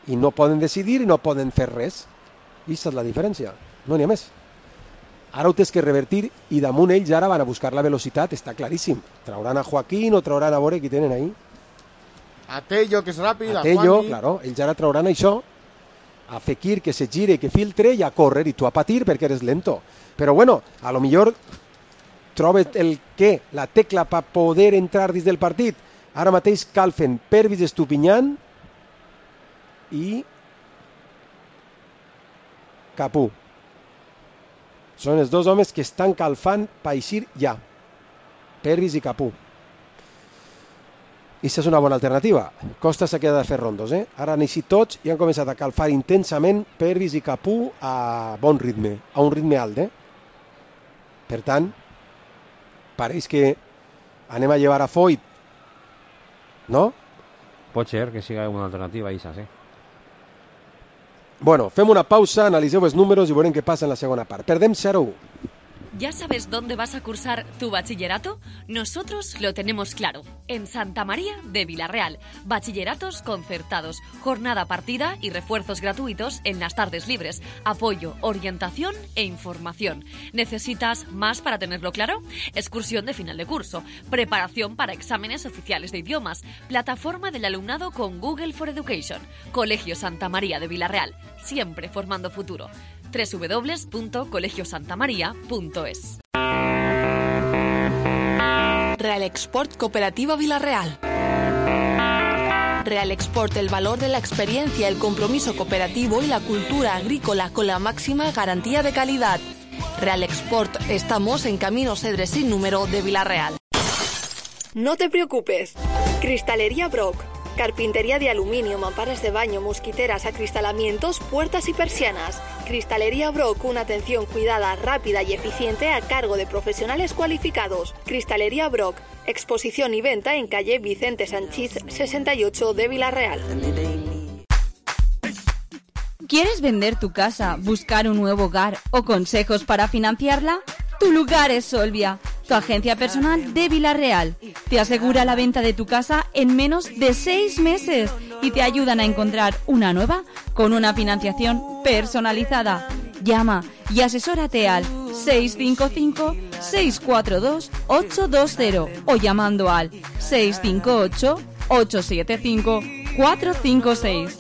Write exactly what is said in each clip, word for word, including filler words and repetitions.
i no poden decidir i no poden fer res. I aquesta és la diferència, no n'hi ha més. Ara ho tens que revertir i damunt ells ara van a buscar la velocitat, està claríssim. Trauran a Joaquín o trauran a veure qui tenen ahí. A Tello, que és ràpid, a a Tello, Juanmi. claro, ells ara trauran això, a Fekir que se gire, que filtre i a córrer i tu a patir perquè eres lento. Però bueno, a lo millor trobes el què, la tecla per poder entrar dins del partit. Ara mateix calfen Pervis Estupinyan i Capú. Són els dos homes que estan calfant per eixir ja. Pervis i Capú. I aquesta és una bona alternativa. Costa s'ha quedat a fer rondos, eh? Ara han eixit tots i han començat a calfar intensament Pervis i Capú a bon ritme, a un ritme alt, eh? Per tant, pareix que anem a llevar a Foyt, no? Pot ser que sigui una alternativa, Isa, sí. Bueno, fem una pausa, analiseu els números i veurem què passa en la segona part. Perdem zero a u. ¿Ya sabes dónde vas a cursar tu bachillerato? Nosotros lo tenemos claro. En Santa María de Villarreal. Bachilleratos concertados, jornada partida y refuerzos gratuitos en las tardes libres. Apoyo, orientación e información. ¿Necesitas más para tenerlo claro? Excursión de final de curso. Preparación para exámenes oficiales de idiomas. Plataforma del alumnado con Google for Education. Colegio Santa María de Villarreal. Siempre formando futuro. doble u doble u doble u punto colegio santa maría punto es. Real Export Cooperativa Villarreal. Real Export, el valor de la experiencia, el compromiso cooperativo y la cultura agrícola con la máxima garantía de calidad. Real Export, estamos en Camino Cedres sin número de Villarreal. No te preocupes. Cristalería Brock. Carpintería de aluminio, mamparas de baño, mosquiteras, acristalamientos, puertas y persianas. Cristalería Brock, una atención cuidada, rápida y eficiente a cargo de profesionales cualificados. Cristalería Brock, exposición y venta en calle Vicente Sanchís sesenta y ocho de Villarreal. ¿Quieres vender tu casa, buscar un nuevo hogar o consejos para financiarla? Tu lugar es Solvia, tu agencia personal de Villarreal. Te asegura la venta de tu casa en menos de seis meses y te ayudan a encontrar una nueva con una financiación personalizada. Llama y asesórate al seis cinco cinco, seis cuatro dos, ocho dos cero o llamando al seis cinco ocho, ocho siete cinco, cuatro cinco seis.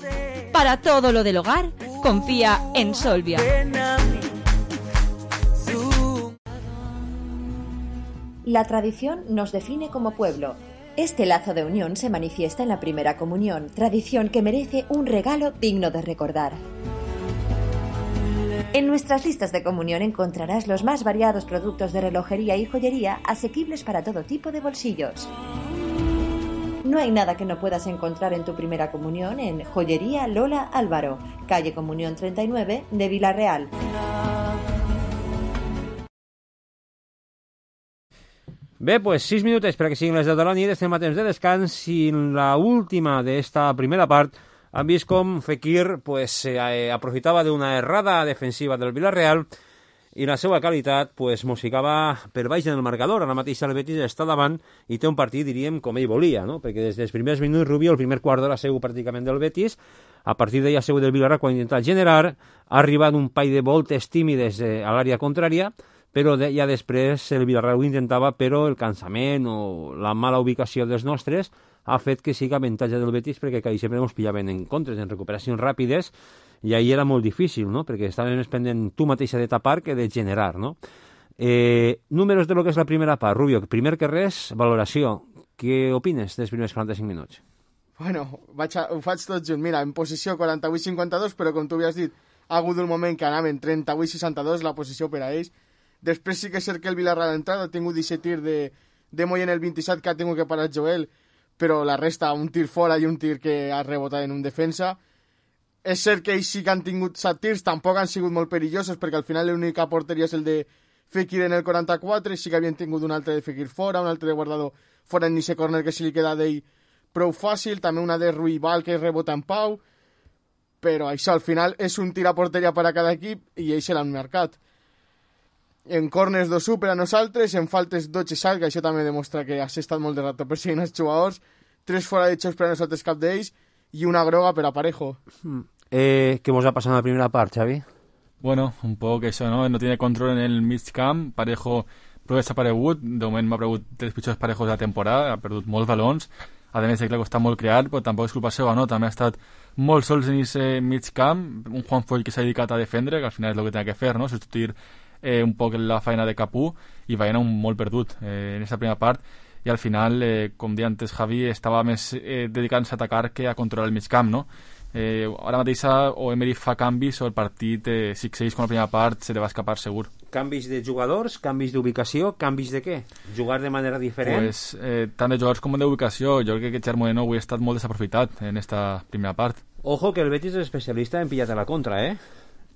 Para todo lo del hogar, confía en Solvia. La tradición nos define como pueblo. Este lazo de unión se manifiesta en la primera comunión, tradición que merece un regalo digno de recordar. En nuestras listas de comunión encontrarás los más variados productos de relojería y joyería asequibles para todo tipo de bolsillos. No hay nada que no puedas encontrar en tu primera comunión en Joyería Lola Álvaro, calle Comunión treinta y nueve de Villarreal. Bé, pues sis minutets perquè siguin les deu de la nit, estem a temps de descans i en l'última d'esta primera part han vist com Fekir pues, eh, aprofitava d'una errada defensiva del Villarreal i la seva qualitat pues, mos ficava per baix en el marcador. Ara mateix el Betis està davant i té un partit, diríem, com ell volia, no? Perquè des dels primers minuts Rubio, el primer quart d'hora seu pràcticament del Betis, a partir d'allà seu del Villarreal quan ha intentat generar, ha arribat un paio de voltes tímides eh, a l'àrea contrària, però de, ja després el Villarreal ho intentava, però el cansament o la mala ubicació dels nostres ha fet que sigui avantatge del Betis perquè quasi sempre ens pillaven en contres, en recuperacions ràpides, i ahir era molt difícil, no? Perquè estaven més pendent tu mateixa de tapar que de generar, no? Eh, números de lo que és la primera part. Rubio, primer que res, valoració. Què opines dels primers quaranta-cinc minuts? Bueno, vaig a, ho faig tot junt. Mira, en posició quaranta-vuit cinquanta-dos, però com tu havies dit, ha hagut un moment que anaven trenta-vuit seixanta-dos, la posició per a ells. Després sí que és cert que el Villarreal ha entrat, ha tingut disset tir de, de Moy en el vint-i-set que ha tingut que parar Joel, però la resta, un tir fora i un tir que ha rebotat en un defensa. És cert que ells sí que han tingut set tirs, tampoc han sigut molt perillosos, perquè al final l'única porteria és el de Fekir en el quaranta-quatre, sí que havien tingut un altre de Fekir fora, un altre de Guardado fora en ese corner que se li queda d'ell prou fàcil, també una de Ruibal que rebota en Pau, però això al final és un tir a porteria per a cada equip i ells se l'han marcat. En corners dos u per a nosaltres, en faltes dotze salga, això també demostra que has estat molt de rato perseguint els jugadors, tres fora de xocs per a nosaltres cap d'ells, i una groga per a Parejo. Eh, què mos ha passat en la primera part, Xavi? Bueno, un poc això, no? No tiene control en el mig camp, Parejo prou desaparegut, de moment m'ha perdut tres pitjors Parejos de la temporada, ha perdut molts balons, a més de que l'ha costat molt crear, però tampoc és culpa seva, no? També ha estat molt sols en aquest mig camp, un Juan Foy que s'ha dedicat a defendre, que al final és el que té que fer, no? Substituir eh, un poc la feina de Capú, i Baena un molt perdut eh, en aquesta primera part, i al final, eh, com deia antes Javi, estava més eh, dedicant-se a atacar que a controlar el mig camp, no? Eh, ara mateix o Emery fa canvis o el partit eh, sis seis com la primera part se li va escapar segur. Canvis de jugadors, canvis d'ubicació, canvis de què? Jugar de manera diferent? Pues, eh, tant de jugadors com d'ubicació. Jo crec que Gerard Moreno avui ha estat molt desaprofitat en esta primera part. Ojo que el Betis és especialista en pillar a la contra, eh?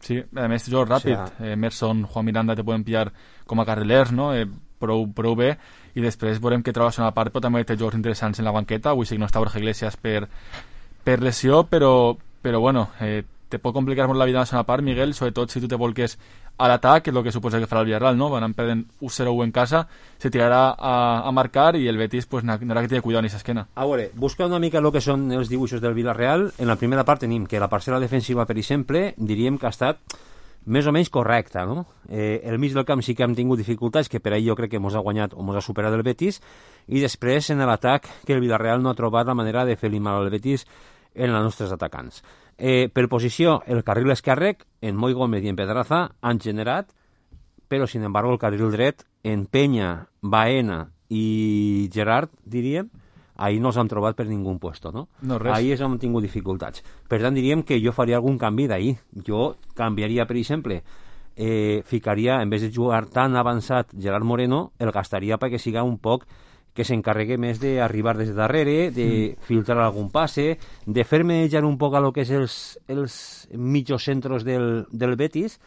Sí, a més jugadors ràpid. O sea... Emerson, Juan Miranda te poden pillar com a carrilers, no? Eh, prou, prou bé, i després veurem que troba la segona part, però també té jugadors interessants en la banqueta. Avui sí que no està Borja Iglesias per, per lesió, però, però bueno, eh, te pot complicar molt la vida en la segona part, Miguel, sobretot si tu te volques a l'atac, que és el que suposa que farà el Villarreal, no? Van perdent u zero u en casa, se tirarà a, a marcar i el Betis pues, n'haurà que tenir cuidado en aquesta esquena. A veure, busca una mica el que són els dibuixos del Villarreal. En la primera part tenim que la parcel·la defensiva, per exemple, diríem que ha estat més o menys correcta, no? Eh, el mig del camp sí que hem tingut dificultats, que per ahir jo crec que mos ha guanyat o mos ha superat el Betis, i després en l'atac que el Villarreal no ha trobat la manera de fer-li mal al Betis en els nostres atacants. Eh, per posició, el carril esquerre, en Moi Gómez i en Pedraza, han generat, però, sin embargo, el carril dret, en Penya, Baena i Gerard, diríem, ahir no s'han trobat per ningú puesto, no? No, res. Ahir és on hem tingut dificultats. Per tant, diríem que jo faria algun canvi d'ahir. Jo canviaria, per exemple, eh, ficaria, en vez de jugar tan avançat Gerard Moreno, el gastaria perquè siga un poc que s'encarregui més d'arribar des de darrere, de mm. filtrar algun passe, de fer manejar un poc a lo que és els, els mitjos centros del, del Betis,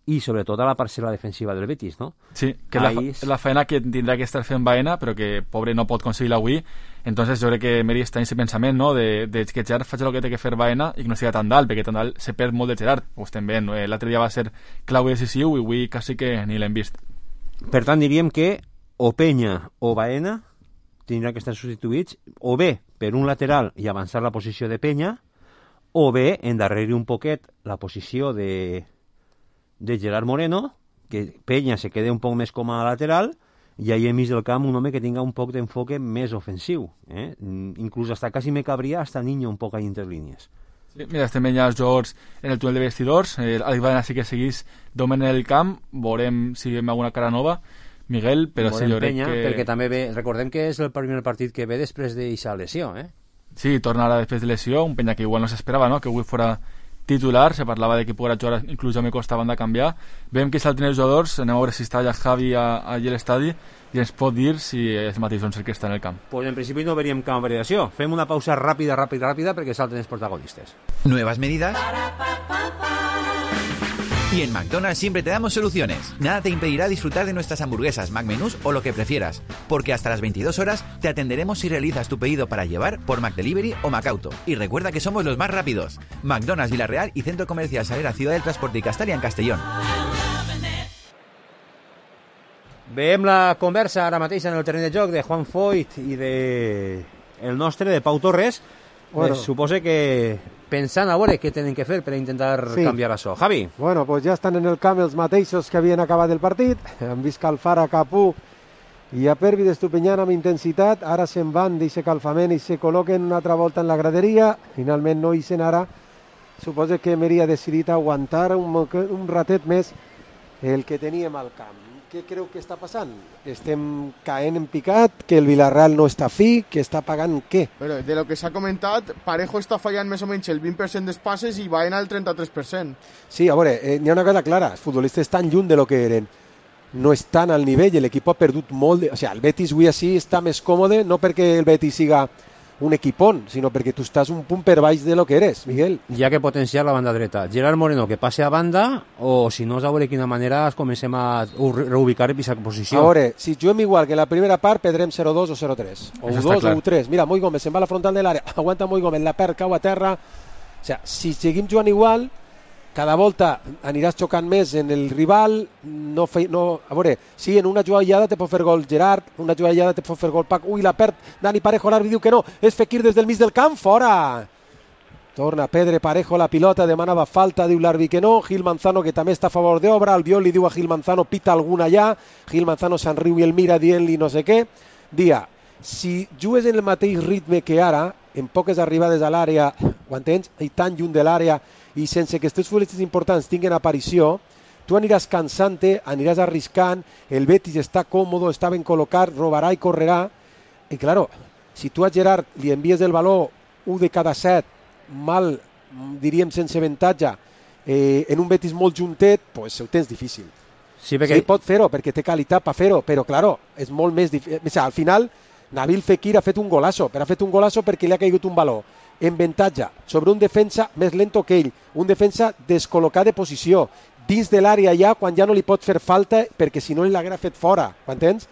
i sobretot a la parcel·la defensiva del Betis, no? Sí, que és la, la feina que tindrà que estar fent Baena, però que pobre no pot aconseguir-la avui. Entonces jo crec que Meri està en aquest pensament, no?, de, de que Gerard faci el que té que fer Baena i que no sigui tan dalt, perquè tan dalt se perd molt de Gerard. Ho estem veient, eh? L'altre dia va ser clau i decisiu i avui quasi que ni l'hem vist. Per tant, diríem que o Penya o Baena tindran que estar substituïts o bé per un lateral i avançar la posició de Penya, o bé endarrerir un poquet la posició de, de Gerard Moreno, que Penya se quede un poc més com a lateral, i ahí enmig del camp un home que tinga un poc d'enfoque més ofensiu. Eh? Inclús hasta quasi me cabria hasta Niño un poc ahí entre línies. Sí, mira, estem veient els jugadors en el túnel de vestidors. Eh, Alex Baena sí que seguís domen en el camp, veurem si veiem alguna cara nova, Miguel, però sí, jo crec Penya, que... perquè també ve, recordem que és el primer partit que ve després d'eixa lesió, eh? Sí, torna ara després de lesió, un Penya que igual no s'esperava, no?, que avui fora titular, se parlava de que poguera jugar inclús ja me costava de canviar. Veiem que salten els jugadors, anem a veure si està ja Javi allà a l'estadi i ens pot dir si és mateix el que està en el camp. Pues en principi no veríem cap variació. Fem una pausa ràpida, ràpida, ràpida perquè salten els protagonistes. Nuevas medidas. Y en McDonald's siempre te damos soluciones. Nada te impedirá disfrutar de nuestras hamburguesas, McMenús o lo que prefieras, porque hasta las veintidós horas te atenderemos si realizas tu pedido para llevar por McDelivery o McAuto. Y recuerda que somos los más rápidos. McDonald's Villarreal y Centro Comercial Salera Ciudad del Transporte y Castalia en Castellón. Veiem la conversa ara mateix en el terreny de joc de Juan Foyt i de el nostre, de Pau Torres. Bueno. Pues suposo que pensant a veure què tenen que fer per intentar sí. canviar això. Javi. Bueno, pues ja estan en el camp els mateixos que havien acabat el partit. Han vist calfar a Capú i a Pervi d'Estupinyana amb intensitat. Ara se'n van d'aquest calfament i se col·loquen una altra volta en la graderia. Finalment no hi sent ara. Suposo que Meri ha decidit aguantar un, un ratet més el que teníem al camp. Què creu que està passant? Estem caent en picat, que el Villarreal no està fi, que està pagant què? Però de lo que s'ha comentat, Parejo està fallant més o menys el vint per cent dels passes i Baena el trenta-tres per cent. Sí, a veure, eh, n'hi ha una cosa clara, els futbolistes estan lluny de lo que eren, no estan al nivell, l'equip ha perdut molt, de... o sigui, el Betis avui així està més còmode, no perquè el Betis siga un equipón, sinó perquè tu estàs un punt per baix de lo que eres, Miguel. Hi ha que potenciar la banda dreta. Gerard Moreno que passe a banda, o si no, a veure quina manera es comencem a reubicar en aquesta posició. A veure, si juguem igual que la primera part, perdrem zero dos o zero tres. O u dos o u tres. Mira, Moi Gómez se'n va a la frontal de l'àrea, aguanta Moi Gómez, la perd, cau a terra. O sigui, si seguim jugant igual, cada volta aniràs xocant més en el rival. No fe... no... A veure, sí, en una jugada te pot fer gol Gerard, una jugada te pot fer gol Pac. Ui, la perd Dani Parejo, l'àrbitre diu que no, és Fekir des del mig del camp, fora. Torna Pedre Parejo la pilota, demanava falta, diu l'àrbitre que no, Gil Manzano que també està a favor d'obra, Albiol li diu a Gil Manzano, pita alguna allà, Gil Manzano se'n riu i el mira dient-li no sé què. Dia, si jugues en el mateix ritme que ara, en poques arribades a l'àrea, ho entens? I tan lluny de l'àrea, i sense que aquests futbolistes importants tinguin aparició, tu aniràs cansant-te, aniràs arriscant, el Betis està còmodo, està ben col·locat, robarà i correrà, i claro, si tu a Gerard li envies el valor un de cada set, mal, diríem sense avantatge, eh, en un Betis molt juntet, pues ho tens difícil. Sí, perquè... sí pot fer-ho, perquè té qualitat per fer-ho, però claro, és molt més difícil. O sigui, al final, Nabil Fekir ha fet un golazo, però ha fet un golazo perquè li ha caigut un valor en avantatge sobre un defensa més lento que ell, un defensa descol·locat de posició, dins de l'àrea ja, quan ja no li pot fer falta, perquè si no l'haguera fet fora, m'entens?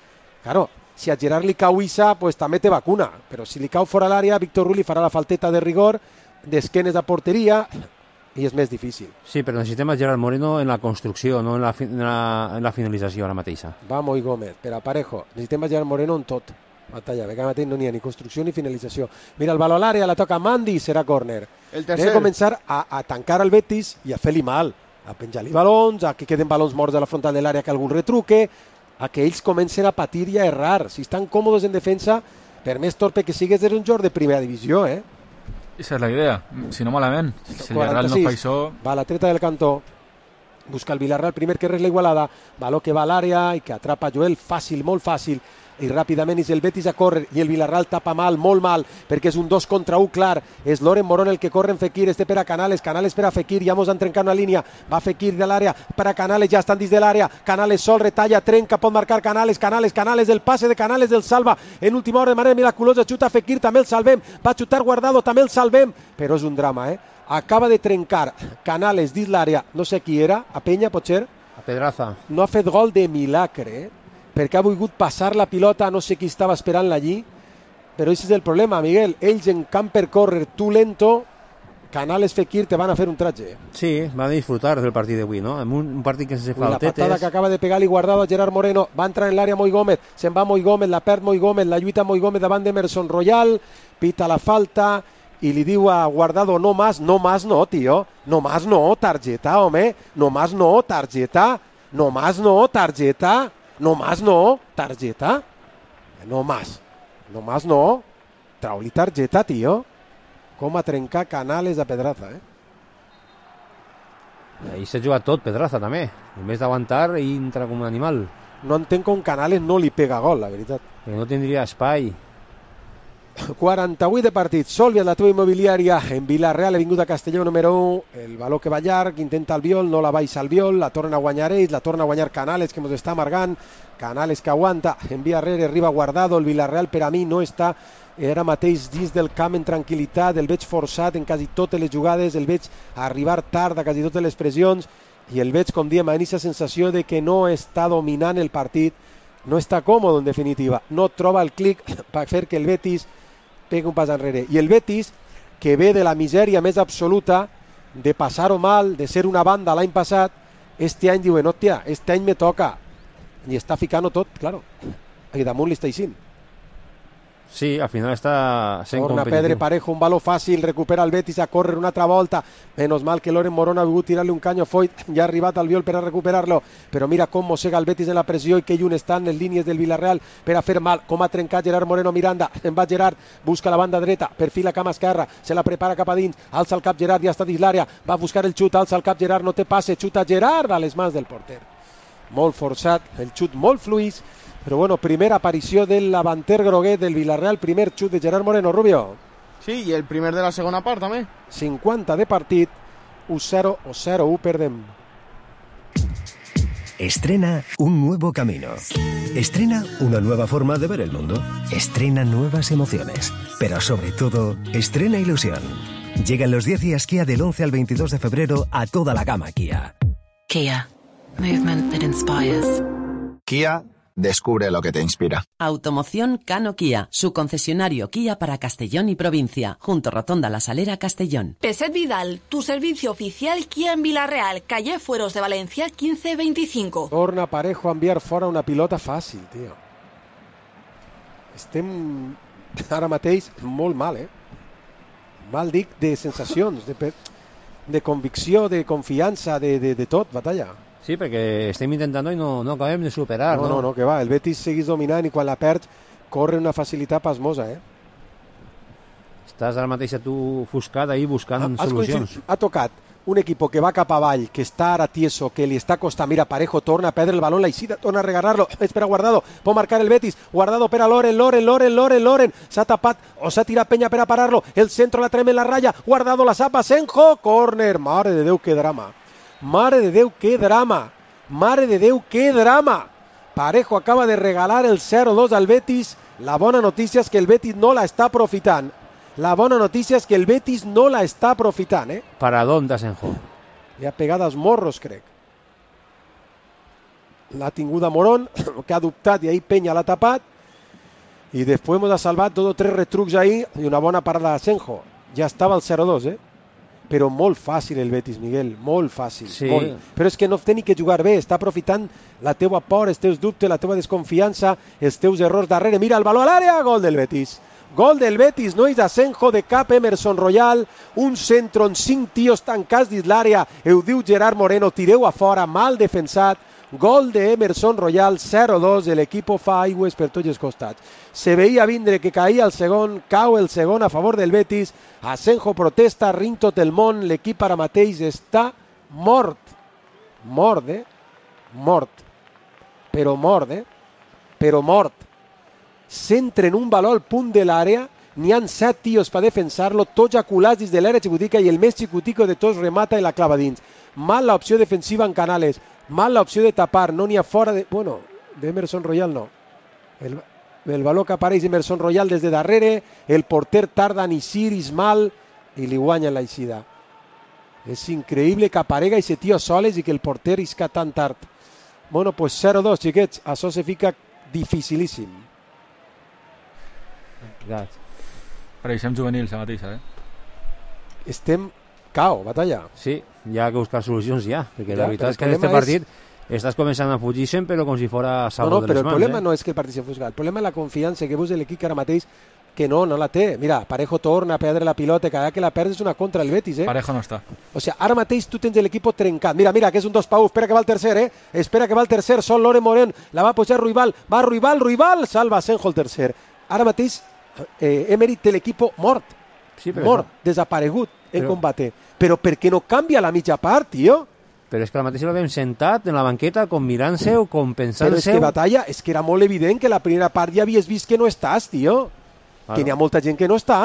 Claro, si a Gerard li cau Issa, pues també té vacuna, però si li cau fora l'àrea, Víctor Ruiz li farà la falteta de rigor, d'esquenes a porteria, i és més difícil. Sí, però necessitem a Gerard Moreno en la construcció, no en la, en la, en la finalització ara mateixa. Va, Moi Gómez, per a Parejo, necessitem a Gerard Moreno en tot. Batalla, perquè ara mateix no n'hi ha ni construcció ni finalització. Mira, el valor a l'àrea, la toca Mandi, serà córner. El Hem tercer. de començar a, a tancar el Betis i a fer-li mal, a penjar-li balons, a que queden balons morts a la frontal de l'àrea que algun retruque, a que ells comencen a patir i a errar. Si estan còmodes en defensa, per més torpe que sigues, és un joc de primera divisió, eh? Esa és la idea, si no malament. Si el Villarreal no fa això... Va la treta del cantó, busca el Villarreal, primer que res la igualada, valor que va a l'àrea i que atrapa Joel fàcil, molt fàcil, i ràpidament és el Betis a córrer i el Villarreal tapa mal, molt mal, perquè és un dos contra un clar, és Loren Morón el que corre en Fekir, este per a Canales, Canales per a Fekir, ja mos han trencat una línia, va Fekir de l'àrea, per a Canales, ja estan dins de l'àrea, Canales sol, retalla, trenca, pot marcar Canales, Canales, Canales, el passe de Canales, el salva, en última hora de manera miraculosa, xuta Fekir, també el salvem, va xutar Guardado, també el salvem, però és un drama, eh? Acaba de trencar Canales dins l'àrea, no sé qui era, a Penya, potser? A Pedraza. No ha fet gol de milagre, eh? Perquè ha volgut passar la pilota, no sé qui estava esperant-la allí, però aquest és el problema, Miguel, ells en camp per córrer, tu lento, Canales, Fekir te van a fer un tratge. Sí, van a disfrutar del partit d'avui, no? En un, un partit que sense faltetes... La patada que acaba de pegar-li Guardado a Gerard Moreno, va entrar en l'àrea Moi Gómez, se'n va Moi Gómez, la perd Moi Gómez, la lluita Moi Gómez davant d'Emerson Royal, pita la falta i li diu a Guardado, no más, no más no, tio, no más no, targeta, home, no más no, targeta, no más no, targeta... No más no, targeta. No más. No más no. Trau-li targeta, tio. Com a trencar Canales a Pedraza, eh? Ahí s'ha jugat tot, Pedraza, també. En vez d'aguantar, entra com un animal. No entenc com Canales no li pega gol, la veritat. Perquè no tindria espai. quaranta-vuit de partit. Sòlvia, la teva immobiliària en Vilareal, ha vingut a Castelló número un, el valor que va llarg, intenta el Viol, no la baixa el Viol, la torna a guanyar ells, la torna a guanyar Canales, que ens està amargant, Canales que aguanta, envia arrere, arriba Guardado, el Vilareal per a mi no està ara mateix dins del camp en tranquil·litat, el veig forçat en quasi totes les jugades, el veig arribar tard a quasi totes les pressions, i el veig, com diem, amb aquesta sensació de que no està dominant el partit, no està còmode en definitiva, no troba el clic per fer que el Betis pega un pas enrere. I el Betis, que ve de la misèria més absoluta, de passar-ho mal, de ser una banda l'any passat, este any diuen, hòstia, este any me toca. I està ficant-ho tot, claro. I damunt li està eixint. Sí, al final està sent Torna competitiu. Pedre Parejo, un valor fàcil, recupera el Betis a córrer una altra volta. Menos mal que Loren Morón ha volgut tirar-li un canyo a Foyt, ja ha arribat al Viol per a recuperar-lo, però mira com mossega el Betis en la pressió i que lluny estan les línies del Villarreal per a fer mal, com ha trencat Gerard Moreno Miranda, en va Gerard, busca la banda dreta, perfila cama esquerra, se la prepara cap a dins, alça el cap Gerard, ja està dins l'àrea, va a buscar el xut, alça el cap Gerard, no té passe, xuta Gerard a les mans del porter. Molt forçat, el xut molt fluix, però bueno, primera aparició del davanter groguet del Villarreal, primer xut de Gerard Moreno, Rubio. Sí, i el primer de la segona part també. cinquanta de partit, u cero o cero u perdem. Estrena un nuevo camino. Estrena una nueva forma de ver el mundo. Estrena nuevas emociones. Pero sobre todo, estrena ilusión. Llegan los diez días Kia del once al veintidós de febrero a toda la gama Kia. Kia. Movement that inspires. Kia, descubre lo que te inspira. Automoción Cano Kia, su concesionario Kia para Castellón y provincia, junto Rotonda La Salera, Castellón. Peset Vidal, tu servicio oficial Kia en Vilareal, calle Fueros de Valencia quince veinticinco. Torna Parejo a enviar fora una pilota fàcil, tio. Estem ara mateix molt mal, eh? mal dic de sensacions, de, de convicció, de confiança, de, de, de tot, Batalla. Sí, perquè estem intentant i no, no acabem de superar. No, no, no, que va, el Betis segueix dominant i quan la perd corre una facilitat pasmosa, eh? Estàs ara mateix a tu ofuscat ahí buscant ha, solucions. Ha tocat un equipo que va cap avall, que està ara tieso, que li està costant. Mira, Parejo torna a perdre el balón, la Isida torna a regalar-lo. Espera Guardado, pot marcar el Betis. Guardado per a Loren, Loren, Loren, Loren, Loren. S'ha tapat o s'ha tirat Peña per a parar-lo. El centro la trema en la raya. Guardado la sapa, Senjo, córner. Mare de Déu, que drama. Mare de Déu, que drama. Mare de Déu, que drama. Parejo acaba de regalar el cero dos al Betis. La bona notícia és que el Betis no la està aprofitant. La bona notícia és que el Betis no la està aprofitant, eh? Paradón d'Asenjo. Li ha pegat als morros, crec. L'ha tingut a Morón, que ha dubtat i ahí Peña l'ha tapat. I després hemos salvat dos o tres retrucs ahí i una bona parada d'Asenjo. Ja estava el zero dos, eh? Però molt fàcil el Betis, Miguel, molt fàcil. Sí. Molt. Però és que no té ni que jugar bé, està aprofitant la teua por, els teus dubtes, la teua desconfiança, els teus errors darrere. Mira el baló a l'àrea, gol del Betis. Gol del Betis, no és d'Asenjo, de cap Emerson Royal, un centre on cinc tios tancats dins l'àrea, ho diu Gerard Moreno, tireu a fora, mal defensat, gol de Emerson Royal, zero dos, l'equip fa aigües per tots els costats. Se veia vindre que caïa el segon, cau el segon a favor del Betis, Asenjo protesta, ring tot el món, l'equip ara mateix està mort, mort, eh? Mort, però mort, eh? Però mort. Centren un baló al punt de l'àrea, n'hi han set tios per defensar-lo, tots aculats dins de l'àrea xicotica i el més xicutico de tots remata i la clava dins. Mal l'opció defensiva en Canales, mal l'opció de tapar, no n'hi ha fora de... Bueno, d'Emerson Royal no. El, el baló que apareix Emerson Royal des de darrere, el porter tarda en eixir, Ismal, i li guanya la eixida. És increïble que aparega aquest tio soles i que el porter isca tan tard. Bueno, pues zero dos, xiquets, això se fica dificilíssim. Pareixem juvenils la mateixa, eh? Estem cao, Batalla. Sí, hi ha que buscar solucions ja, perquè ja, la veritat és que en aquest partit és... estàs començant a fugir-se'n, però com si fora salvo no, no, de les mans. No, però el problema eh? no és que el partit s'enfusca, el problema és la confiança que veus de l'equip que ara mateix que no, no la té. Mira, Parejo torna a perdre la pilota, cada que la perds és una contra el Betis, eh? Parejo no està. O sea, ara mateix tu tens l'equip trencat. Mira, mira, que és un dos pa u, espera que va el tercer, eh? Espera que va el tercer, sol Loren Morén, la va pujar Ruibal, va Ruibal, Ruibal, salva Asenjo el tercer. Ara mateix eh, Emery té l'equip mort, sí, mort, no. desaparegut en però... combate. Però per què no canvia la mitja part, tio? Però és que la mateixa l'havem sentat en la banqueta com mirant-se o com pensant-se. Però és que Batalla, és que era molt evident que la primera part ja havies vist que no estàs, tio. Claro. Que n'hi ha molta gent que no està.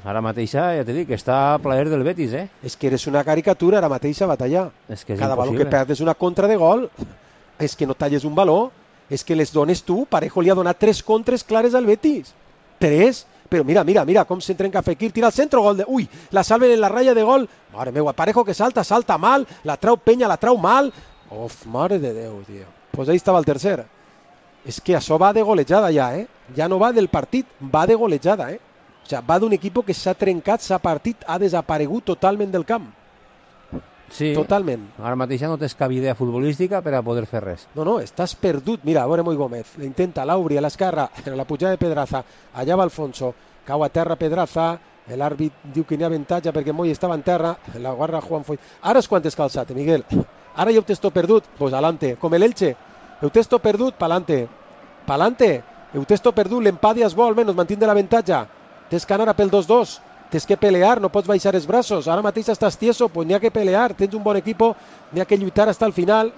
Ara mateixa, ja t'he dit, que està a plaer del Betis, eh? És que eres una caricatura ara mateixa, Batalla. És que és cada impossible. Baló que perds és una contra de gol. És que no talles un baló. És que les dones tu. Parejo li ha donat tres contres clares al Betis. Tres. Però mira, mira, mira com s'entrenca Fekir, tira al centre, gol de... Ui, la salven en la ratlla de gol. Mare meva, Parejo que salta, salta mal, la trau Peña, la trau mal. Uf, mare de Déu, tio. Pues ahí estava el tercer. És que això va de golejada ja, eh? Ja no va del partit, va de golejada, eh? O sigui, va d'un equip que s'ha trencat, s'ha partit, ha desaparegut totalment del camp. Sí, totalment. Ara mateix ja no tens cap idea futbolística per a poder fer res. No, no, estàs perdut. Mira, a veure Moi Gómez, l'intenta, l'Auri a l'esquerra, en la pujada de Pedraza, allà va Alfonso, cau a terra Pedraza, l'àrbit diu que n'hi ha avantatge perquè Moi estava en terra, la guarda Juan Foy. Ara és quan t'has calçat, Miguel. Ara ja ho tens tot perdut, pues alante, com l'Elche. Ho tens tot perdut, pa'lante. Pa'lante, ho tens tot perdut, l'empat ja es vol, almenys mantindre l'avantatge. Tens que anar a pel dos dos. Tens que pelear, no pots baixar els braços. Ara mateix estàs tieso, pues n'hi ha que pelear. Tens un bon equip, n'hi ha que lluitar hasta el final.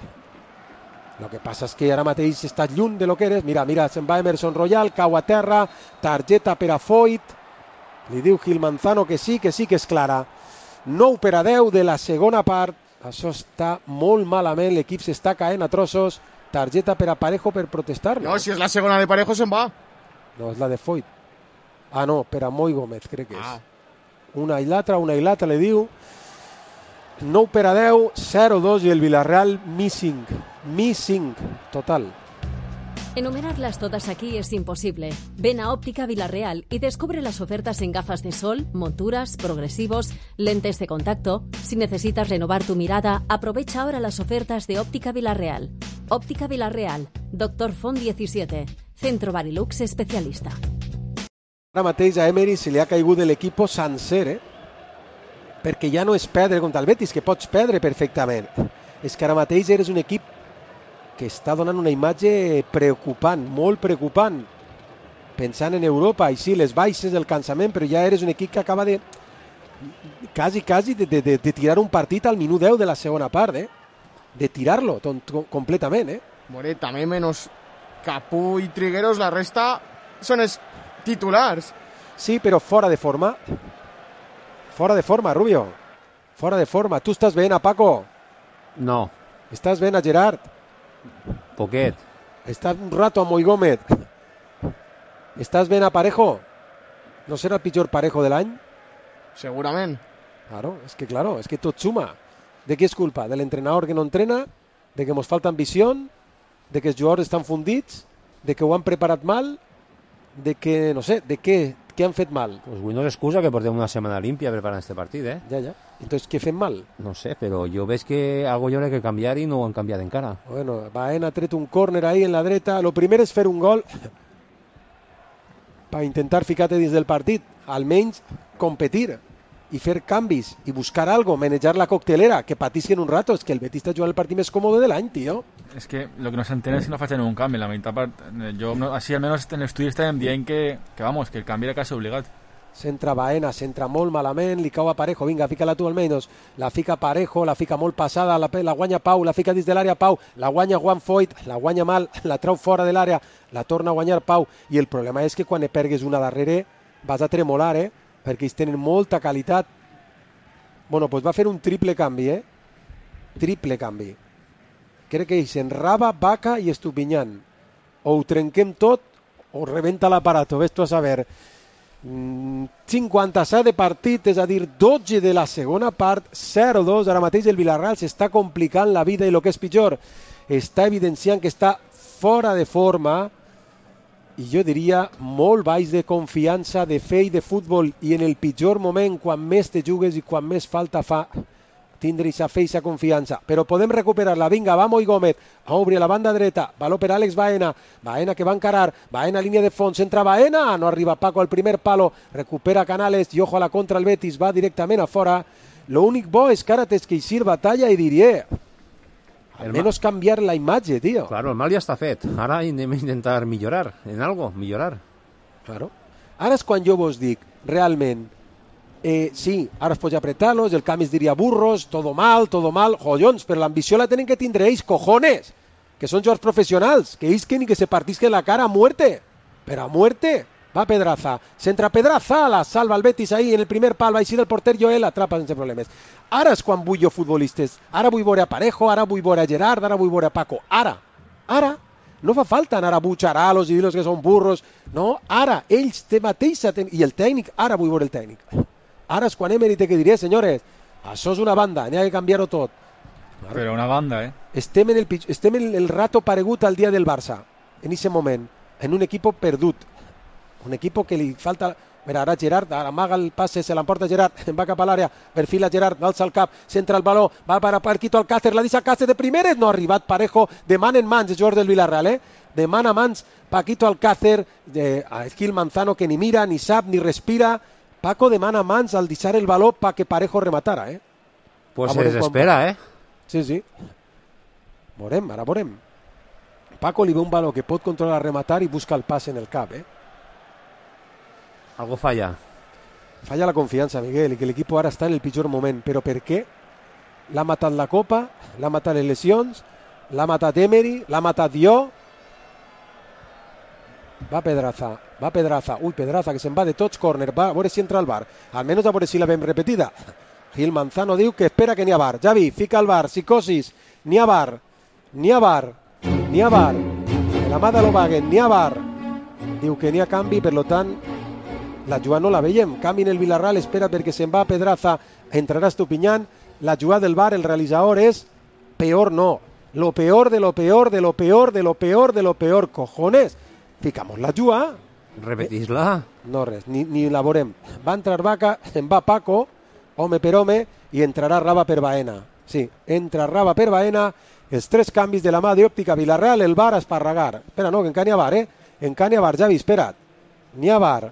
Lo que passa és que ara mateix estàs lluny de lo que eres. Mira, mira, se'n va Emerson Royal, cau a terra, targeta per a Foyt. Li diu Gil Manzano que sí, que sí que és clara. nou per a deu de la segona part. Això està molt malament, l'equip s'està caent a trossos. Targeta per a Parejo per protestar. No, si és la segona de Parejo se'n va. No, és la de Foyt. Ah, no, per a Moi Gómez, crec que és. Ah. Una i l'altra, una i l'altra, li diu. nou per a deu, zero dos i el Villarreal missing. Missing, total. Enumerarlas todas aquí es imposible. Ven a Óptica Villarreal y descubre las ofertas en gafas de sol, monturas, progresivos, lentes de contacto. Si necesitas renovar tu mirada, aprovecha ahora las ofertas de Óptica Villarreal. Óptica Villarreal, Doctor Font diecisiete, Centro Barilux especialista. Ara mateix a Emery se li ha caigut de l'equip sencer, eh? Perquè ja no és perdre contra el Betis, que pots perdre perfectament. És que ara mateix eres un equip que està donant una imatge preocupant, molt preocupant, pensant en Europa, i sí, les baixes del cansament, però ja eres un equip que acaba de quasi, quasi de, de, de, de tirar un partit al minut deu de la segona part, eh? De tirar-lo completament, eh? More, també menys Capú i Trigueros, la resta són els titulars. Sí, però fora de forma. Fora de forma, Rubio. Fora de forma. Tu estàs veient a Paco? No. Estàs veient a Gerard? Poquet. Estàs un rato a Moi Gómez? Estàs veient a Parejo? ¿No serà el pitjor Parejo de l'any? Segurament. Claro, es que claro, es que tot suma. ¿De què és culpa? ¿De l'entrenador que no entrena? ¿De que mos falta ambició? ¿De que els jugadors estan fundits? ¿De que ho han preparat mal? ¿De que, no sé, de què, què han fet mal? Pues bueno, és excusa que portem una setmana limpia preparant este partit, eh? Ja, ja. Entonces, què fem mal? No sé, però jo veig que algo hi haurà que canviar i no ho han canviat encara. Bueno, Baena ha tret un córner ahí en la dreta. Lo primer és fer un gol per intentar ficar-te dins del partit, almenys competir i fer canvis i buscar algo, manejar la coctelera, que patisquen un rato. És que el Betis està jugant el partit més còmode de l'any, tio. Es que lo que no se entera es que no facin un canvi. La meitat part, jo, no, així almenys en l'estudi estàvem dient que, que, vamos, que el canvi era quasi obligat. S'entra Baena, s'entra molt malament, li cau a Parejo, vinga, fica-la tu almenys, la fica Parejo, la fica molt passada, la, la guanya Pau, la fica dins de l'àrea Pau, la guanya Juan Foyt, la guanya mal, la trau fora de l'àrea, la torna a guanyar Pau, i el problema és que quan ne pergues una darrere vas a tremolar, eh? Perquè ells tenen molta qualitat. Bueno, doncs va fer un triple canvi, eh? Triple canvi. Crec que ells enraba, Vaca i Estupiñán. O ho trenquem tot o rebenta l'aparato, ves tu a saber. cinquanta-set de partit, és a dir, dotze de la segona part, zero dos. Ara mateix el Villarreal s'està complicant la vida i el que és pitjor, està evidenciant que està fora de forma i jo diria molt baix de confiança, de fe i de futbol, i en el pitjor moment, quan més te jugues i quan més falta fa tindre aquesta fe i aquesta confiança. Però podem recuperar-la. Vinga, va Moi Gómez, a obrir a la banda dreta, valor per Àlex Baena, Baena que va encarar, Baena línia de fons, entra Baena, no arriba Paco al primer palo, recupera Canales i ojo a la contra el Betis, va directament a fora. L'únic bo és que ara tens que eixir batalla i diria, almenys canviar la imatge, tio. Claro, el mal ja està fet. Ara anem a intentar millorar en algo, millorar. Claro. Ara és quan jo vos dic, realment, Eh, sí, ara es pot apretar-los, el Camis diria burros, todo mal, todo mal, jollons, però l'ambició la tenen que tindre ells, cojones, que són jugadors professionals, que ells que ni que se partisquen la cara a muerte, però a muerte. Va Pedraza, centra Pedraza, la salva el Betis ahí en el primer pal, va eixir el porter Joel, atrapa sense problemes. Ara és quan vull jo futbolistes, ara vull veure a Parejo, ara vull veure a Gerard, ara vull veure a Paco, ara, ara, no fa falta anar a butxarar-los i dir-los que són burros, no, ara, ells te mateix, i el tècnic, ara vull veure el tècnic. Ara és quan Emery té que dir, senyores, això és una banda, n'hi ha que canviar-ho tot. Però una banda, eh? Estem en el, estem en el rato paregut al dia del Barça, en aquest moment, en un equip perdut, un equip que li falta. Mira, ara Gerard, ara amaga el passe, se l'emporta Gerard, va cap a l'àrea, perfila Gerard, alça el cap, centra el baló, va per a Paquito Alcácer, la deixa Alcácer de primeres, no ha arribat Parejo, de man en mans, el jugador del Villarreal, eh? De man a mans, Paquito Alcácer, de Gil Manzano, que ni mira, ni sap, ni respira. Paco demana mans al deixar el baló para que Parejo rematara, eh? Pues se desespera, eh? Sí, sí. Veurem, ara veurem. Paco li ve un baló que pot controlar, rematar i busca el pas en el cap, eh? Algo falla. Falla la confiança, Miguel, i que l'equip ara està en el pitjor moment. Però per què? L'ha matat la Copa, l'ha matat les lesions, l'ha matat Emery, l'ha matat jo. Va Pedraza, va Pedraza, ui Pedraza que se'n va de tots, córner, va a veure si entra al bar, almenys a veure si la veiem repetida. Gil Manzano diu que espera que n'hi ha bar. Javi, fica al bar, psicosis, n'hi ha bar, n'hi ha bar, n'hi ha bar, de la mà de l'Obagen, n'hi ha bar. Diu que n'hi ha canvi, per tant, la jugada no la veiem, canvi en el Villarreal, espera perquè se'n va Pedraza, entrarà Estupiñán, la jugada del bar, el realitzador és peor no, lo peor de lo peor de lo peor de lo peor de lo peor, cojones. Ficamos la jugada. Repetís-la. No res, ni, ni la veurem. Va entrar Vaca, en va Paco, home per home, i entrarà Raba per Baena. Sí, entra Raba per Baena, els tres canvis de la mà d'Òptica Villarreal, el bar a esparragar. Espera, no, que encara n'hi ha bar, eh? Encara n'hi ha bar, Javi, espera't. N'hi ha bar,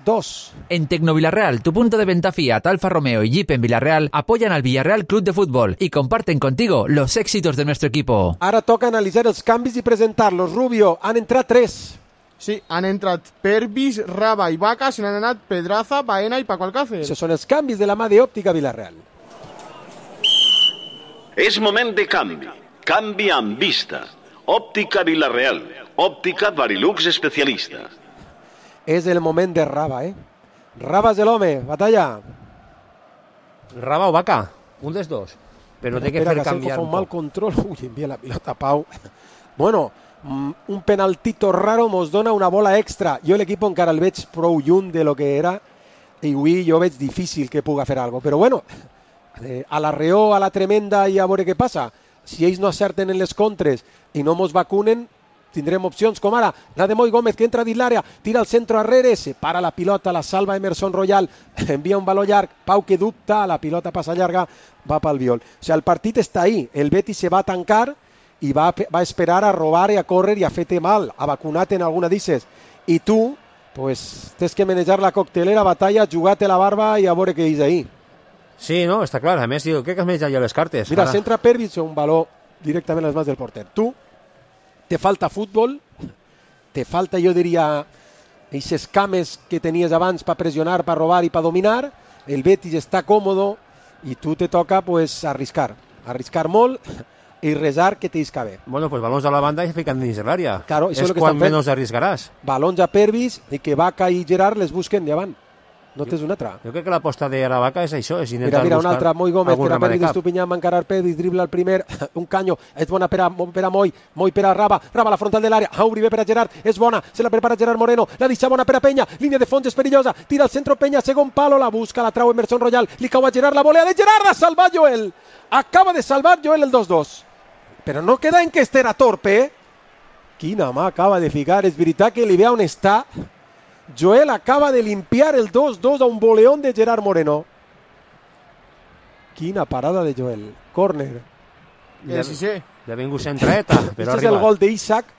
dos. En Tecnovillarreal, tu punto de venta Fiat, Alfa Romeo y Jeep en Villarreal, apoyan al Villarreal Club de Fútbol y comparten contigo los éxitos de nuestro equipo. Ara toca analitzar els canvis i presentar-los. Rubio, han entrat tres. Sí, han entrat Pervis, Raba i Vaca, se n'han anat Pedraza, Baena i Paco Alcácer. Això són els canvis de la mà d'Òptica Villarreal. És moment de canvi. Canvi amb vista. Òptica Villarreal. Òptica Varilux especialista. És el moment de Raba, eh? Raba és l'home, batalla. Raba o Vaca, un dels dos. Però no té que fer canviar un mal control. Uy, envia la pilota a Pau. Bueno, un penaltito raro mos dona una bola extra. Jo l'equip encara el veig prou lluny de lo que era i avui jo veig difícil que puga fer alguna cosa. Però bueno, eh, a la reó, a la tremenda i a veure què passa. Si ells no acerten en les contres i no mos vacunen, tindrem opcions com ara la de Moi Gómez, que entra dins l'àrea, tira el centre arrere, separa la pilota, la salva Emerson Royal, envia un baló llarg, Pau que dubta, la pilota passa llarga, va pel viol. O sigui, el partit està ahí, el Betis se va a tancar i va, va a esperar a robar i a córrer i a fer-te mal, a vacunar-te en alguna d'ixes. I tu, pues, tens que manejar la coctelera, batalla, jugar-te la barba i a veure què és ahí. Sí, no, està clar. A més, jo crec que has menjat ja les cartes. Mira, ara s'entra Pervis un baló directament a les mans del porter. Tu, te falta fútbol, te falta, jo diria, aquestes cames que tenies abans per pressionar, per robar i per dominar. El Betis està còmodo i tu te toca pues arriscar, arriscar molt i resar que t'isca bé. Bueno, pues balons a la banda i ficant dins l'àrea. Claro, és quan menys arriscaràs. Balons a Pervis i que Vaca i Gerard les busquen davant. No tens una altra. Jo crec que l'aposta de la Vaca és això, és mira, intentar mira, buscar una altra, Moi Gómez, per a Pervis, cap. Estupinyà, encarar Pervis, dribla el primer, un canyo, és bona per a, per a Moi, Moi per a Raba, Raba a la frontal de l'àrea, obri bé per a Gerard, és bona, se la prepara Gerard Moreno, la deixa bona per a Penya, línia de fons és perillosa, tira al centre Penya, segon palo, la busca, la trau Emerson Royal, li cau a Gerard, la volea de Gerard, ha salvat Joel, acaba de salvar Joel el dos dos, però no queda en que este era torpe, eh? Quina mà acaba de ficar, és veritat que li ve on està. Joel acaba de limpiar el dos dos a un boleón de Gerard Moreno. Quina parada de Joel. Córner. Ja, sí, sí. Ja ha vingut centreta, però este és el gol d'Isaac,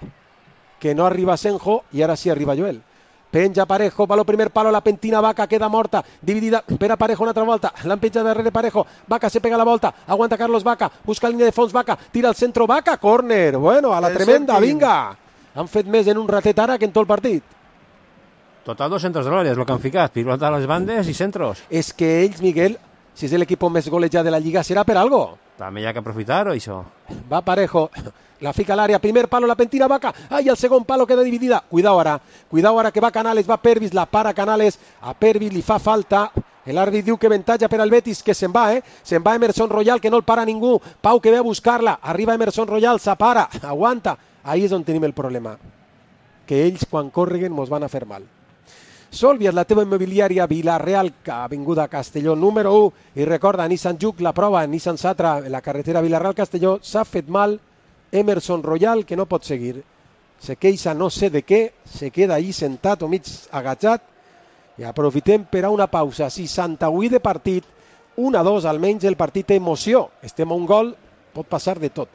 que no arriba Senjo, i ara sí arriba Joel. Penja Parejo, palo primer palo, la pentina Vaca, queda morta, dividida per a Parejo una altra volta, l'han penjat darrere Parejo, Vaca se pega la volta, aguanta Carlos Vaca, busca línia de fons Vaca, tira al centro Vaca, córner, bueno, a la el tremenda, sentim. Vinga. Han fet més en un ratet ara que en tot el partit. Total dos centros de l'àrea, és el que han ficat, pilota a les bandes i centros. És que ells, Miguel, si és l'equip més golejat de la Lliga, serà per algo. També hi ha que aprofitar, o això? Va Parejo, la fica a l'àrea, primer palo, la pentina Vaca, ai, el segon palo queda dividida. Cuidao ara, cuidao ara que va Canales, va Pervis, la para Canales, a Pervis li fa falta. L'àrbit diu que avantatge per al Betis, que se'n va, eh? Se'n va Emerson Royal, que no el para ningú. Pau que ve a buscar-la, arriba Emerson Royal, s'apara, aguanta. Ahí és on tenim el problema, que ells quan córreguen mos van a fer mal. Solvias, la teva immobiliària Vilareal, avinguda Castelló número u, i recorda, Nissan Juke, la prova, Nissan Satra, en la carretera Vilareal-Castelló, s'ha fet mal Emerson Royal, que no pot seguir. Se queixa no sé de què, se queda ahí sentat o mig agachat, i aprofitem per a una pausa. seixanta-vuit de partit, un a dos, almenys el partit té emoció. Estem a un gol, pot passar de tot.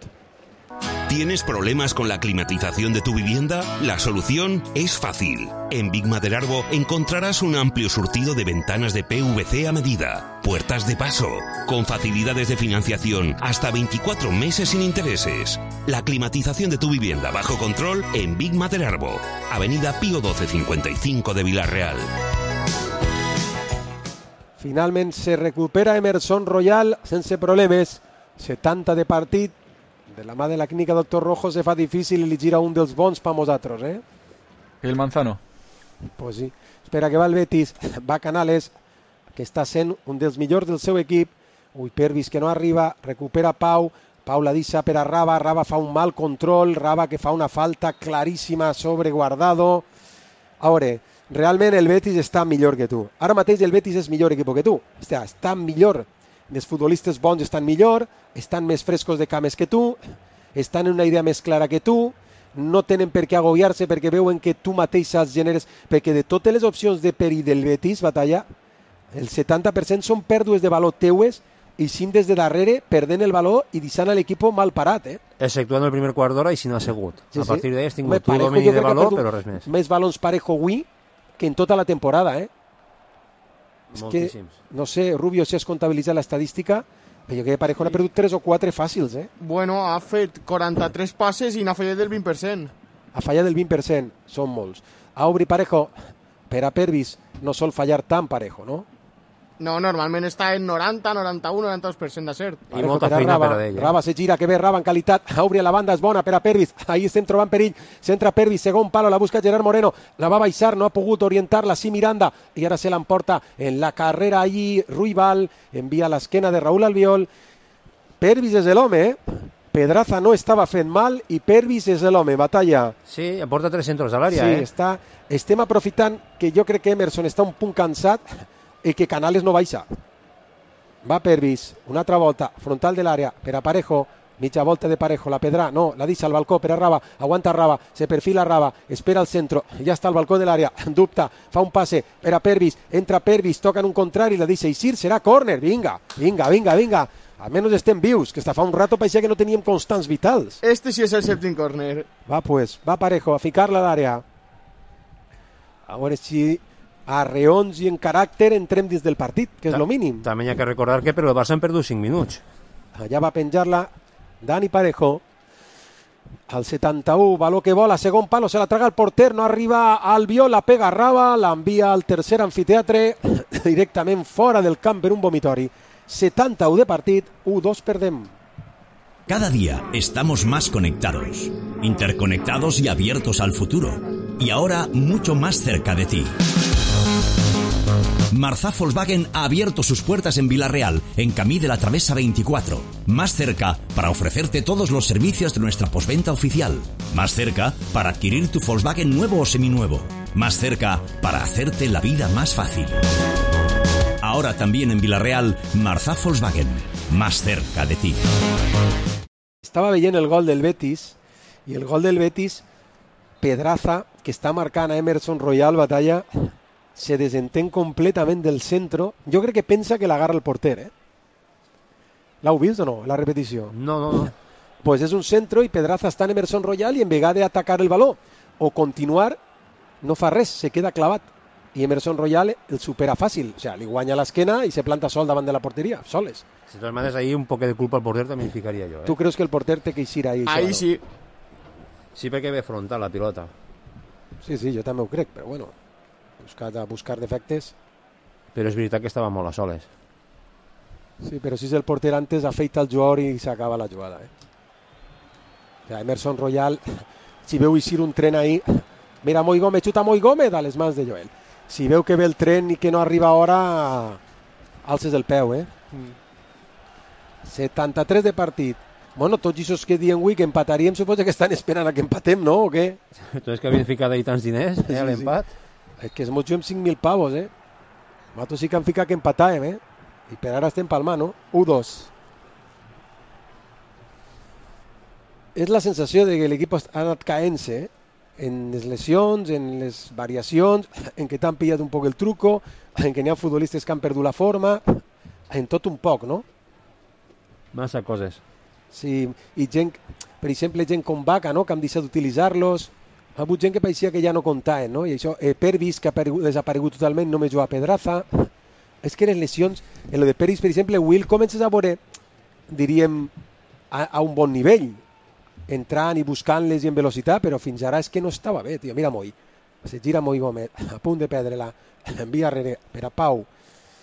¿Tienes problemas con la climatización de tu vivienda? La solución es fácil. En Big Maderarbo encontrarás un amplio surtido de ventanas de P V C a medida, puertas de paso, con facilidades de financiación hasta veinticuatro meses sin intereses. La climatización de tu vivienda bajo control en Big Maderarbo, Avenida Pío doce cincuenta y cinco de Villarreal. Finalment se recupera Emerson Royal sense problemes. setanta de partit. De la mà de la clínica Doctor Rojo se fa difícil i li gira un dels bons per nosaltres, eh? El Manzano. Pues sí. Espera que va el Betis. Va Canales, que està sent un dels millors del seu equip. Ui, Pervis que no arriba. Recupera Pau. Pau la deixa per a Raba. Raba fa un mal control. Raba que fa una falta claríssima sobre Guardado. A veure, realment el Betis està millor que tu. Ara mateix el Betis és millor equip que tu. Està, està millor. Els futbolistes bons estan millor, estan més frescos de cames que tu, estan en una idea més clara que tu, no tenen per què agobiar-se perquè veuen que tu mateix saps generes, perquè de totes les opcions de perill del Betis, batalla, el setanta per cent són pèrdues de valor teues i cinc des de darrere perdent el valor i deixant l'equip mal parat, eh? Exceptuant el primer quart d'hora i si no ha segut. Sí, a partir sí. d'ahí has tingut tu domini de valor, però res més. Més balons Parejo avui que en tota la temporada, eh? És que, no sé, Rubio, si has comptabilitzat l'estadística, però jo crec que Parejo n'ha perdut tres o quatre fàcils, eh? Bueno, ha fet quaranta-tres passes i n'ha fallat del vint per cent. Ha fallat del vint per cent, són molts. A obrir Parejo, per a Pervis, no sol fallar tan Parejo, no? No, normalment està en noranta, noranta-u, noranta-dos per cent de cert. I molta feina per a ell. Raba se gira, que bé Raba en qualitat. A obrir a la banda, és bona per a Pervis. Ahí estem trobant perill. Centra Pervis, segon palo, la busca Gerard Moreno. La va baixar, no ha pogut orientar-la. Sí, Miranda. I ara se l'emporta en la carrera allí. Ruibal envia l'esquena de Raúl Albiol. Pervis és l'home, eh? Pedraza no estava fent mal i Pervis és l'home. Batalla. Sí, aporta tres centros a l'àrea, sí, eh? Està... Estem aprofitant que jo crec que Emerson està un punt cansat i que Canales no baixa. Va Pervis, una altra volta, frontal de l'àrea, per a Parejo, mitja volta de Parejo, la Pedrà, no, la deixa al balcó per a Raba, aguanta Raba, se perfila Raba, espera al centro, ja està al balcó de l'àrea, dubta, fa un passe per a Pervis, entra Pervis, toca en un contrari, la deixa eixir, serà córner, vinga, vinga, vinga, vinga, almenys estem vius, que està fa un rato pareixia que no teníem constants vitals. Este sí és el sèptim córner. Va pues, va Parejo a ficar-la a l'àrea. A veure si a reons i en caràcter entrem dins del partit, que és el mínim. També hi ha que recordar que per el Barça han perdut cinc minuts. Allà va penjar-la Dani Parejo. Al setanta-u, baló que vola, segon palo, se la traga el porter, no arriba al Albiol, la pega Raba, l'envia al tercer amfiteatre, directament fora del camp per un vomitori. setanta-u de partit, u dos perdem. Cada día estamos más conectados, interconectados y abiertos al futuro. Y ahora mucho más cerca de ti. Marzá Volkswagen ha abierto sus puertas en Vila-real, en Camí de la Travesa veinticuatro. Más cerca para ofrecerte todos los servicios de nuestra postventa oficial. Más cerca para adquirir tu Volkswagen nuevo o seminuevo. Más cerca para hacerte la vida más fácil. Ahora también en Vila-real, Marzá Volkswagen. Más cerca de ti. Estava veient el gol del Betis, i el gol del Betis, Pedraza, que està marcant a Emerson Royal, Batalla, se desentén completament del centro. Jo crec que pensa que l'agarra el porter, eh? L'heu vist o no, la repetició? No, no, no. Pues és un centro i Pedraza està en Emerson Royal i en vegada d'atacar el baló o continuar, no fa res, se queda clavat. I Emerson Royal el supera fàcil, o sea, li guanya l'esquena i se planta sol davant de la porteria, soles. De totes maneres, ahí un poc de culpa al porter també hi ficaria jo, eh? Tu creus que el porter té que eixir ahí? Ahí sí. Sí, perquè ve frontal la pilota. Sí, sí, jo també ho crec, però bueno, buscar, buscar defectes. Però és veritat que estava molt a soles. Sí, però si és el porter antes, afeita el jugador i s'acaba la jugada, eh? O sea, Emerson Royal, si veu eixir un tren ahí, mira, Moi Gómez, xuta Moi Gómez a les mans de Joel. Si veu que ve el tren i que no arriba a hora, alces el peu, eh? Mm. setanta-tres de partit. Bueno, tots aquests que diuen avui que empataríem, suposa que estan esperant a que empatem, no? O què? Entonces que havien ficat ahí tants diners, eh, a l'empat. Sí, sí. És que es mos juguem cinc mil pavos, eh? Nosaltres sí que han ficat que empatàvem, eh? I per ara estem palmant, no? u dos. És la sensació de que l'equip ha anat caent-se, eh? En les lesions, en les variacions, en que t'han pillat un poc el truco, en que n'hi ha futbolistes que han perdut la forma, en tot un poc, no? Massa coses. Sí, i gent, per exemple, gent com Vaca, no?, que han deixat d'utilitzar-los. Ha hagut gent que pareixia que ja no comptaven, no? I això, eh, Pervis, que ha desaparegut totalment, només juga a Pedraza. És que les lesions, en lo de Pervis, per exemple, Will, comences a veure, diríem, a, a un bon nivell, entrant i buscant-les i en velocitat, però fins ara és que no estava bé, tio. Mira Moi, se gira Moi Gómez, a punt de perdre-la, envia darrere per a Pau.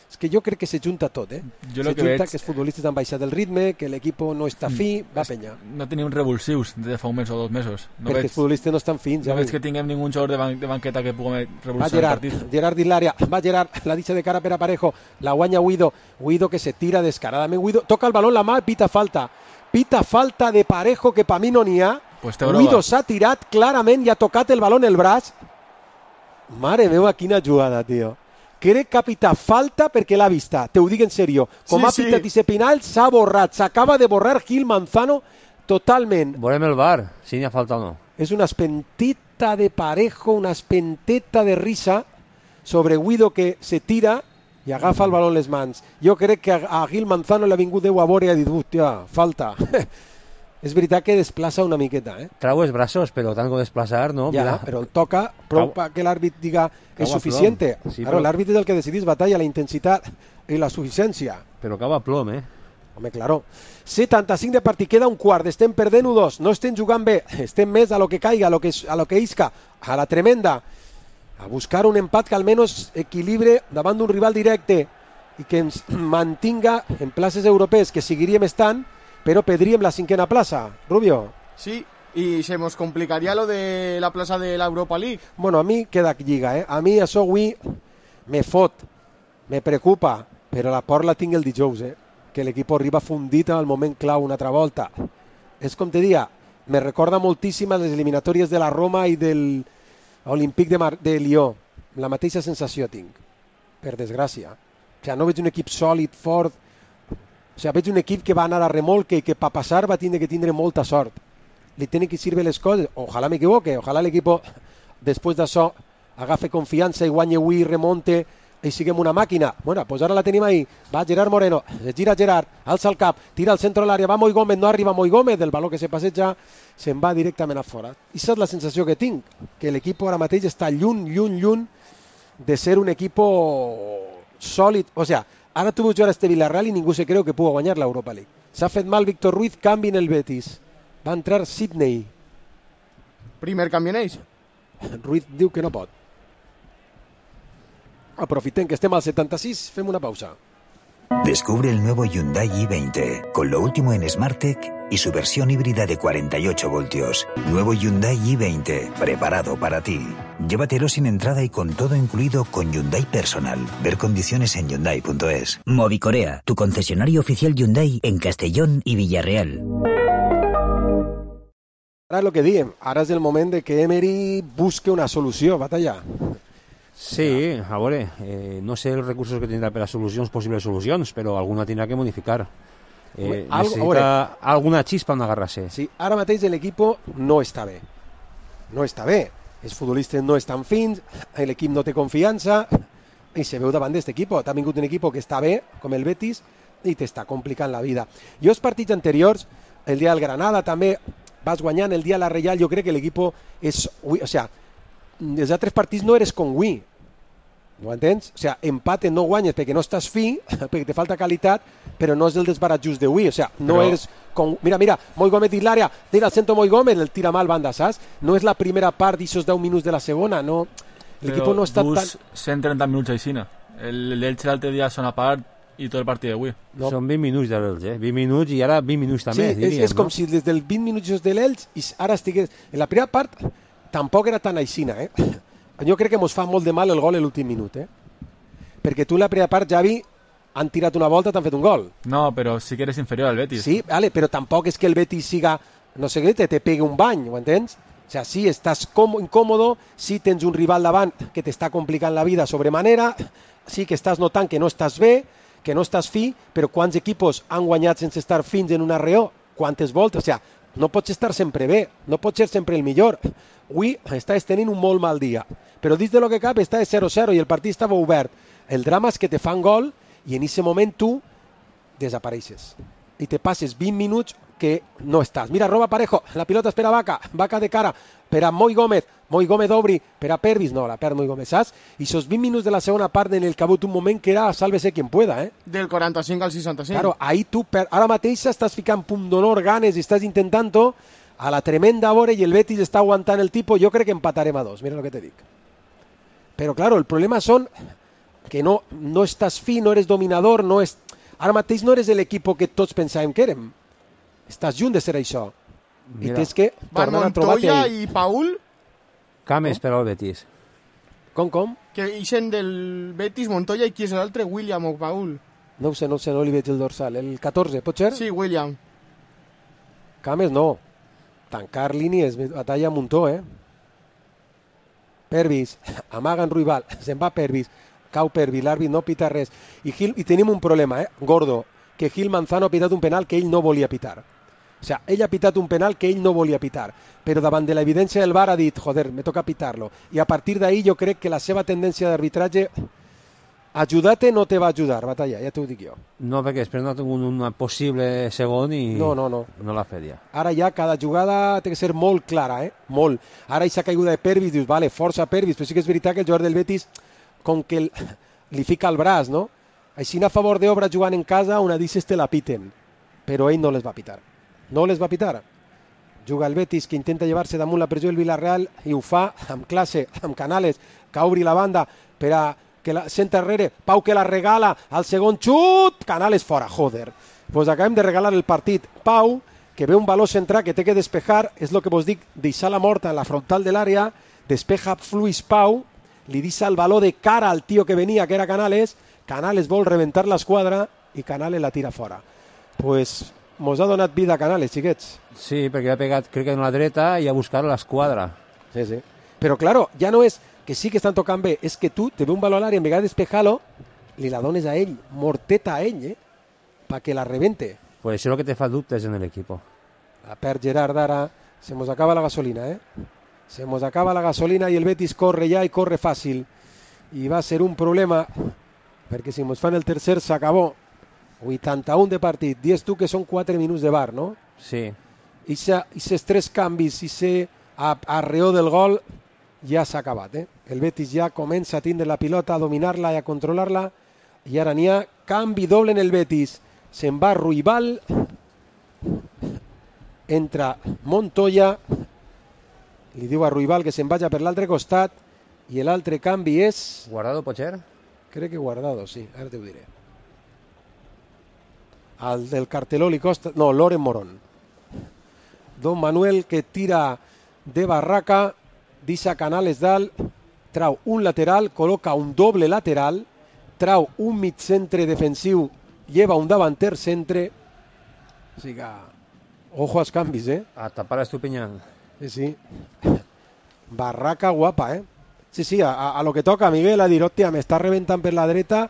És que jo crec que se junta tot, eh? Jo se que junta veig... que els futbolistes han baixat el ritme, que l'equip no està fi, mm, va penya. No tenim revulsius de fa un mes o dos mesos. No perquè veig, els futbolistes no estan fins. No ja veig que tinguem ningú jugador de, ban de banqueta que pugui revulsar Gerard, el partit. Gerard dins l'àrea, va Gerard, la deixa de cara per a Parejo, la guanya Guido, Guido que se tira descaradament, Guido toca el balón la mà, pita falta. Pita falta de Parejo, que per mi no n'hi ha. Pues Guido s'ha tirat clarament i ha tocat el balón el braç. Mare meva, quina jugada, tio. Crec que ha pitat falta perquè l'ha vista, te ho dic en serio. Com sí, ha pitat sí. Ise Pinal, s'ha borrat, s'acaba de borrar Gil Manzano totalment. Veurem el V A R, si n'hi ha falta o no. És una espenteta de Parejo, una espenteta de risa sobre Guido que se tira i agafa el baló en les mans. Jo crec que a Gil Manzano l'ha vingut Déu a veure i ha dit, hòstia, falta. és veritat que desplaça una miqueta, eh? Trau els braços, però tant com desplaçar, no? Ja, Mira. però el toca prou que l'àrbit diga és suficient. Sí, claro, però... l'àrbit és el que decidís batalla, la intensitat i la suficiència. Però cau a plom, eh? Home, claro. setanta-cinc de partit, queda un quart, estem perdent u dos, no estem jugant bé, estem més a lo que caiga, a lo que, a lo que isca, a la tremenda, a buscar un empat que almenys equilibre davant d'un rival directe i que ens mantinga en places europees, que seguiríem estant, però perdríem la cinquena plaça. Rubio. Sí, y se nos complicaría lo de la plaza de la Europa League. Bueno, a mi queda lliga, eh? A mi això avui me fot, me preocupa, però la por la tinc el dijous, eh? Que l'equip arriba fundit al moment clau una altra volta. És com te dia, me recorda moltíssim a les eliminatòries de la Roma i del Olímpic de, Mar de Lió. La mateixa sensació tinc, per desgràcia. O sigui, no veig un equip sòlid, fort. O sigui, veig un equip que va anar a remolque i que per passar va tindre que tindre molta sort. Li tenen que servir les coses. Ojalà m'equivoque, ojalà l'equip després d'això agafe confiança i guanyi avui, remonte i siguem una màquina. Bueno, pues ara la tenim ahí. Va Gerard Moreno, es gira Gerard, alça el cap, tira al centre de l'àrea, va Moi Gómez, no arriba Moi Gómez, del baló que se passeja se'n va directament a fora. I aquesta és la sensació que tinc, que l'equip ara mateix està lluny, lluny, lluny de ser un equip sòlid. O sea, ara tu veus jugar a este Villarreal i ningú se creu que pugui guanyar l'Europa League. S'ha fet mal Víctor Ruiz, canvi en el Betis. Va entrar Sidney. Primer canvi en ells. Ruiz diu que no pot. Aprofitem que estem al setanta-sis, fem una pausa. Descubre el nuevo Hyundai i veinte, con lo último en SmartTech y su versión híbrida de cuarenta y ocho voltios. Nuevo Hyundai i veinte, preparado para ti. Llévatelo sin entrada y con todo incluido con Hyundai Personal. Ver condiciones en hyundai punto es. Movicorea, tu concesionario oficial Hyundai en Castellón y Villarreal. Ara és el que diem, ara és el moment de que Emery busque una solució, batalla. Sí, a veure, eh, no sé els recursos que tindrà per a solucions, possibles solucions, però alguna tindrà que modificar. Eh, Algo, necessita veure, alguna xispa on agarrar-se. Sí, ara mateix l'equip no està bé. No està bé. Els futbolistes no estan fins, l'equip no té confiança i se veu davant d'aquest equip. T'ha vingut un equip que està bé, com el Betis, i t'està complicant la vida. Jo els partits anteriors, el dia del Granada també, vas guanyant, el dia de la Reial, jo crec que l'equip és... O sea, els altres partits no eres com avui. No entens? O sea, empate no guanyes perquè no estàs fi, perquè te falta qualitat, però no és el desbarat just d'avui. O sea, no però... eres com... Mira, mira, Moi Gómez dins l'àrea, tira al centre Moi Gómez, el tira mal banda, saps? No és la primera part d'aixòs deu minuts de la segona, no... L'equip no està tan... cent trenta minuts aixina. L'Elche l'altre dia són a part i tot el partit d'avui. No. Són vint minuts de l'Elche, eh? vint minuts i ara vint minuts també, sí, diríem, és, és com no? si des del vint minuts de l'Elche i ara estigués... En la primera part tampoc era tan aixina, eh? Jo crec que mos fa molt de mal el gol a l'últim minut, eh? Perquè tu en la primera part, Javi, han tirat una volta, t'han fet un gol. No, però sí que eres inferior al Betis. Sí, vale, però tampoc és que el Betis siga, no sé què, te, te pegue un bany, ho entens? O sea, sí, estàs incòmodo, sí tens un rival davant que t'està complicant la vida sobremanera, sí que estàs notant que no estàs bé, que no estàs fi, però quants equipos han guanyat sense estar fins en una reó? Quantes voltes? O sea, no pots estar sempre bé, no pots ser sempre el millor. Avui estàs tenint un molt mal dia, però dins de lo que cap està zero zero i el partit estava obert. El drama és que te fan gol i en aquest moment tu desapareixes i te passes vint minuts que no estàs. Mira, roba Parejo, la pilota és per a Vaca, Vaca de cara, per a Moi Gómez, Moi Gómez obri, per a Pervis, no, la perd Moi Gómez, saps? I esos vint minuts de la segona part en el que ha hagut un moment que era sálvese quien pueda, eh? Del quaranta-cinc al seixanta-cinc. Claro, ahí tu, per... ara mateix estàs ficant punt d'honor, ganes i estàs intentant-ho a la tremenda vora i el Betis està aguantant el tipus, jo crec que empatarem a dos, mira el que te dic. Però, claro, el problema són que no, no estàs fi, no eres dominador, no és... ara mateix no eres l'equip que tots pensàvem que érem. Estàs lluny de ser això. Mira. I tens que tornar a trobar-te Montoya ahí. i Paul... Cames per al Betis. Com, com? Que ixen del Betis, Montoya i qui és l'altre? William o Paul? No ho sé, no ho sé, no li veig el dorsal. El catorze, pot ser? Sí, William. Cames no. Tancar línies, batalla a muntó, eh? Pervis, amaguen Ruibal, se'n va Pervis, cau Pervis, l'àrbit no pita res. I, Gil, I tenim un problema, eh? Gordo, que Gil Manzano ha pitat un penal que ell no volia pitar. O sea, ell ha pitat un penal que ell no volia pitar, però davant de l'evidència del V A R ha dit, joder, me toca pitar-lo. I a partir d'ahí jo crec que la seva tendència d'arbitratge Ajudar-te no te va ajudar, Batalla, ja t'ho dic jo. No, perquè després no ha tingut un possible segon i no, no, no. no l'ha fet ja. Ara ja cada jugada té que ser molt clara, eh? Molt. Ara aquesta caiguda de Pervis, dius, vale, força Pervis, però sí que és veritat que el jugador del Betis, com que el, li fica el braç, no? Així a favor d'Obra jugant en casa, una d'ixes te la piten, però ell no les va pitar. No les va pitar. Juga el Betis, que intenta llevar-se damunt la pressió del Villarreal, i ho fa amb classe, amb Canales, que obri la banda per a que la senta enrere, Pau que la regala, al segon xut, Canales fora, joder. Pues acabem de regalar el partit. Pau, que ve un valor central que té que despejar, és el que vos dic, deixar la morta en la frontal de l'àrea, despeja fluix Pau, li deixa el valor de cara al tio que venia, que era Canales, Canales vol reventar l'esquadra i Canales la tira fora. Pues mos ha donat vida a Canales, xiquets. Sí, perquè ha pegat, crec que en la dreta, i ha buscat l'esquadra. Sí, sí. Però, claro, ja no és que sí que estan tocant bé, és que tu te ve un valor a l'àrea, en vegada de despejar-lo, li la dones a ell, morteta a ell, eh? Pa que la rebente. Pues això és el que te fa dubtes en l'equip. La perd Gerard ara, se mos acaba la gasolina, eh? Se mos acaba la gasolina i el Betis corre ja i corre fàcil. I va ser un problema, perquè si mos fan el tercer s'acabó. vuitanta-un de partit, dies tu que són quatre minuts de bar, no? Sí. I aquests tres canvis, i se arreó del gol, ja s'ha acabat, eh? El Betis ja comença a tindre la pilota, a dominar-la i a controlar-la, i ara n'hi ha canvi doble en el Betis. Se'n va Ruibal, entra Montoya, li diu a Ruibal que se'n vagi per l'altre costat, i l'altre canvi és... Guardado, Potser? Crec que Guardado, sí, ara t'ho diré. Al del carteló li costa... No, Loren Morón. Don Manuel, que tira de barraca, deixa Canales dalt, trau un lateral, col·loca un doble lateral, trau un mig centre defensiu, lleva un davanter centre. O sigui que... Ojo als canvis, eh? A tapar Estupiñán. Sí, sí. Barraca guapa, eh? Sí, sí, a, a lo que toca, Miguel, a dir, hòstia, m'està reventant per la dreta,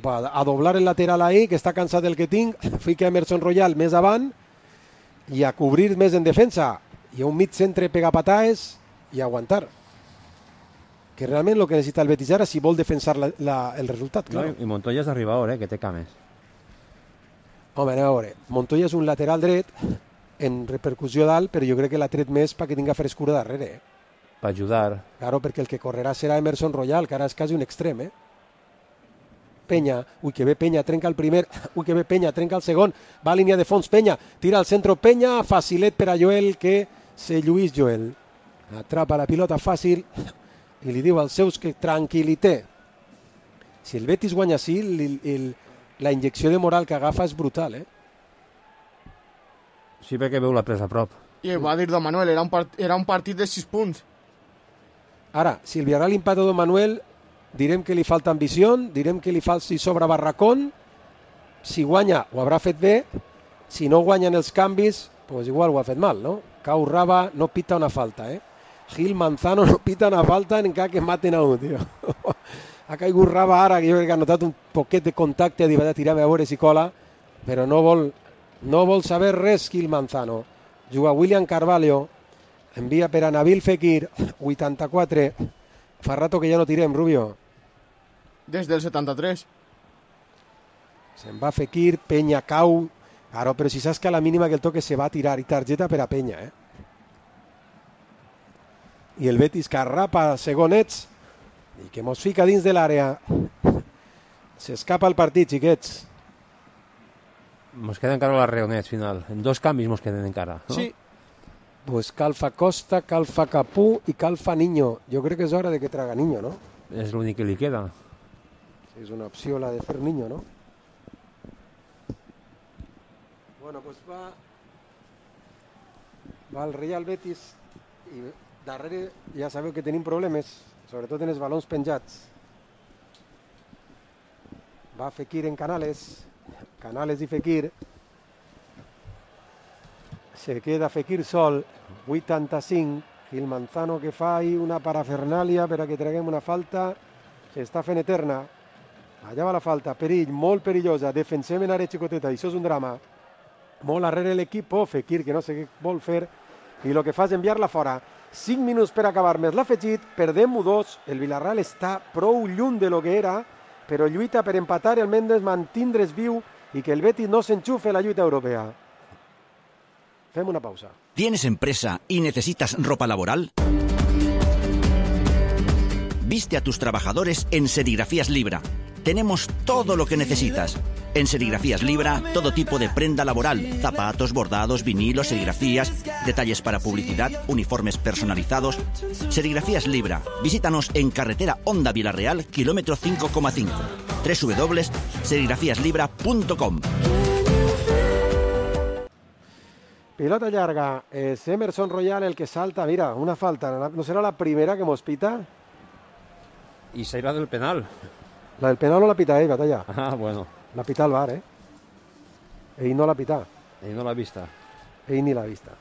a doblar el lateral ahí, que està cansat del que tinc, fica Emerson Royal més avant, i a cobrir més en defensa, i a un mig centre pegar pataes, i aguantar. Que realment el que necessita el Betis ara si vol defensar la, la, el resultat. Claro. No, i Montoya és d'arribador, eh, que té cames. Home, anem a veure. Montoya és un lateral dret en repercussió dalt, però jo crec que l'ha tret més perquè tinga frescura darrere. Eh? Per ajudar. Claro, perquè el que correrà serà Emerson Royal, que ara és quasi un extrem, eh? Penya, ui que bé Penya, trenca el primer, ui que bé Penya, trenca el segon, va a línia de fons Penya, tira al centre Penya, facilet per a Joel, que se lluís Joel. Atrapa la pilota fàcil i li diu als seus que tranquil·lité. Si el Betis guanya així, el, el, la injecció de moral que agafa és brutal, eh? Sí, perquè veu la presa a prop. I va dir Don Manuel, era un, part, era un partit de sis punts. Ara, si el Villarreal empata Don Manuel, direm que li falta ambició, direm que li falta si sobra barracón, si guanya ho haurà fet bé, si no guanyen els canvis, pues igual ho ha fet mal, no? Cau Raba, no pita una falta, eh? Gil Manzano no pita una falta en cas que maten a un, tio. Ha caigut Raba ara, que jo crec que ha notat un poquet de contacte, ha dit, va tirar a veure si cola, però no vol, no vol saber res Gil Manzano. Juga William Carvalho, envia per a Nabil Fekir, vuitanta-quatre, fa rato que ja no tirem, Rubio. Des del setanta-tres. Se'n va Fekir, Penya cau, claro, però si saps que a la mínima que el toque se va a tirar, i targeta per a Penya, eh? I el Betis que arrapa segonets i que mos fica dins de l'àrea. S'escapa el partit, xiquets. Mos queda encara la reonet final. En dos canvis mos queden encara, no? Sí. Pues Calfa Costa, Calfa Capú i Calfa Niño. Jo crec que és hora de que traga Niño, no? És l'únic que li queda. És una opció la de fer Niño, no? Bueno, pues va... Va el Real Betis i darrere ja sabeu que tenim problemes, sobretot en els balons penjats. Va Fekir en Canales, Canales i Fekir. Se queda Fekir sol, vuitanta-cinc, Gil Manzano que fa ahí una parafernàlia per a que traguem una falta, s'està fent eterna. Allà va la falta, perill, molt perillosa, defensem en àrea xicoteta, això és un drama. Molt arrere l'equip, Fekir que no sé què vol fer, i el que fa és enviar-la fora. cinc minuts per acabar més l'afegit, perdem u dos, el Villarreal està prou lluny de lo que era, però lluita per empatar i almenys mantindre's viu i que el Betis no s'enxufe a la lluita europea. Fem una pausa. ¿Tienes empresa y necesitas ropa laboral? Viste a tus trabajadores en Serigrafías Libra. Tenemos todo lo que necesitas. En Serigrafías Libra, todo tipo de prenda laboral, zapatos, bordados, vinilos, serigrafías, detalles para publicidad, uniformes personalizados. Serigrafías Libra. Visítanos en carretera Honda Vilarreal, kilómetro cinco coma cinco. doble u doble u doble u punto serigrafías libra punto com. Pilota llarga, es Emerson Royal el que salta. Mira, una falta. ¿No será la primera que mos pita? Y será del penal. La del penal no la pita ell, Batalla. Ah, bueno. La pita al bar, eh? Ell no la pita. Ell no l'ha vista. Ell ni l'ha vista.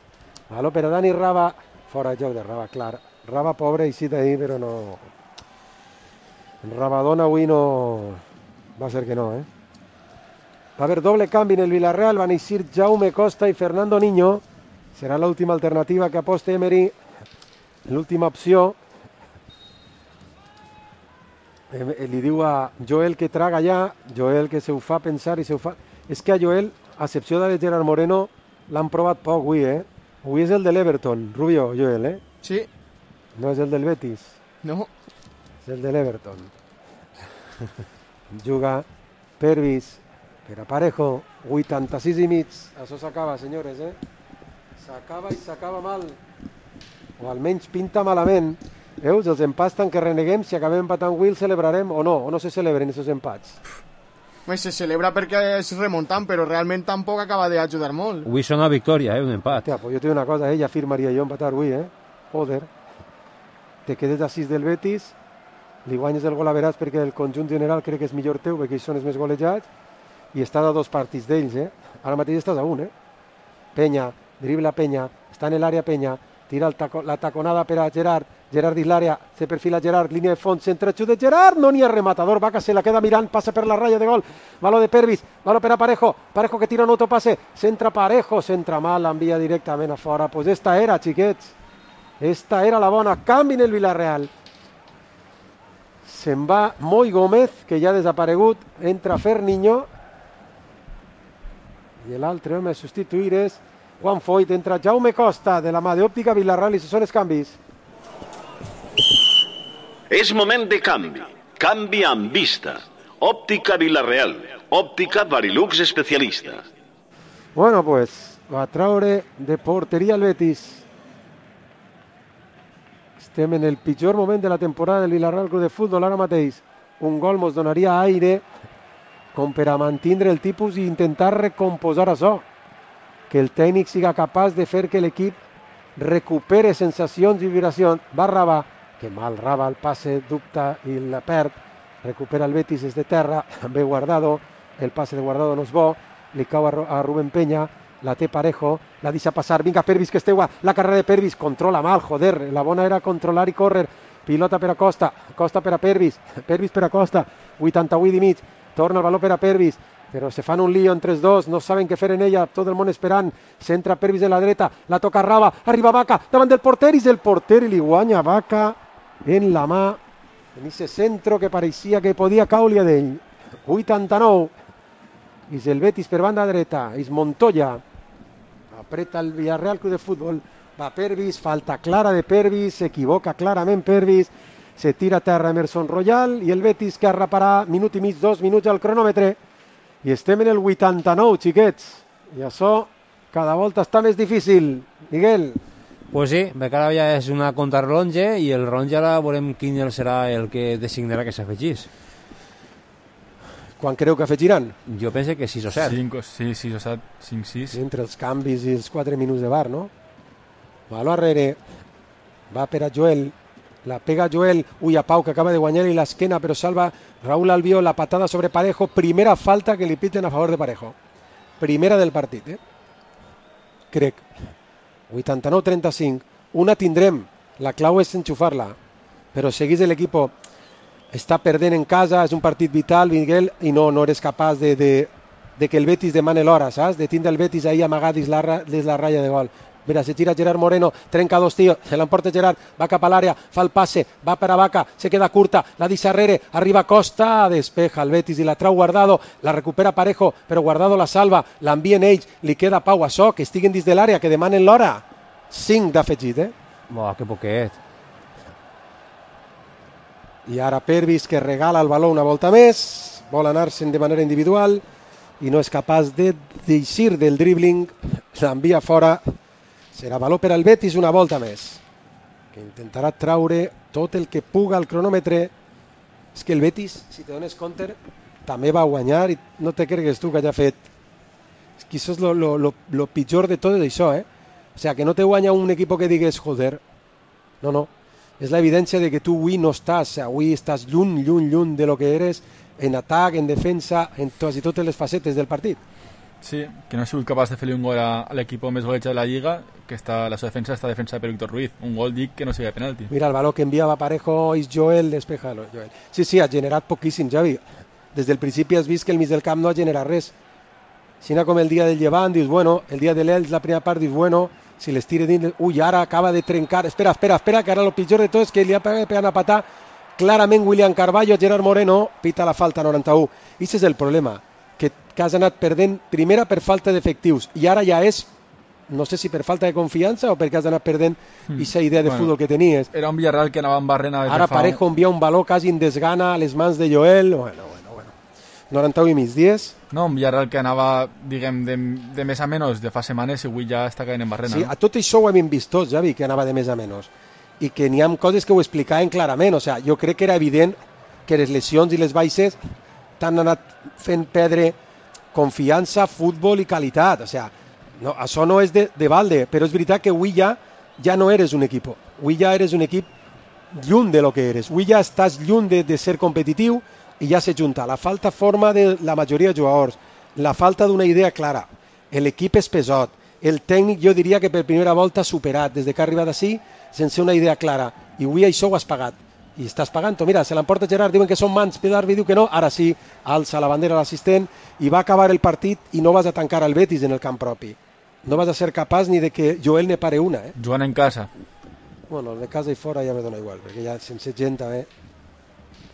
Aló, per a Dani Raba, fora de joc de Raba, clar. Raba pobre i sí d'ahir, però no... Rabadona avui no... Va ser que no, eh? Va haver doble canvi en el Villarreal, van eixir Jaume Costa i Fernando Niño. Serà l'última alternativa que aposta Emery. L'última opció. Eh, li diu a Joel que traga ja, Joel que se ho fa pensar i se ho fa... És que a Joel, a excepció de Gerard Moreno, l'han provat poc avui, eh? Avui és el de l'Everton, Rubio, Joel, eh? Sí. No és el del Betis. No. És el de l'Everton. Juga Pervis per a Parejo, vuitanta-sis i mig. Això s'acaba, senyores, eh? S'acaba i s'acaba mal. O almenys pinta malament. Veus, els empats tant que reneguem, si acabem empatant avui el celebrarem o no, o no se celebren aquests empats. Pues se celebra perquè es remontant, però realment tampoc acaba d'ajudar molt. Avui són una victòria, eh, un empat. Hòstia, pues jo tinc una cosa, eh, ja firmaria jo empatar avui, eh? Joder. Te quedes a sis del Betis, li guanyes el gol a veràs perquè el conjunt general crec que és millor teu, perquè ells són els més golejats, i estàs a dos partits d'ells, eh? Ara mateix estàs a un, eh? Penya, dribla Penya, està en l'àrea Penya, tira el taco, la taconada per a Gerard, Gerard dins l'àrea, se perfila Gerard, línia de fons, centre xut de Gerard, no n'hi ha rematador, Vaca se la queda mirant, passa per la ratlla de gol, valor de Pervis, valor per a Parejo, Parejo que tira un autopase, centra Parejo, centra mal, envia directament a fora, pues esta era, xiquets, esta era la bona, canvi en el Villarreal, se'n va Moi Gómez, que ja ha desaparegut, entra Fer Niño, i l'altre home a substituir és Juan Foyt, entra Jaume Costa, de la mà d'Òptica Villarreal, i se són els canvis. És moment de canvi. Canvi amb vista. Òptica Villarreal. Òptica Varilux especialista. Bueno, pues, va traure de porteria el Betis. Estem en el pitjor moment de la temporada del Villarreal Club de Futbol ara mateix. Un gol mos donaria aire com per a mantindre el tipus i intentar recomposar això. Que el tècnic siga capaç de fer que l'equip recupere sensacions i vibracions. Va Raba, que mal Raba, el passe dubta i la perd. Recupera el Betis des de terra, ve Guardado, el passe de Guardado no és bo, li cau a Rubén Penya, la té Parejo, la deixa passar, vinga Pervis que esteu, la carrera de Pervis, controla mal, joder, la bona era controlar i córrer, pilota per a Costa, Costa per a Pervis, Pervis per a Costa, vuitanta-vuit i mig, torna el valor per a Pervis, però se fan un lío entre els dos, no saben què fer en ella, tot el món esperant, centra Pervis de la dreta, la toca Raba, arriba Vaca, davant del porter, i el porter li guanya Vaca en la mà, en aquest centre que pareixia que podia caure d'ell. vuitanta-nou, i el Betis per banda dreta, és Montoya, apreta el Villarreal Club de Futbol, va Pervis, falta clara de Pervis, s'equivoca clarament Pervis, se tira a terra Emerson Royal, i el Betis que arraparà minut i mig, dos minuts al cronòmetre, i estem en el vuitanta-nou, xiquets, i això cada volta està més difícil. Miguel. Pues sí, perquè ara ja és una contrarronge i el ronge ara veurem quin serà el que designarà que s'afegís. Quan creu que afegiran? Jo penso que sis o set. cinc, sí, sis o set, cinc sis. Entre els canvis i els quatre minuts de bar, no? Baló arrere, va per a Joel, la pega Joel, ui a Pau que acaba de guanyar-li l'esquena però salva Raúl Albiol, la patada sobre Parejo, primera falta que li piten a favor de Parejo. Primera del partit, eh? Crec. vuitanta-nou trenta-cinc, una tindrem, la clau és enxufar-la, però seguís l'equip està perdent en casa, és un partit vital, Miguel, i no, no eres capaç de, de, de que el Betis demane l'hora, saps? De tindre el Betis ahí amagat des la, des la ratlla de gol. Mira, se tira Gerard Moreno, trenca dos tios, se l'emporta Gerard, va cap a l'àrea, fa el passe, va per a Vaca, se queda curta, la deixa arrere, arriba Costa, despeja el Betis i la trau Guardado, la recupera Parejo, però Guardado la salva, l'envien ells, li queda Pau Açò, que estiguen dins de l'àrea, que demanen l'hora. cinc d'afegit, eh? Buah, que poquet. I ara Pervis, que regala el baló una volta més, vol anar-se'n de manera individual i no és capaç de deixir del dribbling, l'envia fora. Serà valor per al Betis una volta més, que intentarà traure tot el que puga al cronòmetre. És que el Betis, si te dones compte, també va guanyar i no te cregues tu que hagi fet. És que això és lo, lo, lo, lo pitjor de tot això, eh? O sea, que no te guanya un equip que digues, joder, no, no. És la evidència de que tu avui no estàs, avui estàs lluny, lluny, lluny de lo que eres en atac, en defensa, en quasi totes les facetes del partit. Sí, que no ha sigut capaç de fer-li un gol a, a l'equip més golejat de la Lliga, que està, la seva defensa està defensa per Víctor Ruiz. Un gol, dic, que no sigui de penalti. Mira, el baló que enviava Parejo és Joel, despeja Joel. Sí, sí, ha generat poquíssim, Javi. Des del principi has vist que el mig del camp no ha generat res. Si no com el dia del Llevant, dius, bueno, el dia de l'Elx, la primera part, dius, bueno, si les tira dins... Ui, ara acaba de trencar... Espera, espera, espera, que ara el pitjor de tot és que li ha pegat a patar clarament William Carballo a Gerard Moreno, pita la falta noranta-u. I aquest és el problema, que, que has anat perdent primera per falta d'efectius i ara ja és, no sé si per falta de confiança o perquè has anat perdent aquesta mm. idea de bueno, futbol que tenies. Era un Villarreal que anava en barrena... Ara Parejo envia un baló quasi en desgana a les mans de Joel. Bueno, bueno, bueno. noranta-u i mig, dies. No, un Villarreal que anava, diguem, de, de més a menys de fa setmanes i avui ja està caient en barrena. Sí, no? A tot això ho hem vist tots, Javi, que anava de més a menys. I que n'hi ha coses que ho explicaven clarament. O sea, jo crec que era evident que les lesions i les baixes t'han anat fent perdre confiança, futbol i qualitat. O sea, no, això no és de, de balde, però és veritat que avui ja, ja no eres un equip. Avui ja eres un equip lluny de lo que eres. Avui ja estàs lluny de, de ser competitiu i ja se junta la falta forma de la majoria de jugadors, la falta d'una idea clara, l'equip és pesot, el tècnic jo diria que per primera volta superat, des que ha arribat així, sense una idea clara, i avui això ho has pagat, i estàs pagant-ho. Mira, se l'emporta Gerard, diuen que són mans, Pedarbi diu que no, ara sí, alça la bandera l'assistent i va acabar el partit i no vas a tancar el Betis en el camp propi. No vas a ser capaç ni de que Joel ne pare una. Eh? Jugant en casa. Bueno, de casa i fora ja me dona igual, perquè ja sense gent també...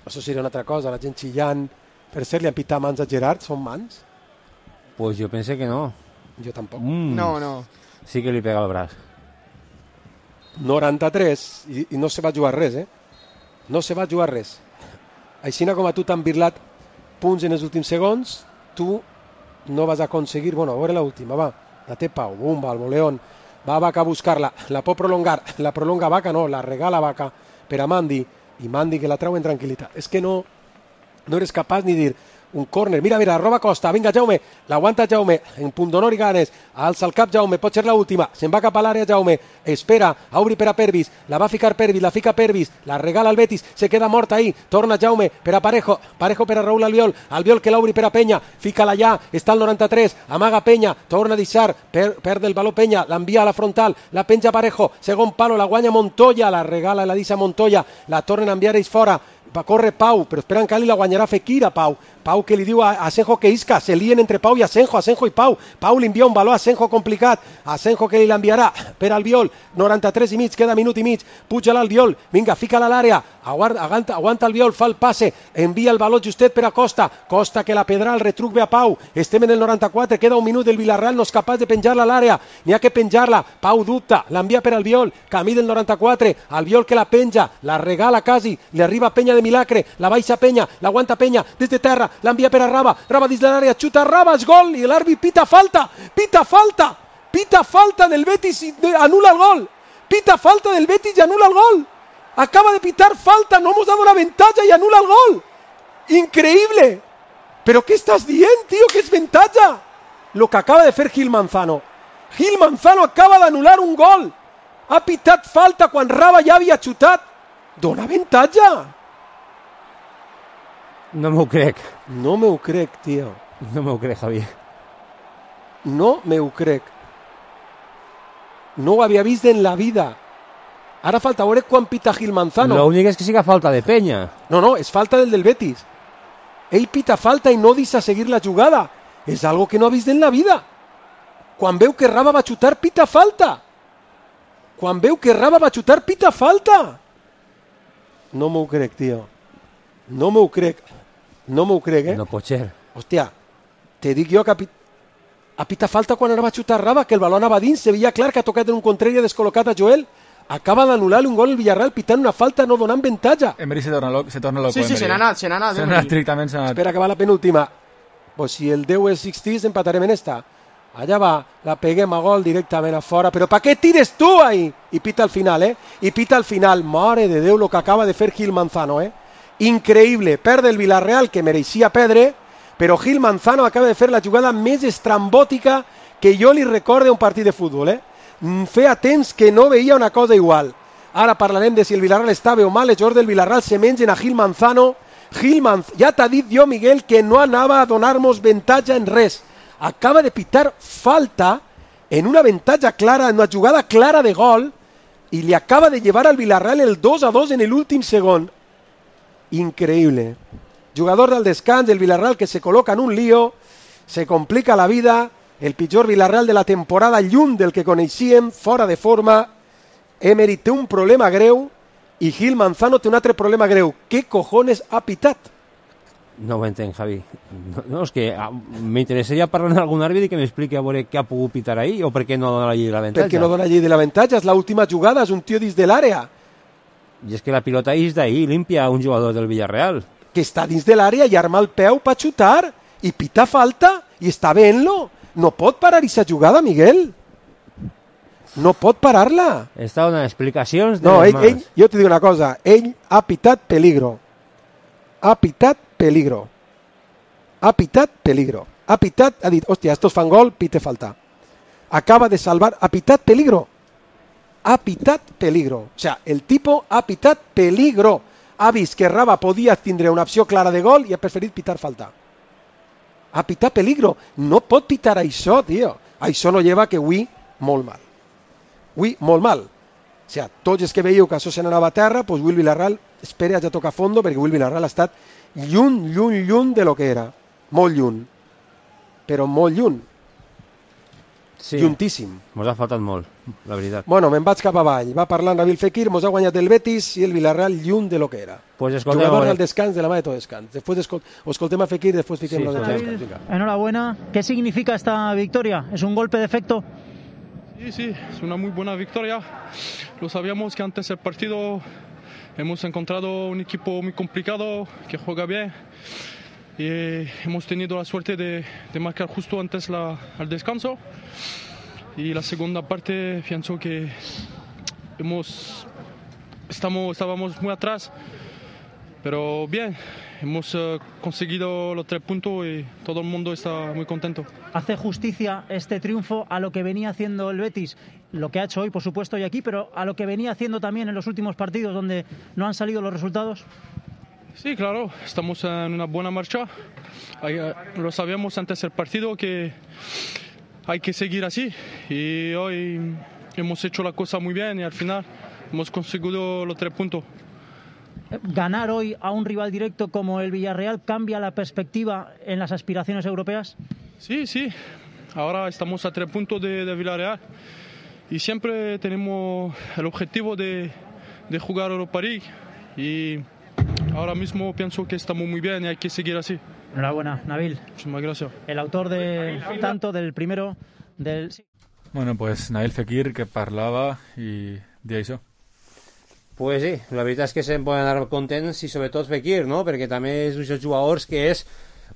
Això seria una altra cosa, la gent xillant. Per cert, li han pitat mans a Gerard, són mans? Pues jo pense que no. Jo tampoc. Mm. No, no. Sí que li pega el braç. noranta-tres, i, i no se va jugar res, eh? No se va jugar res. Així com a tu t'han birlat punts en els últims segons, tu no vas aconseguir... Bueno, a veure l'última, va. La té Pau, bumba, el voleón. Va Vaca a buscar-la, la pot prolongar. La prolonga Vaca, no, la regala Vaca per a Mandi. I Mandi que la trau en tranquil·litat. És que no, no eres capaç ni dir un córner. Mira, mira, roba Costa. Vinga, Jaume. L'aguanta Jaume. En punt d'honor i ganes. Alça el cap Jaume. Pot ser l'última. Se'n va cap a l'àrea Jaume. Espera. Obri per a Pervis. La va ficar Pervis. La fica Pervis. La regala al Betis. Se queda mort ahí. Torna Jaume per a Parejo. Parejo per a Raúl Albiol. Albiol que l'obri per a Penya. Fica-la ja. Està al noranta-tres. Amaga Penya. Torna a deixar. Per, perd el baló Penya. L'envia a la frontal. La penja Parejo. Segon palo. La guanya Montoya. La regala i la deixa Montoya. La tornen a enviar ells fora. Va córrer Pau, però esperen que li la guanyarà Fekir a Pau. Pau que li diu a Asenjo que isca, se lien entre Pau i Asenjo, Asenjo i Pau. Pau li envia un baló a Asenjo complicat, Asenjo que li l'enviarà per Albiol, noranta-tres i mig, queda minut i mig, puja l'Albiol, vinga, fica-la a l'àrea, aguanta, aguanta Albiol, fa el passe, envia el baló justet per a Costa, Costa que la pedra al retruc ve a Pau, estem en el noranta-quatre, queda un minut, el Villarreal no és capaç de penjar-la a l'àrea, n'hi ha que penjar-la, Pau dubta, l'envia per Albiol, camí del noranta-quatre, Albiol que la penja, la regala quasi, li arriba Penya de Milagre, la baixa Penya, l'aguanta Penya, des de terra, l'envia per a Raba, Raba dins de l'àrea, xuta Raba, és gol, i l'àrbit pita falta, pita falta, pita falta del Betis i anula el gol, pita falta del Betis i anula el gol, acaba de pitar falta, no hemos dado una ventaja y anula el gol, increíble, pero ¿qué estás dient, tío, que es ventaja? Lo que acaba de fer Gil Manzano, Gil Manzano acaba d'anular un gol, ha pitat falta quan Raba ja havia xutat, dona ventaja. No m'ho crec. No me ho crec, tio. No m'ho crec, Javier. No me ho crec. No ho havia vist en la vida. Ara falta veure quan pita Gil Manzano. L'únic és que siga falta de Penya. No, no, és falta del del Betis. Ell pita falta i no deixa seguir la jugada. És algo que no ha vist en la vida. Quan veu que Raba va xutar, pita falta. quan veu que Raba va xutar, pita falta. No m'ho crec, tio. No m'ho crec. No m'ho crec, eh? No pot ser. Hòstia, te dic jo que a, pit... a pita falta quan anava a xutar Raba, que el baló anava dins, se veia clar que ha tocat en un contrari i ha descol·locat a Joel. Acaba d'anul·lar un gol el Villarreal pitant una falta, no donant avantatge. Emery se torna loco. Se torna loco sí, sí, Emery. se n'ha anat, se n'ha anat. Se n'ha anat estrictament, se n'ha anat. Espera que va la penúltima. Pues si el deu és seixanta, empatarem en esta. Allà va, la peguem a gol directament a fora. Però pa què tires tu ahí? I pita al final, eh? I pita al final. Mare de Déu, lo que acaba de fer Gil Manzano, eh? Increïble. Perde el Villarreal, que mereixia perdre, però Gil Manzano acaba de fer la jugada més estrambòtica que jo li recorde un partit de futbol, eh? Feia temps que no veia una cosa igual. Ara parlarem de si el Villarreal està bé o mal. Els jugadors del Villarreal se mengen a Gil Manzano. Gil Manzano, ja t'ha dit jo, Miguel, que no anava a donar-nos avantatge en res. Acaba de pitar falta en una avantatge clara, en una jugada clara de gol, i li acaba de llevar al Villarreal el dos a dos en l'últim segon. Increïble. Jugador del descans, el Villarreal que se col·loca en un lío, se complica la vida, el pitjor Villarreal de la temporada, lluny del que coneixíem, fora de forma. Emery té un problema greu i Gil Manzano té un altre problema greu. Què cojones ha pitat? No ho entenc, Javi. No, no és que ah, m'interessaria parlar amb algun àrbitre i que m'expliqui a veure què ha pogut pitar ahí o per què no dona la llei de l'avantatge. Per què no dona la llei de l'avantatge? És l'última jugada, és un tio dins de l'àrea. I és que la pilota és d'ahí, limpia un jugador del Villarreal. Que està dins de l'àrea i arma el peu per xutar i pita falta i està veient-lo. No pot parar aquesta jugada, Miguel. No pot parar-la. Està donant explicacions de no, les ell, ell, jo te dic una cosa. Ell ha pitat peligro. Ha pitat peligro. Ha pitat peligro. Ha pitat, ha dit, hòstia, estos fan gol, pite falta. Acaba de salvar, ha pitat peligro. Ha pitat peligro. O sea, el tipo ha pitat peligro. Ha vist que Raba podia tindre una opció clara de gol i ha preferit pitar falta. Ha pitat peligro. No pot pitar això, tio. Això no lleva que avui molt mal. Avui molt mal. O sea, tots els que veieu que això se n'anava a terra, doncs avui el Villarreal espera ja tocar a fondo, perquè avui el Villarreal ha estat lluny, lluny, lluny de lo que era. Molt lluny. Però molt lluny. Sí. Lluntíssim. Mos ha faltat molt, la veritat. Bueno, me'n vaig cap avall. Va parlar Nabil Fekir, mos ha guanyat el Betis i el Villarreal lluny de lo que era. Pues escoltem, jugador al descans de la mà de todo descans. Después escol escoltem a Fekir, después fiquem sí, lo de descans. Enhorabuena. ¿Qué significa esta victoria? ¿Es un golpe de efecto? Sí, sí, es una muy buena victoria. Lo sabíamos que antes del partido hemos encontrado un equipo muy complicado, que juega bien. Y hemos tenido la suerte de, de marcar justo antes la, al descanso. Y la segunda parte pienso que hemos, estamos, estábamos muy atrás, pero bien, hemos uh, conseguido los tres puntos y todo el mundo está muy contento. ¿Hace justicia este triunfo a lo que venía haciendo el Betis? Lo que ha hecho hoy, por supuesto, y aquí, pero a lo que venía haciendo también en los últimos partidos donde no han salido los resultados. Sí, claro, estamos en una buena marcha. Lo sabíamos antes del partido que hay que seguir así y hoy hemos hecho la cosa muy bien y al final hemos conseguido los tres puntos. ¿Ganar hoy a un rival directo como el Villarreal cambia la perspectiva en las aspiraciones europeas? Sí, sí. Ahora estamos a tres puntos de, de Villarreal y siempre tenemos el objetivo de, de jugar Europa League y ahora mismo pienso que estamos muy bien y hay que seguir así. Enhorabuena, Nabil. Muchísimas gracias. El autor de tanto del primero del... Bueno, pues Nabil Fekir, que parlava i deia això. Pues sí, la veritat és que se'n poden anar contents i sobretot Fekir, no? Perquè també és un dels jugadors que és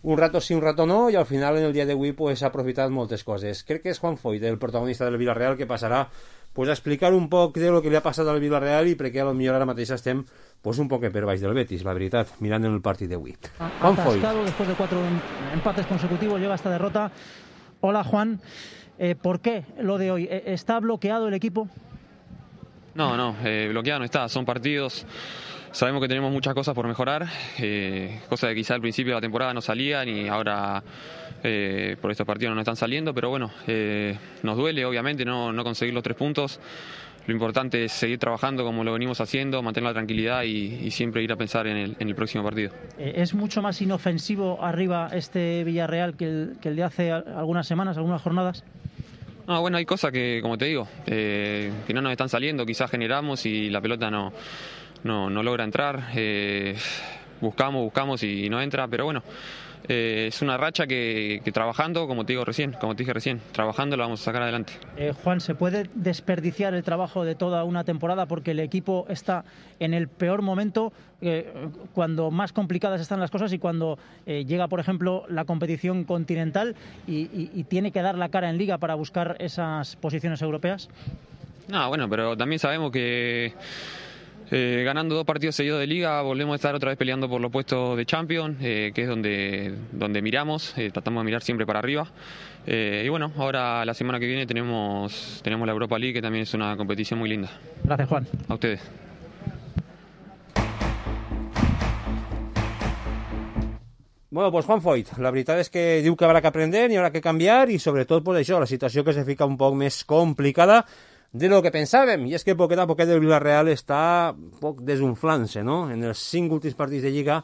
un rato sí, un rato no, i al final en el dia d'avui pues, ha aprofitat moltes coses. Crec que és Juan Foyt, el protagonista del Villarreal, que passarà pues, a explicar un poc de lo que li ha passat al Villarreal i perquè potser ara mateix estem pues, un poc per baix del Betis, la veritat, mirant en el partit d'avui. Juan Foyt. Después de cuatro empates consecutivos llega esta derrota. Hola, Juan. Eh, ¿Por qué lo de hoy? ¿Está bloqueado el equipo? No, no, eh, bloqueado no está, son partidos, sabemos que tenemos muchas cosas por mejorar, eh, cosas que quizá al principio de la temporada no salían y ahora eh, por estos partidos no están saliendo, pero bueno, eh, nos duele obviamente no, no conseguir los tres puntos, lo importante es seguir trabajando como lo venimos haciendo, mantener la tranquilidad y, y siempre ir a pensar en el, en el próximo partido. Eh, ¿Es mucho más inofensivo arriba este Villarreal que el, que el de hace algunas semanas, algunas jornadas? No, bueno, hay cosas que, como te digo, eh, que no nos están saliendo, quizás generamos y la pelota no, no, no logra entrar, eh, buscamos, buscamos y no entra, pero bueno, eh, es una racha que, que trabajando, como te digo recién, como te dije recién, trabajando lo vamos a sacar adelante. Eh, Juan, ¿se puede desperdiciar el trabajo de toda una temporada porque el equipo está en el peor momento, eh, cuando más complicadas están las cosas y cuando eh, llega, por ejemplo, la competición continental y, y, y tiene que dar la cara en Liga para buscar esas posiciones europeas? No, bueno, pero también sabemos que Eh, ganando dos partidos seguidos de Liga volvemos a estar otra vez peleando por los puestos de Champions, eh, que es donde, donde miramos, eh, tratamos de mirar siempre para arriba. Eh, y bueno, ahora la semana que viene tenemos, tenemos la Europa League, que también es una competición muy linda. Gracias, Juan. A ustedes. Bueno, pues Juan Foyt, la veritat és que diu que haurà que aprendre i haurà que canviar i sobretot pues, això, la situació que se fica un poc més complicada de lo que pensàvem, i és que poquet a poquet el Villarreal està un poc desunflant-se, no? En els cinc últims partits de Lliga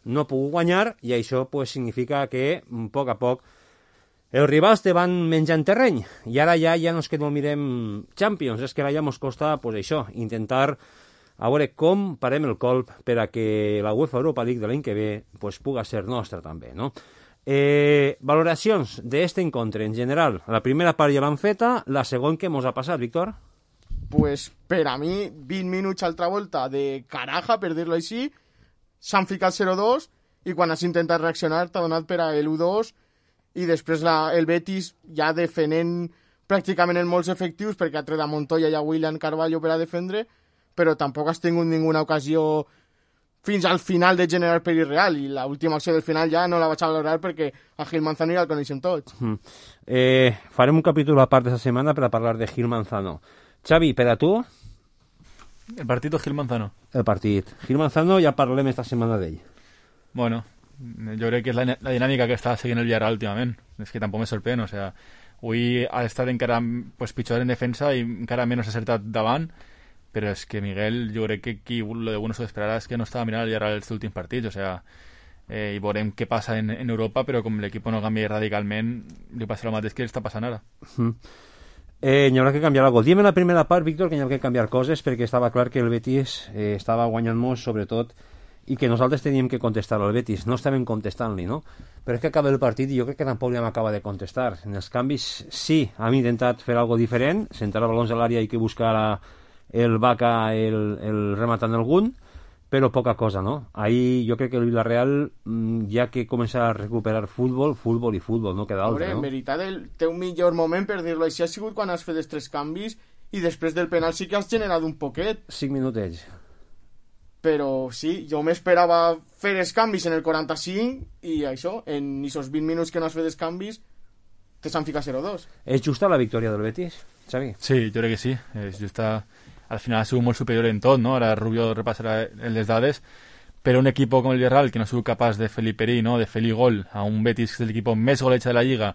no ha pogut guanyar i això pues, significa que a poc a poc els rivals te van menjant terreny i ara ja ja no és que no mirem Champions, és que ara ja ens costa pues, això, intentar a veure com parem el colp per a que la UEFA Europa League de l'any que ve pues, puga ser nostra també, no? Eh, valoracions d'este encontre en general. La primera part ja l'han feta, la segona què mos ha passat, Víctor? Pues per a mi, vint minuts altra volta de caraja, per dir-lo així, s'han ficat zero dos i quan has intentat reaccionar t'ha donat per a l'u dos i després la, el Betis ja defenent pràcticament en molts efectius perquè ha tret a Montoya i a William Carvalho per a defendre, però tampoc has tingut ninguna ocasió fins al final de generar perill real i l'última acció del final ja no la vaig a valorar perquè a Gil Manzano ja el coneixem tots. Mm. Eh, farem un capítol a part de esta setmana per a parlar de Gil Manzano. Xavi, per a tu? El partit o Gil Manzano? El partit. Gil Manzano ja parlem esta setmana d'ell. Bueno, jo crec que és la, la dinàmica que està seguint el Villarreal últimament. És que tampoc me sorprèn, o sea, avui ha estat encara pues, pitjor en defensa i encara menys acertat davant, però és que Miguel, jo crec que qui lo de bueno s'ho esperarà és que no estava mirant el Villarreal els últims partits, o sea, eh, i veurem què passa en, en Europa, però com l'equip no canvia radicalment, li passa el mateix que està passant ara. Mm. Eh, hi haurà que canviar alguna cosa. Diem en la primera part, Víctor, que hi ha que canviar coses perquè estava clar que el Betis eh, estava guanyant molt, sobretot, i que nosaltres teníem que contestar al Betis. No estàvem contestant-li, no? Però és que acaba el partit i jo crec que tampoc li hem acabat de contestar. En els canvis, sí, hem intentat fer alguna diferent, centrar balons a l'àrea i que buscar a el Vaca el, el rematant algun, però poca cosa, no? Ahí jo crec que el Villarreal ja que comença a recuperar futbol, futbol i futbol, no queda altre, no? En veritat, el teu millor moment, per dir-lo així, ha sigut quan has fet els tres canvis i després del penal sí que has generat un poquet. Cinc minutets. Però sí, jo m'esperava fer els canvis en el quaranta-cinc i això, en aquests vint minuts que no has fet els canvis, te s'han ficat zero dos. És justa la victòria del Betis, Xavi? Sí, jo crec que sí. És justa. Al final ha sigut molt superior en tot, no? Ara Rubio repassarà les dades, però un equip com el Villarreal que no ha sigut capaç de fer-li perill, no? De fer-li gol a un Betis que és l'equip més goleja de la Lliga,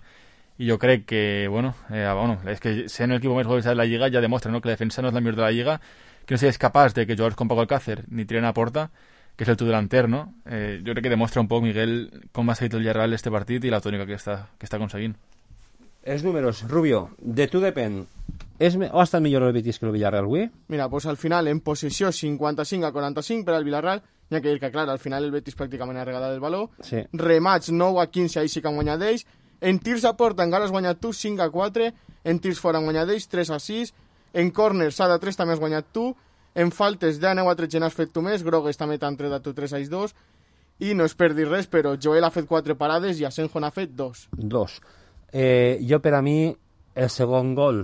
i jo crec que, bueno, eh, bueno és que sent l'equip més goleja de la Lliga ja demostra, no? Que la defensa no és la millor de la Lliga, que no siguis capaç de que jugadors com Paco Alcácer ni tiren a porta, que és el tu delanter, no? Eh, jo crec que demostra un poc, Miguel, com ha seguit el Villarreal este partit i la tònica que està, que està aconseguint. Els números, Rubio, de tu depèn. És, o ha estat millor el Betis que el Villarreal avui? Mira, pues al final en possessió cinquanta-cinc a quaranta-cinc per al Villarreal, hi ha que dir que clar, al final el Betis pràcticament ha regalat el valor, sí. Remats nou a quinze, ahí sí que han guanyat ells, en tirs a porta encara has guanyat tu cinc a quatre, en tirs fora han guanyat ells tres a sis, en corners s'ha de tres també has guanyat tu, en faltes de nou a tretze n'has fet tu més, Grogues també t'han tret a tu tres a dos, i no és per dir res, però Joel ha fet quatre parades i Asenjo n'ha fet dos. Dos. Eh, jo per a mi el segon gol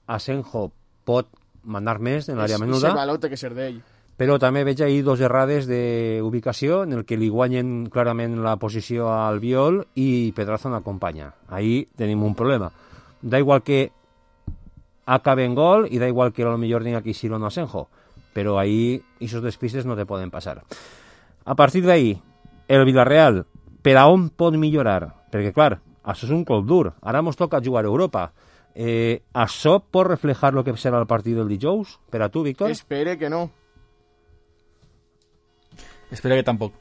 Asenjo pot mandar més en l'àrea menuda, el valor té que ser d'ell, però també veig ahir dos errades d'ubicació en el que li guanyen clarament la posició al Viol i Pedraza no acompanya. Ahí tenim un problema. Da igual que acabe en gol i da igual que a lo millor tenga que ir o no Asenjo, però ahí esos despistes no te poden passar. A partir d'ahí, el Villarreal, per a on pot millorar? Perquè clar, això és un cop dur. Ara ens toca jugar a Europa. Eh, això pot reflejar el que serà el partit del dijous? Per a tu, Víctor? Espere que no. Espera que tampoc.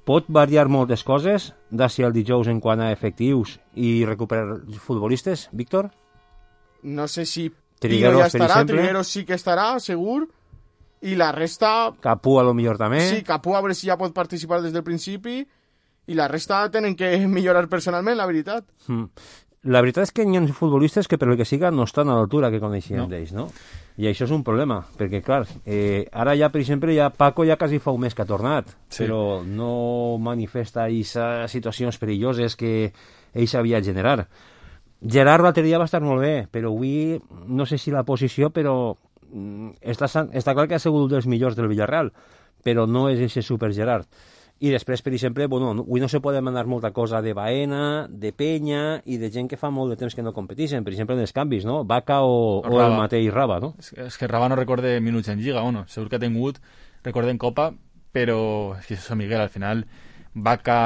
Pot variar moltes coses d'ací al dijous en quant a efectius i recuperar futbolistes, Víctor? no sé si Trigueros, Pino ja estarà, exemple. Trigueros sí que estarà, segur, i la resta... Capú a lo millor també. Sí, Capú a veure si ja pot participar des del principi, i la resta tenen que millorar personalment, la veritat. Mm. La veritat és que hi ha futbolistes que per el que siga no estan a l'altura que coneixíem no. d'ells, no? I això és un problema, perquè clar, eh, ara ja, per exemple, ja Paco ja quasi fa un mes que ha tornat, sí. però no manifesta aquestes situacions perilloses que ell sabia generar. Gerard l'altre dia va estar molt bé, però avui no sé si la posició, però està, està clar que ha sigut un dels millors del Villarreal, però no és ese super Gerard. I després, per exemple, bueno, avui no se pot demanar molta cosa de Baena, de Penya i de gent que fa molt de temps que no competeixen, per exemple, en els canvis, no? Vaca o, o el mateix Raba, no? És, és que Raba no recorde minuts en Lliga, bueno, segur que ha tingut, recorde en Copa, però és que això, Miguel, al final, Vaca,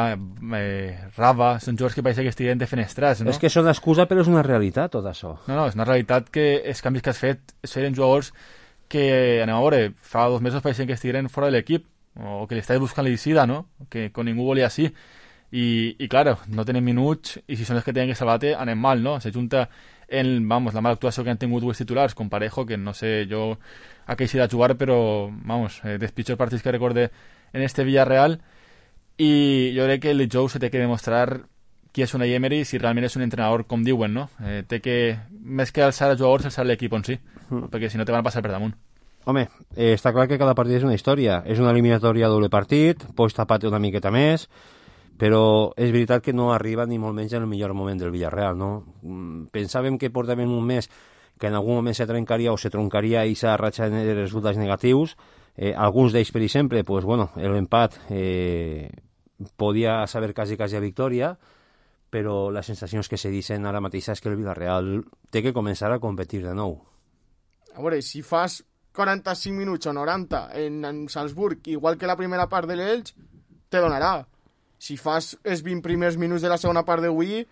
eh, Raba, són jugadors que pareix que estiguen defenestrats, no? És que són excusa, però és una realitat, tot això. No, no, és una realitat que els canvis que has fet eren jugadors que, anem a veure, fa dos mesos pareixen que estigueren fora de l'equip, o que li estàs buscant l'eixida, no? Que con ningú volia així. I, i claro, no tenen minuts, i si són els que tenen que salvar-te, anem mal, no? Se junta en, vamos, la mala actuació que han tingut els titulars, com Parejo, que no sé jo a què eixirà a jugar, però, vamos, eh, dels pitjors partits que recorde en este Villarreal, i jo crec que el Jou se té que demostrar qui és una Emery, si realment és un entrenador, com diuen, no? Eh, té que, més que alçar els jugadors, alçar l'equip en si, mm. perquè si no te van a passar per damunt. Home, eh, està clar que cada partit és una història. És una eliminatòria a doble partit, pots tapar-te una miqueta més, però és veritat que no arriba ni molt menys en el millor moment del Villarreal, no? Pensàvem que portàvem un mes que en algun moment se trencaria o se troncaria aquesta ratxa de resultats negatius. Eh, alguns d'ells, per exemple, pues, bueno, l'empat eh, podia saber quasi quasi a victòria, però les sensacions que se dicen ara mateix és que el Villarreal té que començar a competir de nou. A veure, si fas quaranta-cinc minuts o noranta en, en Salzburg, igual que la primera part de l'Elx, te donarà. Si fas els vint primers minuts de la segona part d'avui,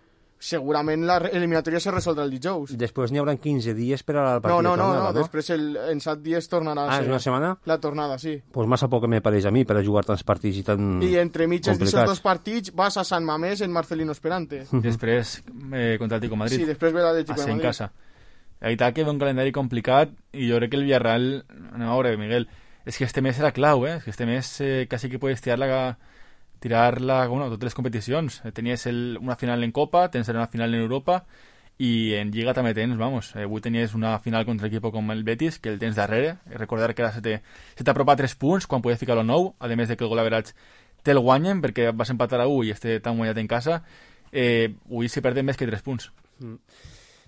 segurament l'eliminatòria se resoldrà el dijous. Després n'hi haurà quinze dies per al partit no, no, de tornada, no? no? no? Després el, en set dies tornarà ah, a ser... és una setmana? La tornada, sí. Pues massa poc me pareix a mi per a jugar tants partits i tan I entre mitges d'aquests dos partits vas a Sant Mamés en Marcelino Esperante. Després eh, contra el Tico Madrid. Sí, després ve l'Atlético de Madrid. En casa. La veritat que ve un calendari complicat i jo crec que el Villarreal, anem a veure, Miguel, és que este mes era clau, eh? És que este mes eh, quasi que puedes tirar-la, tirar-la, bueno, totes les competicions. Tenies el, una final en Copa, tens una final en Europa i en Lliga també tens, vamos, eh, avui tenies una final contra equip com el Betis, que el tens darrere, recordar que ara se t'apropa tres punts quan podies ficar-lo nou, a més de que el gol average te'l guanyen perquè vas empatar a u i este t'han guanyat en casa, eh, avui se perden més que tres punts. Mm.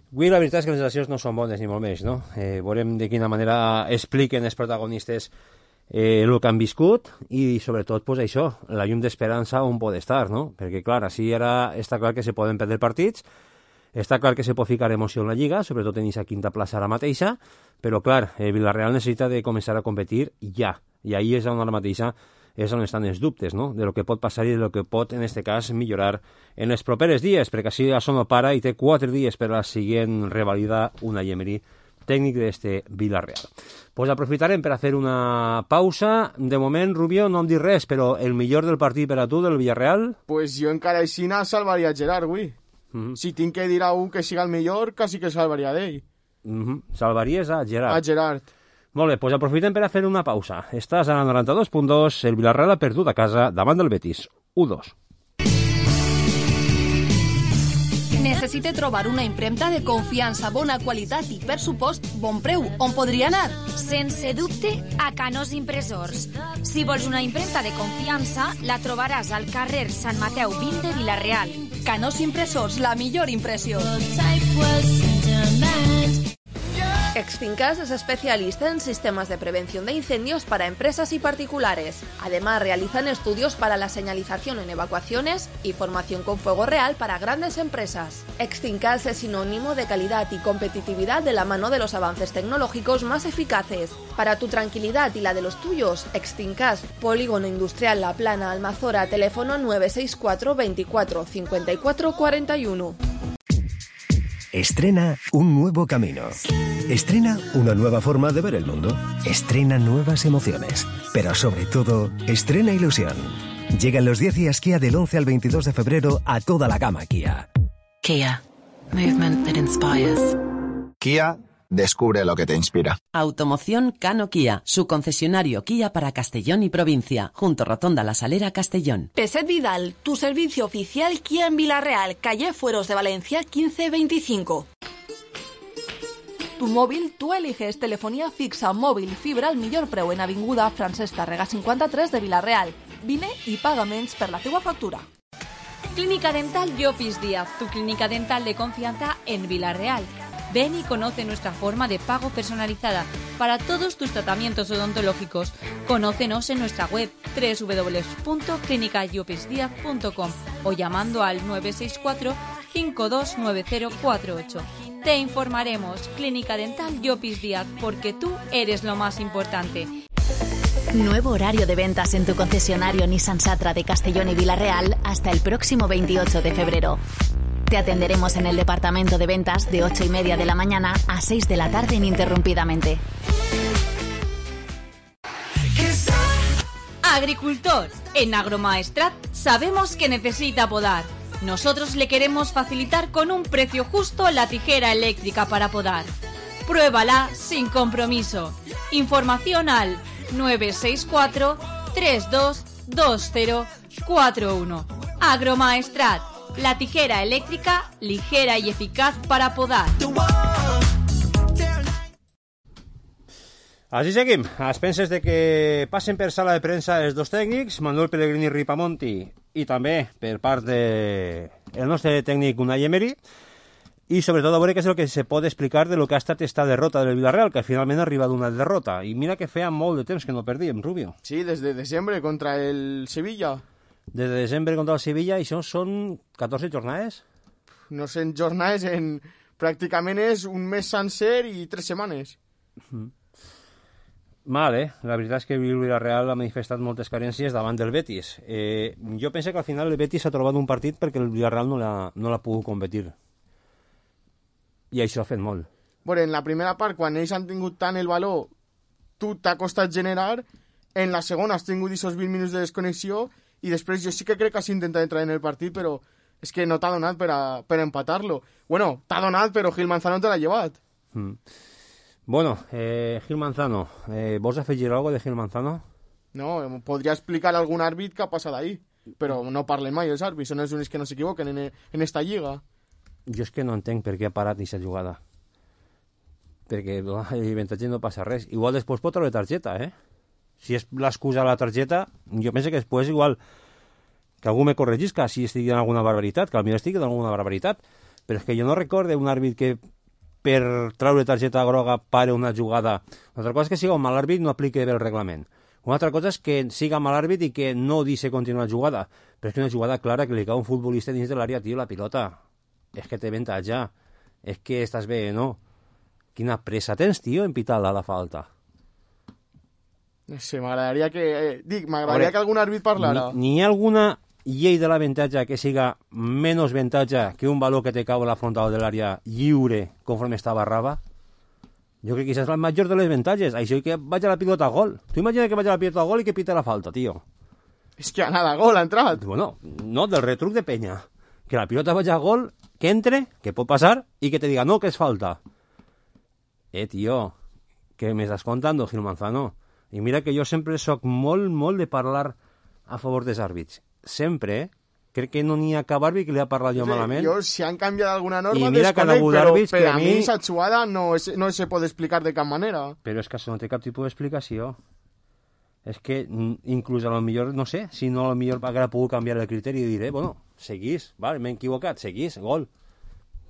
Avui la veritat és que les sensacions no són bones ni molt més, no? Eh, veurem de quina manera expliquen els protagonistes eh, el que han viscut i sobretot pues, això, la llum d'esperança on pot estar, no? Perquè clar, així ara està clar que se poden perdre partits, està clar que se pot ficar emoció en la Lliga, sobretot en aquesta quinta plaça ara mateixa, però clar, eh, Villarreal necessita de començar a competir ja, i ahí és on ara mateixa és on estan els dubtes, no? De lo que pot passar i de lo que pot, en este cas, millorar en els propers dies, perquè així això no para i té quatre dies per a la següent revalida una Emery tècnic d'este Villarreal. Pues aprofitarem per a fer una pausa. De moment, Rubio, no em dic res, però el millor del partit per a tu del Villarreal? Pues jo encara així salvaria Gerard, avui. Mm -hmm. Si tinc que dir a un que siga el millor, quasi que salvaria d'ell. Mm -hmm. Salvaries a Gerard? A Gerard. Molt bé, doncs aprofitem per a fer una pausa. Estàs a la noranta-dos punt dos, el Villarreal ha perdut a casa davant del Betis. u dos. Necessite trobar una impremta de confiança, bona qualitat i, per supost, bon preu. On podria anar? Sense dubte, a Canós Impressors. Si vols una impremta de confiança, la trobaràs al carrer Sant Mateu vint de Vila-real. Canós Impressors, la millor impressió. Extincas es especialista en sistemas de prevención de incendios para empresas y particulares. Además, realizan estudios para la señalización en evacuaciones y formación con fuego real para grandes empresas. Extincas es sinónimo de calidad y competitividad de la mano de los avances tecnológicos más eficaces. Para tu tranquilidad y la de los tuyos, Extincas, Polígono Industrial La Plana, Almazora, teléfono nueve seis cuatro veinticuatro cincuenta y cuatro cuarenta y uno. Estrena un nuevo camino. Estrena una nueva forma de ver el mundo. Estrena nuevas emociones. Pero sobre todo, estrena ilusión. Llegan los diez días Kia del once al veintidós de febrero a toda la gama Kia. Kia. Movement that inspires. Kia, descubre lo que te inspira. Automoción Cano Kia, su concesionario Kia para Castellón y provincia, junto Rotonda La Salera, Castellón. Peset Vidal, tu servicio oficial Kia en Villarreal, calle Fueros de Valencia quince veinticinco. Tu móvil, tú eliges telefonía fixa, móvil, fibra al millor preu en Avinguda Francesc Tàrrega cinquanta-tres de Villarreal. Vine i paga menys per la teua factura. Clínica Dental Llopis Díaz, tu clínica dental de confianza en Villarreal. Ven y conoce nuestra forma de pago personalizada para todos tus tratamientos odontológicos. Conócenos en nuestra web doble u doble u doble u punto clínica llopis díaz punto com o llamando al nueve seis cuatro, cinco dos nueve cero cuatro ocho. Te informaremos. Clínica Dental Llopis Díaz, porque tú eres lo más importante. Nuevo horario de ventas en tu concesionario Nissan Satra de Castellón y Villarreal hasta el próximo veintiocho de febrero. Te atenderemos en el departamento de ventas de ocho y media de la mañana a seis de la tarde ininterrumpidamente. Agricultor, en Agromaestrat sabemos que necesita podar. Nosotros le queremos facilitar con un precio justo la tijera eléctrica para podar. Pruébala sin compromiso. Información al nueve seis cuatro, tres dos dos cero cuatro uno. Agromaestrat, la tijera eléctrica ligera y eficaz para podar. Així seguim, a expenses de que passen per sala de premsa els dos tècnics, Manuel Pellegrini Ripamonti, i també per part del de nostre tècnic Unai Emery, i sobretot a veure què és el que se pot explicar de lo que ha estat esta derrota del Villarreal, que finalment ha arribat una derrota. I mira que feia molt de temps que no perdíem, Rubio. Sí, des de desembre contra el Sevilla. Des de desembre contra el Sevilla, i això són catorze jornades? No sé, en jornades, en... pràcticament és un mes sencer i tres setmanes. Mm. Mal, eh? La veritat és que el Villarreal ha manifestat moltes carències davant del Betis. Eh, jo penso que al final el Betis ha trobat un partit perquè el Villarreal no l'ha no l'ha pogut competir. I això ha fet molt. Bueno, en la primera part, quan ells han tingut tant el valor, tu t'ha costat generar, en la segona has tingut aquests vint minuts de desconnexió, i després jo sí que crec que has intentat entrar en el partit, però és que no t'ha donat per, a, per empatar-lo. Bueno, t'ha donat, però Gil Manzano te l'ha llevat. Mm. Bueno, eh, Gil Manzano, eh, ¿vols afegir algo de Gil Manzano? No, podria explicar a algun àrbit què ha passat ahí, però no parlen mai els àrbits, són els únics que no s'equivoquen en, en esta lliga. Jo és que no entenc per què ha parat aquesta jugada. Perquè l'avantatge no passa res. Igual després pot treure targeta, eh? Si és l'excusa de la targeta, jo penso que després igual que algú me corregisca si estigui en alguna barbaritat, que potser estigui en alguna barbaritat, però és que jo no recorde un àrbit que per treure targeta groga pare una jugada. Una altra cosa és que siga un mal àrbit no apliqui bé el reglament. Una altra cosa és que siga mal àrbit i que no deixi continuar la jugada. Però és que una jugada clara que li cau un futbolista dins de l'àrea, tio, la pilota. És que té avantatge. És que estàs bé, no? Quina pressa tens, tio, en pitar-la la falta. No sé, m'agradaria que... Eh, dic, m'agradaria que algun àrbit parlara. Ni, ni alguna llei de l'avantatge que siga menys avantatge que un valor que te cau a la frontal de l'àrea lliure conforme està barrava. Jo crec que això és el major de les avantatges. Això que vaig a la pilota a gol. Tu imagina que vaig a la pilota a gol i que pita la falta, tio. És que ha anat a gol, ha entrat. Bueno, no, del retruc de penya. Que la pilota vagi a gol, que entre, que pot passar, i que te diga, no, que és falta. Eh, tio, que me estàs contando, Gil Manzano. I mira que jo sempre soc molt, molt de parlar a favor dels àrbits. Sempre, eh? Crec que no n'hi ha cap àrbit que li ha parlat jo sí, malament. Jo, si han canviat alguna norma, I mira que desconec, però àrbits, per a mi... mi aquesta jugada no, es, no se pot explicar de cap manera. Però és que això no té cap tipus d'explicació. És que inclús a lo millor, no sé, si no a lo millor haguera pogut canviar el criteri i diré, bueno, seguís, vale, m'he equivocat, seguís, gol.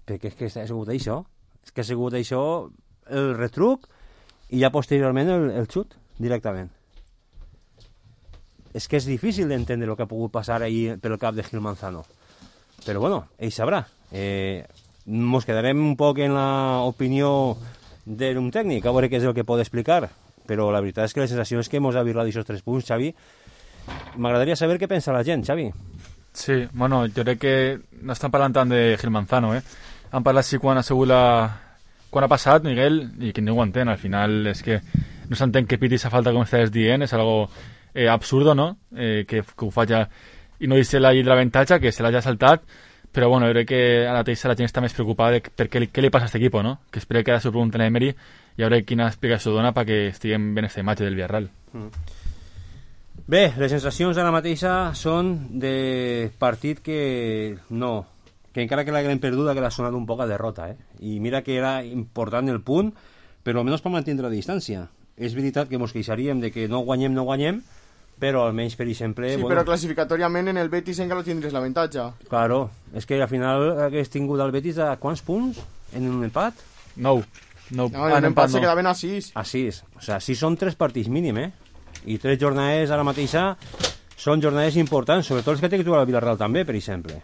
Perquè és que ha sigut això. És que ha sigut això el retruc i ja posteriorment el, el xut, directament. És que és difícil d'entendre el que ha pogut passar ahir pel cap de Gil Manzano. Però bueno, ell sabrà. Eh, mos quedarem un poc en l'opinió d'un tècnic, a veure què és el que pot explicar. Però la veritat és que la sensació és que mos ha virlat aquests tres punts, Xavi. M'agradaria saber què pensa la gent, Xavi. Sí, bueno, jo crec que no estan parlant tant de Gil Manzano, eh? Han parlat sí quan ha sigut la... quan ha passat, Miguel, i que ningú ho entén. Al final és que no s'entén que piti esa falta com estàs dient, és algo eh, absurdo, no? Eh, que, que ho faci i no deixi la llei de l'avantatge, que se l'hagi saltat, Però bueno, crec que a la Teixeira la gent està més preocupada de per què, què li passa a aquest equip, no? Que espera que ara s'ho pregunten a Emery i a veure quina explicació dona perquè estiguem ben aquesta imatge del Villarreal. Mm. Bé, les sensacions ara mateixa són de partit que no, que encara que l'haguem perduda que l'ha sonat un poc a derrota, eh? I mira que era important el punt, però almenys per mantenir la distància. És veritat que ens queixaríem de que no guanyem, no guanyem, però almenys, per exemple... Sí, bueno, però classificatòriament en el Betis encara tindries l'avantatge. Claro, és que al final hagués tingut el Betis a quants punts en un empat? Nou. No, no, en l'empat se quedaven a sis. A sis. O sea, sis són tres partits mínim, eh? I tres jornades ara mateixa són jornades importants, sobretot els que té que jugar al Villarreal també, per exemple.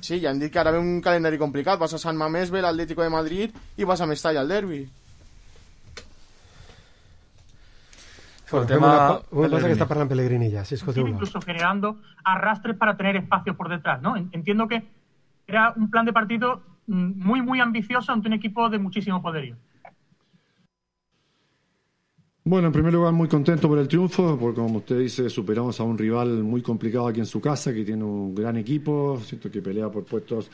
Sí, ja han dit que ara ve un calendari complicat. Vas a Sant Mamés, ve l'Atlético de Madrid i vas a Mestalla al derbi. Bueno, tema... Una, una cosa que está parlant Pellegrini ya, si incluso generando arrastres para tener espacio por detrás, ¿no? Entiendo que era un plan de partido muy, muy ambicioso ante un equipo de muchísimo poderío. Bueno, en primer lugar muy contento por el triunfo, porque como usted dice, superamos a un rival muy complicado aquí en su casa, que tiene un gran equipo, siento que pelea por puestos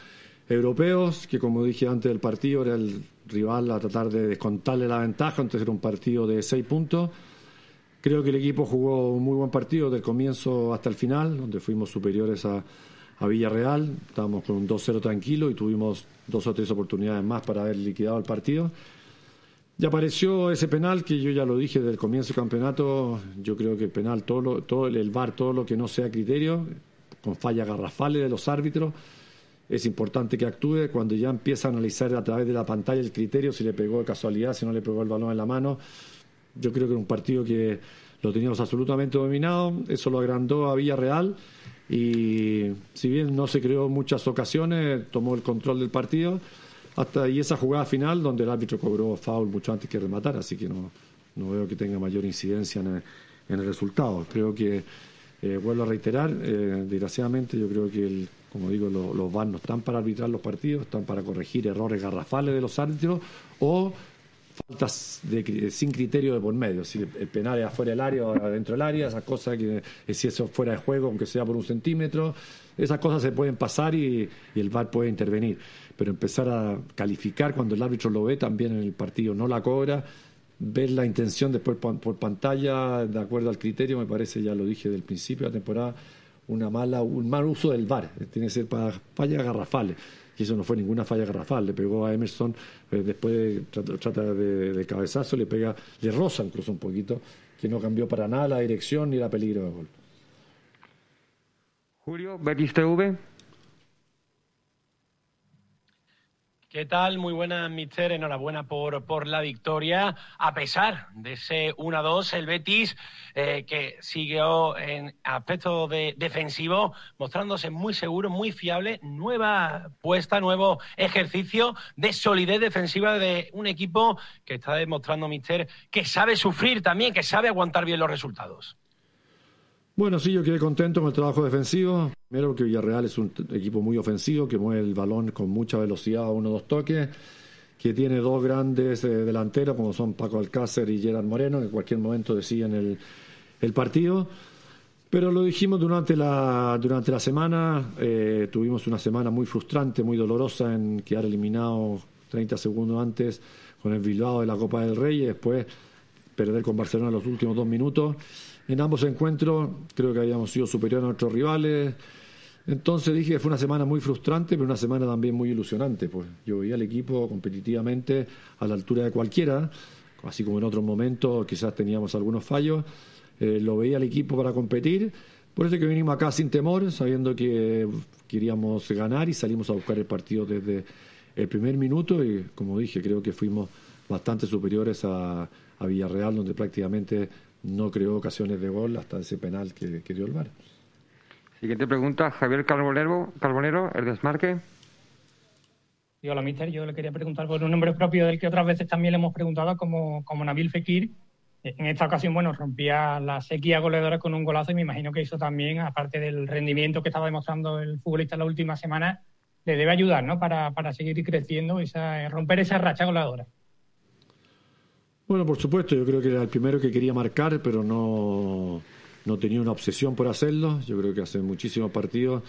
europeos, que como dije antes del partido era el rival a tratar de descontarle la ventaja, entonces era un partido de seis puntos. Creo que el equipo jugó un muy buen partido del comienzo hasta el final, donde fuimos superiores a, a Villarreal, estábamos con un dos cero tranquilo y tuvimos dos o tres oportunidades más para haber liquidado el partido. Y apareció ese penal que yo ya lo dije desde el comienzo del campeonato. Yo creo que el penal, todo, lo, todo el V A R, todo lo que no sea criterio, con fallas garrafales de los árbitros, es importante que actúe. Cuando ya empieza a analizar a través de la pantalla el criterio, si le pegó de casualidad, si no le pegó el balón en la mano, yo creo que era un partido que lo teníamos absolutamente dominado. Eso lo agrandó a Villarreal y si bien no se creó muchas ocasiones, tomó el control del partido. Hasta y esa jugada final donde el árbitro cobró foul mucho antes que rematar, así que no, no veo que tenga mayor incidencia en el, en el resultado. Creo que, eh, vuelvo a reiterar, eh, desgraciadamente yo creo que, el, como digo, lo, los V A R no están para arbitrar los partidos, están para corregir errores garrafales de los árbitros o faltas de, sin criterio de por medio, si el penal es afuera del área o adentro del área, esas cosas que si eso es fuera de juego, aunque sea por un centímetro, esas cosas se pueden pasar y, y el V A R puede intervenir. Pero empezar a calificar cuando el árbitro lo ve también en el partido, no la cobra, ver la intención después por pantalla de acuerdo al criterio, me parece, ya lo dije del principio de la temporada, una mala, un mal uso del V A R, tiene que ser para fallas garrafales. Y eso no fue ninguna falla garrafal, le pegó a Emerson, eh, después de, trata, trata de, de cabezazo, le pega, le roza incluso un poquito, que no cambió para nada la dirección ni la peligro de gol. Julio, Betis T V. ¿Qué tal? Muy buenas, mister. Enhorabuena por, por la victoria. A pesar de ese uno a dos, el Betis, eh, que siguió en aspecto de defensivo, mostrándose muy seguro, muy fiable. Nueva puesta, nuevo ejercicio de solidez defensiva de un equipo que está demostrando, mister, que sabe sufrir también, que sabe aguantar bien los resultados. Bueno, sí, yo quedé contento con el trabajo defensivo. Primero porque Villarreal es un equipo muy ofensivo, que mueve el balón con mucha velocidad a uno o dos toques, que tiene dos grandes eh, delanteros, como son Paco Alcácer y Gerard Moreno, que en cualquier momento deciden el, el partido. Pero lo dijimos durante la, durante la semana, eh, tuvimos una semana muy frustrante, muy dolorosa en quedar eliminado treinta segundos antes con el Bilbao de la Copa del Rey y después perder con Barcelona los últimos dos minutos. En ambos encuentros creo que habíamos sido superiores a nuestros rivales. Entonces dije que fue una semana muy frustrante, pero una semana también muy ilusionante. Pues yo veía al equipo competitivamente a la altura de cualquiera, así como en otros momentos quizás teníamos algunos fallos. Eh, lo veía al equipo para competir. Por eso que vinimos acá sin temor, sabiendo que queríamos ganar y salimos a buscar el partido desde el primer minuto. Y como dije, creo que fuimos bastante superiores a, a Villarreal, donde prácticamente no creó ocasiones de gol hasta ese penal que, que dio el V A R. Siguiente pregunta, Javier Carbonero, Carbonero, el desmarque. Y hola, mister. Yo le quería preguntar por un nombre propio del que otras veces también le hemos preguntado, como, como Nabil Fekir. En esta ocasión, bueno, rompía la sequía goleadora con un golazo y me imagino que eso también, aparte del rendimiento que estaba demostrando el futbolista en la última semana, le debe ayudar, ¿no? Para, para seguir creciendo, esa, romper esa racha goleadora. Bueno, por supuesto, yo creo que era el primero que quería marcar, pero no, no tenía una obsesión por hacerlo. Yo creo que hace muchísimos partidos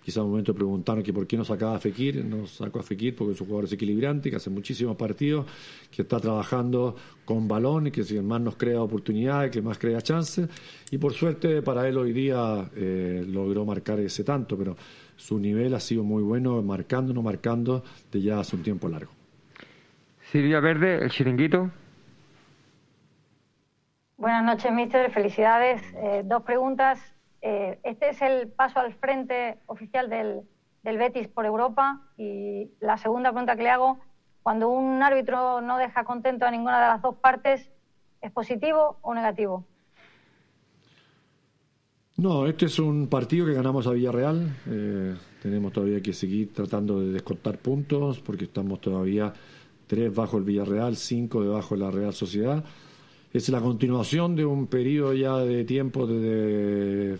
Quizá un momento preguntaron que por qué no sacaba a Fekir. No sacó a Fekir porque es un jugador desequilibrante, que hace muchísimos partidos, que está trabajando con balón y que más nos crea oportunidades, que más crea chances. Y por suerte para él hoy día eh, logró marcar ese tanto, pero su nivel ha sido muy bueno, marcando, no marcando, de ya hace un tiempo largo. Silvia Verde, el chiringuito. Buenas noches, míster. Felicidades. Eh, dos preguntas. Eh, este es el paso al frente oficial del, del Betis por Europa. Y la segunda pregunta que le hago, cuando un árbitro no deja contento a ninguna de las dos partes, ¿es positivo o negativo? No, este es un partido que ganamos a Villarreal. Eh, tenemos todavía que seguir tratando de descontar puntos porque estamos todavía tres bajo el Villarreal, cinco debajo de la Real Sociedad. Es la continuación de un periodo ya de tiempo desde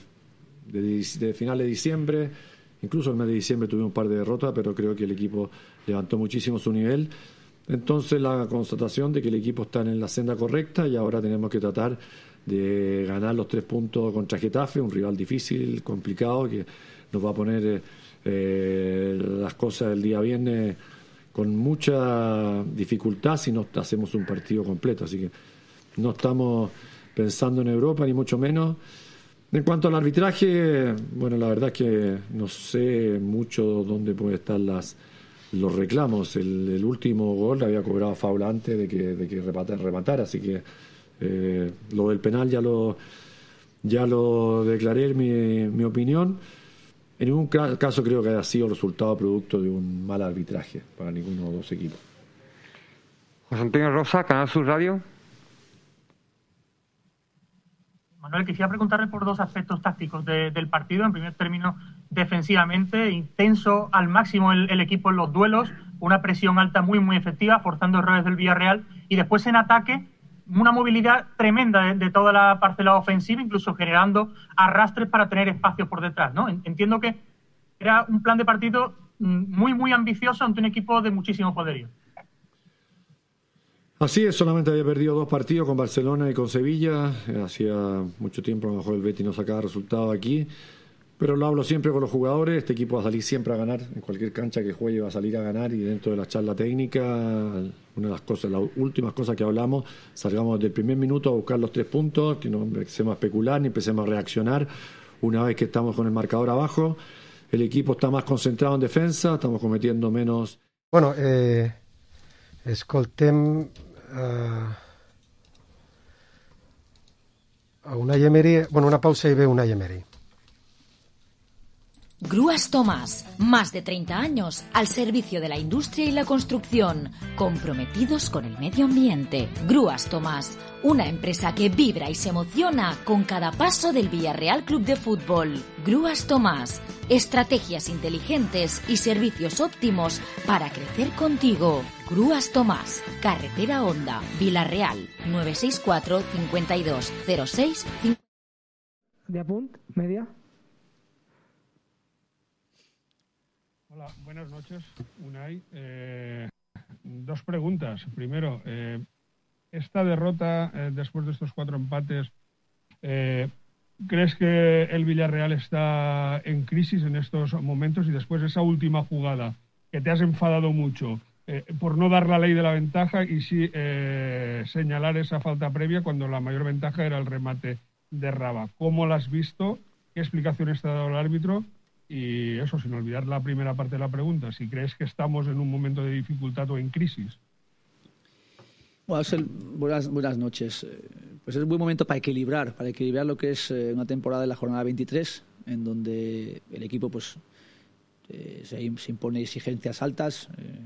de, de, de final de diciembre. Incluso el mes de diciembre tuvimos un par de derrotas, pero creo que el equipo levantó muchísimo su nivel. Entonces la constatación de que el equipo está en la senda correcta y ahora tenemos que tratar de ganar los tres puntos contra Getafe, un rival difícil, complicado, que nos va a poner eh, las cosas el día viernes con mucha dificultad si no hacemos un partido completo. Así que no estamos pensando en Europa, ni mucho menos. En cuanto al arbitraje, bueno, la verdad es que no sé mucho dónde pueden estar las, los reclamos. El, el último gol había cobrado foul antes de que, de que rematara, rematara, así que eh, lo del penal ya lo, ya lo declaré en mi, mi opinión. En ningún caso creo que haya sido resultado producto de un mal arbitraje para ninguno de los dos equipos. José Antonio Rosa, Canal Sur Radio. Manuel, quisiera preguntarle por dos aspectos tácticos de, del partido. En primer término, defensivamente, intenso al máximo el, el equipo en los duelos, una presión alta muy, muy efectiva, forzando errores del Villarreal. Y después en ataque, una movilidad tremenda de, de toda la parcela ofensiva, incluso generando arrastres para tener espacios por detrás, ¿no? Entiendo que era un plan de partido muy, muy ambicioso ante un equipo de muchísimo poderío. Así es, solamente había perdido dos partidos con Barcelona y con Sevilla. Hacía mucho tiempo a lo mejor el Betis no sacaba resultados aquí, pero lo hablo siempre con los jugadores. Este equipo va a salir siempre a ganar, en cualquier cancha que juegue va a salir a ganar, y dentro de la charla técnica, una de las cosas, las últimas cosas que hablamos, salgamos desde el primer minuto a buscar los tres puntos, que no empecemos a especular ni empecemos a reaccionar una vez que estamos con el marcador abajo. El equipo está más concentrado en defensa, estamos cometiendo menos. Bueno, eh, escoltem Uh, a Unai Emery, bueno, una pausa y ve Unai Emery. Grúas Tomás, más de treinta años al servicio de la industria y la construcción, comprometidos con el medio ambiente. Grúas Tomás, una empresa que vibra y se emociona con cada paso del Villarreal Club de Fútbol. Grúas Tomás, estrategias inteligentes y servicios óptimos para crecer contigo. Grúas Tomás, Carretera Honda, Villarreal, nueve seis cuatro, cincuenta y dos, cero seis. De apunt, media. Hola, buenas noches, Unai. Eh, dos preguntas. Primero, eh, esta derrota eh, después de estos cuatro empates, eh, ¿crees que el Villarreal está en crisis en estos momentos? Y después esa última jugada, que te has enfadado mucho eh, por no dar la ley de la ventaja y sí eh, señalar esa falta previa cuando la mayor ventaja era el remate de Raba. ¿Cómo la has visto? ¿Qué explicaciones te ha dado el árbitro? Y eso, sin olvidar la primera parte de la pregunta, si crees que estamos en un momento de dificultad o en crisis. Bueno, es el, buenas, buenas noches. Pues es un buen momento para equilibrar, para equilibrar lo que es una temporada de la jornada veintitrés, en donde el equipo pues eh, se, se impone exigencias altas eh,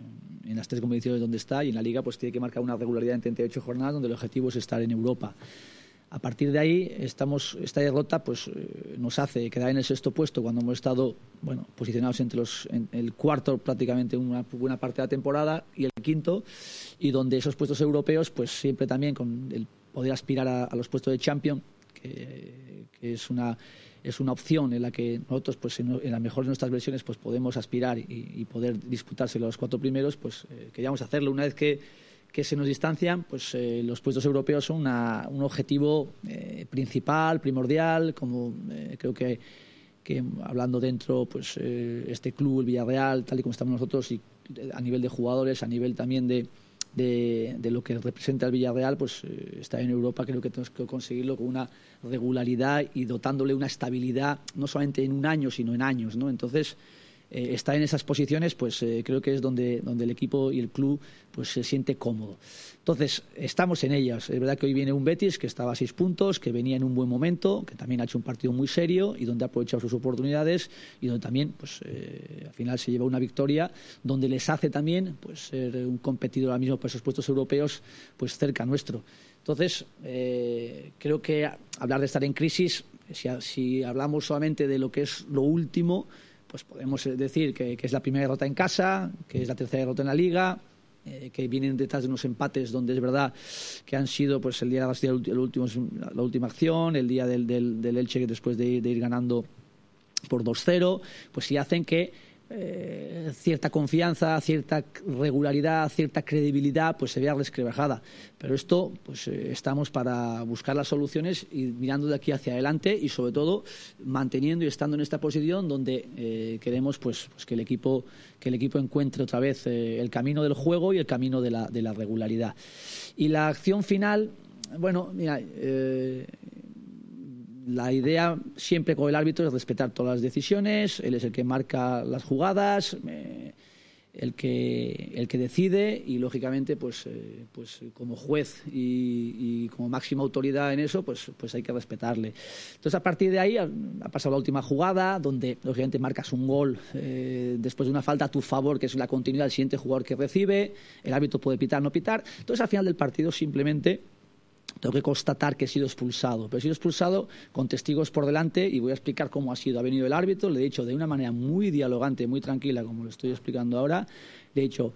en las tres competiciones donde está, y en la Liga pues tiene que marcar una regularidad en treinta y ocho jornadas, donde el objetivo es estar en Europa. A partir de ahí, estamos, esta derrota pues, eh, nos hace quedar en el sexto puesto cuando hemos estado bueno, posicionados entre los, en el cuarto prácticamente una buena parte de la temporada y el quinto, y donde esos puestos europeos pues siempre también con el poder aspirar a, a los puestos de Champions, que, que es una es una opción en la que nosotros pues en, en la mejor de nuestras versiones pues podemos aspirar y, y poder disputárselo a los cuatro primeros, pues eh, queríamos hacerlo. Una vez que que se nos distancian, pues eh, los puestos europeos son una, un objetivo eh, principal, primordial, como eh, creo que que hablando dentro, pues eh, este club, el Villarreal, tal y como estamos nosotros, y a nivel de jugadores, a nivel también de, de, de lo que representa el Villarreal, pues eh, está en Europa, creo que tenemos que conseguirlo con una regularidad y dotándole una estabilidad, no solamente en un año, sino en años, ¿no? Entonces, eh, estar en esas posiciones, pues eh, creo que es donde, donde el equipo y el club pues se siente cómodo. Entonces, estamos en ellas. Es verdad que hoy viene un Betis que estaba a seis puntos, que venía en un buen momento, que también ha hecho un partido muy serio y donde ha aprovechado sus oportunidades y donde también, pues, eh, al final se lleva una victoria, donde les hace también, pues, ser un competidor ahora mismo para esos puestos europeos, pues, cerca nuestro. Entonces, eh, creo que hablar de estar en crisis, si, si hablamos solamente de lo que es lo último, pues podemos decir que, que es la primera derrota en casa, que es la tercera derrota en la Liga, eh, que vienen detrás de unos empates donde es verdad que han sido pues el día de la, el último, la última acción, el día del, del, del Elche después de, de ir ganando por dos cero, pues sí hacen que eh, cierta confianza, cierta regularidad, cierta credibilidad pues se vea resquebrajada. Pero esto pues eh, estamos para buscar las soluciones y mirando de aquí hacia adelante y sobre todo manteniendo y estando en esta posición donde eh, queremos pues, pues que el equipo que el equipo encuentre otra vez eh, el camino del juego y el camino de la, de la regularidad. Y la acción final, bueno, mira, eh, la idea siempre con el árbitro es respetar todas las decisiones, él es el que marca las jugadas, eh, el que el que decide y lógicamente pues eh, pues como juez y, y como máxima autoridad en eso pues pues hay que respetarle. Entonces a partir de ahí ha, ha pasado la última jugada donde lógicamente marcas un gol eh, después de una falta a tu favor que es la continuidad del siguiente jugador que recibe, el árbitro puede pitar no pitar, entonces al final del partido simplemente tengo que constatar que he sido expulsado, pero he sido expulsado con testigos por delante y voy a explicar cómo ha sido. Ha venido el árbitro, le he dicho de una manera muy dialogante, muy tranquila, como lo estoy explicando ahora, le he dicho,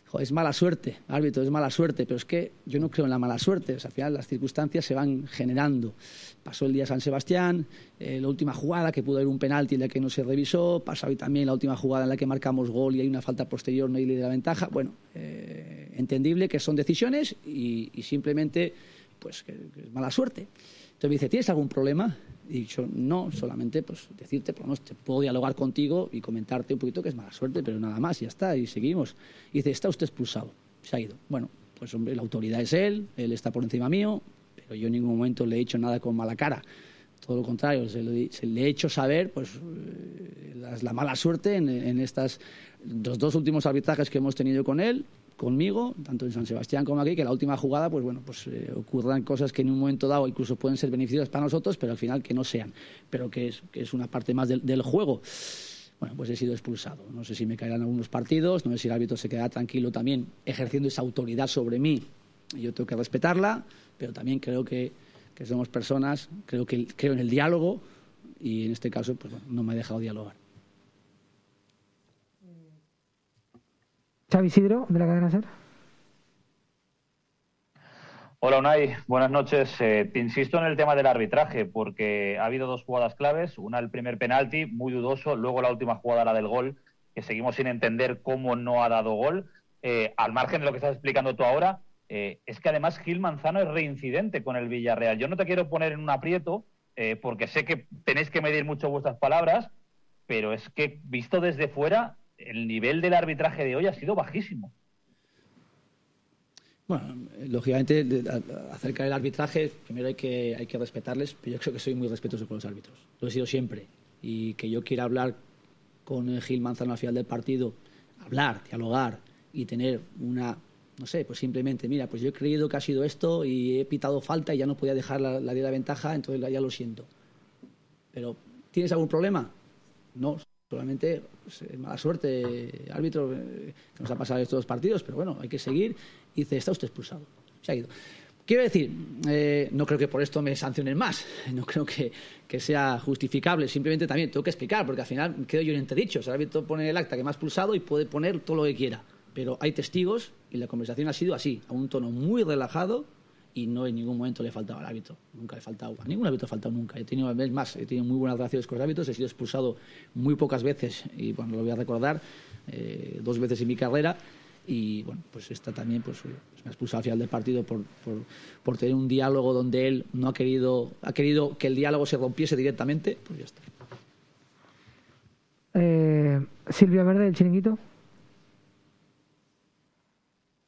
joder, es mala suerte, árbitro, es mala suerte, pero es que yo no creo en la mala suerte, o sea, al final las circunstancias se van generando. Pasó el día de San Sebastián, eh, la última jugada que pudo haber un penalti en la que no se revisó, pasó hoy también la última jugada en la que marcamos gol y hay una falta posterior, no hay ley de la ventaja. Bueno, eh, entendible que son decisiones y, y simplemente pues que, que es mala suerte. Entonces me dice, ¿tienes algún problema? Y he dicho, no, solamente pues decirte, por lo menos te puedo dialogar contigo y comentarte un poquito que es mala suerte, pero nada más, ya está, y seguimos. Y dice, está usted expulsado, se ha ido. Bueno, pues hombre, la autoridad es él, él está por encima mío, pero yo en ningún momento le he hecho nada con mala cara. Todo lo contrario, se, lo, se le he hecho saber pues la, la mala suerte en, en estas los dos últimos arbitrajes que hemos tenido con él, conmigo, tanto en San Sebastián como aquí, que la última jugada, pues bueno, pues eh, ocurran cosas que en un momento dado incluso pueden ser beneficiosas para nosotros, pero al final que no sean, pero que es, que es una parte más del, del juego. Bueno, pues he sido expulsado. No sé si me caerán algunos partidos, no sé si el árbitro se quedará tranquilo también ejerciendo esa autoridad sobre mí. Yo tengo que respetarla, pero también creo que, que somos personas, creo, que, creo en el diálogo y en este caso pues bueno, no me ha dejado dialogar. Xavi Isidro, de la cadena SER. Hola Unai, buenas noches. Eh, te insisto en el tema del arbitraje porque ha habido dos jugadas claves, una el primer penalti, muy dudoso, luego la última jugada, la del gol, que seguimos sin entender cómo no ha dado gol. Eh, al margen de lo que estás explicando tú ahora, eh, es que además Gil Manzano es reincidente con el Villarreal. Yo no te quiero poner en un aprieto eh, porque sé que tenéis que medir mucho vuestras palabras, pero es que visto desde fuera el nivel del arbitraje de hoy ha sido bajísimo. Bueno, lógicamente, acerca del arbitraje, primero hay que, hay que respetarles, pero yo creo que soy muy respetuoso con los árbitros. Lo he sido siempre. Y que yo quiera hablar con Gil Manzano al final del partido, hablar, dialogar y tener una, no sé, pues simplemente, mira, pues yo he creído que ha sido esto y he pitado falta y ya no podía dejar la, la de la ventaja, entonces ya lo siento. Pero, ¿tienes algún problema? No. Solamente pues, mala suerte, árbitro, eh, que nos ha pasado estos dos partidos, pero bueno, hay que seguir. Y dice, está usted expulsado. Se ha ido. Quiero decir, eh, no creo que por esto me sancionen más, no creo que, que sea justificable, simplemente también tengo que explicar, porque al final quedo yo en entredicho. O sea, el árbitro pone el acta que me ha expulsado y puede poner todo lo que quiera, pero hay testigos y la conversación ha sido así, a un tono muy relajado. Y no en ningún momento le he faltado al árbitro, nunca le he faltado, a ningún árbitro he faltado nunca. He tenido, es más, he tenido muy buenas relaciones con los árbitros, he sido expulsado muy pocas veces y bueno, lo voy a recordar, eh, dos veces en mi carrera y bueno, pues esta también pues me ha expulsado al final del partido por, por, por tener un diálogo donde él no ha querido, ha querido que el diálogo se rompiese directamente, pues ya está. Silvia Verde, del Chiringuito.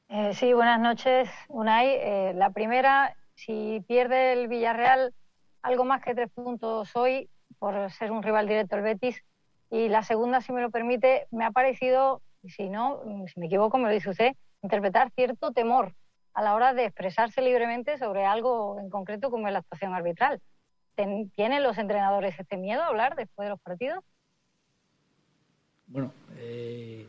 Eh, sí, buenas noches, Unai. Eh, la primera, si pierde el Villarreal algo más que tres puntos hoy, por ser un rival directo el Betis, y la segunda, si me lo permite, me ha parecido, si no, si me equivoco me lo dice usted, interpretar cierto temor a la hora de expresarse libremente sobre algo en concreto como es la actuación arbitral. ¿Tienen los entrenadores este miedo a hablar después de los partidos? Bueno, eh,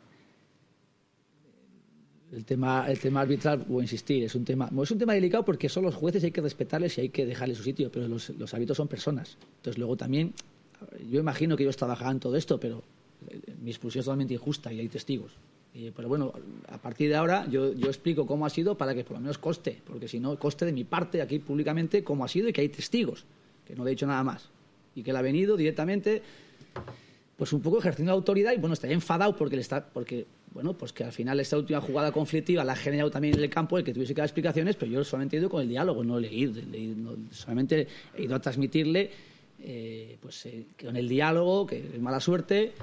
el tema el tema arbitral, voy a insistir, es un tema es un tema delicado porque son los jueces y hay que respetarles y hay que dejarles su sitio, pero los, los árbitros son personas. Entonces luego también, yo imagino que ellos trabajarán todo esto, pero mi expulsión es totalmente injusta y hay testigos. Eh, pero bueno, a partir de ahora yo, yo explico cómo ha sido para que por lo menos coste, porque si no, coste de mi parte aquí públicamente cómo ha sido y que hay testigos, que no le he dicho nada más. Y que él ha venido directamente, pues un poco ejerciendo autoridad y bueno, estaría enfadado porque le está, porque bueno, pues que al final esta última jugada conflictiva la ha generado también en el campo el que tuviese que dar explicaciones, pero yo solamente he ido con el diálogo, no he leído, he leído no, solamente he ido a transmitirle eh, pues eh, con el diálogo, que es mala suerte,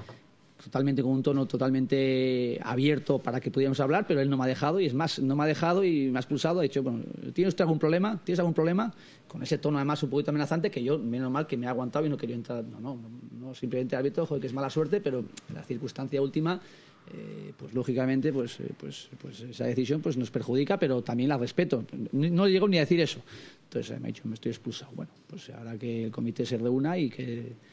totalmente con un tono totalmente abierto para que pudiéramos hablar, pero él no me ha dejado y es más, no me ha dejado y me ha expulsado. Ha dicho, bueno, ¿tienes usted algún problema? ¿Tienes algún problema? Con ese tono además un poquito amenazante que yo, menos mal que me ha aguantado y no quería entrar. No, no, no, no simplemente árbitro, joder, que es mala suerte, pero la circunstancia última, eh, pues lógicamente, pues, eh, pues, pues esa decisión pues nos perjudica, pero también la respeto. No, no llego ni a decir eso. Entonces me ha dicho, me estoy expulsado. Bueno, pues ahora que el comité se reúna y que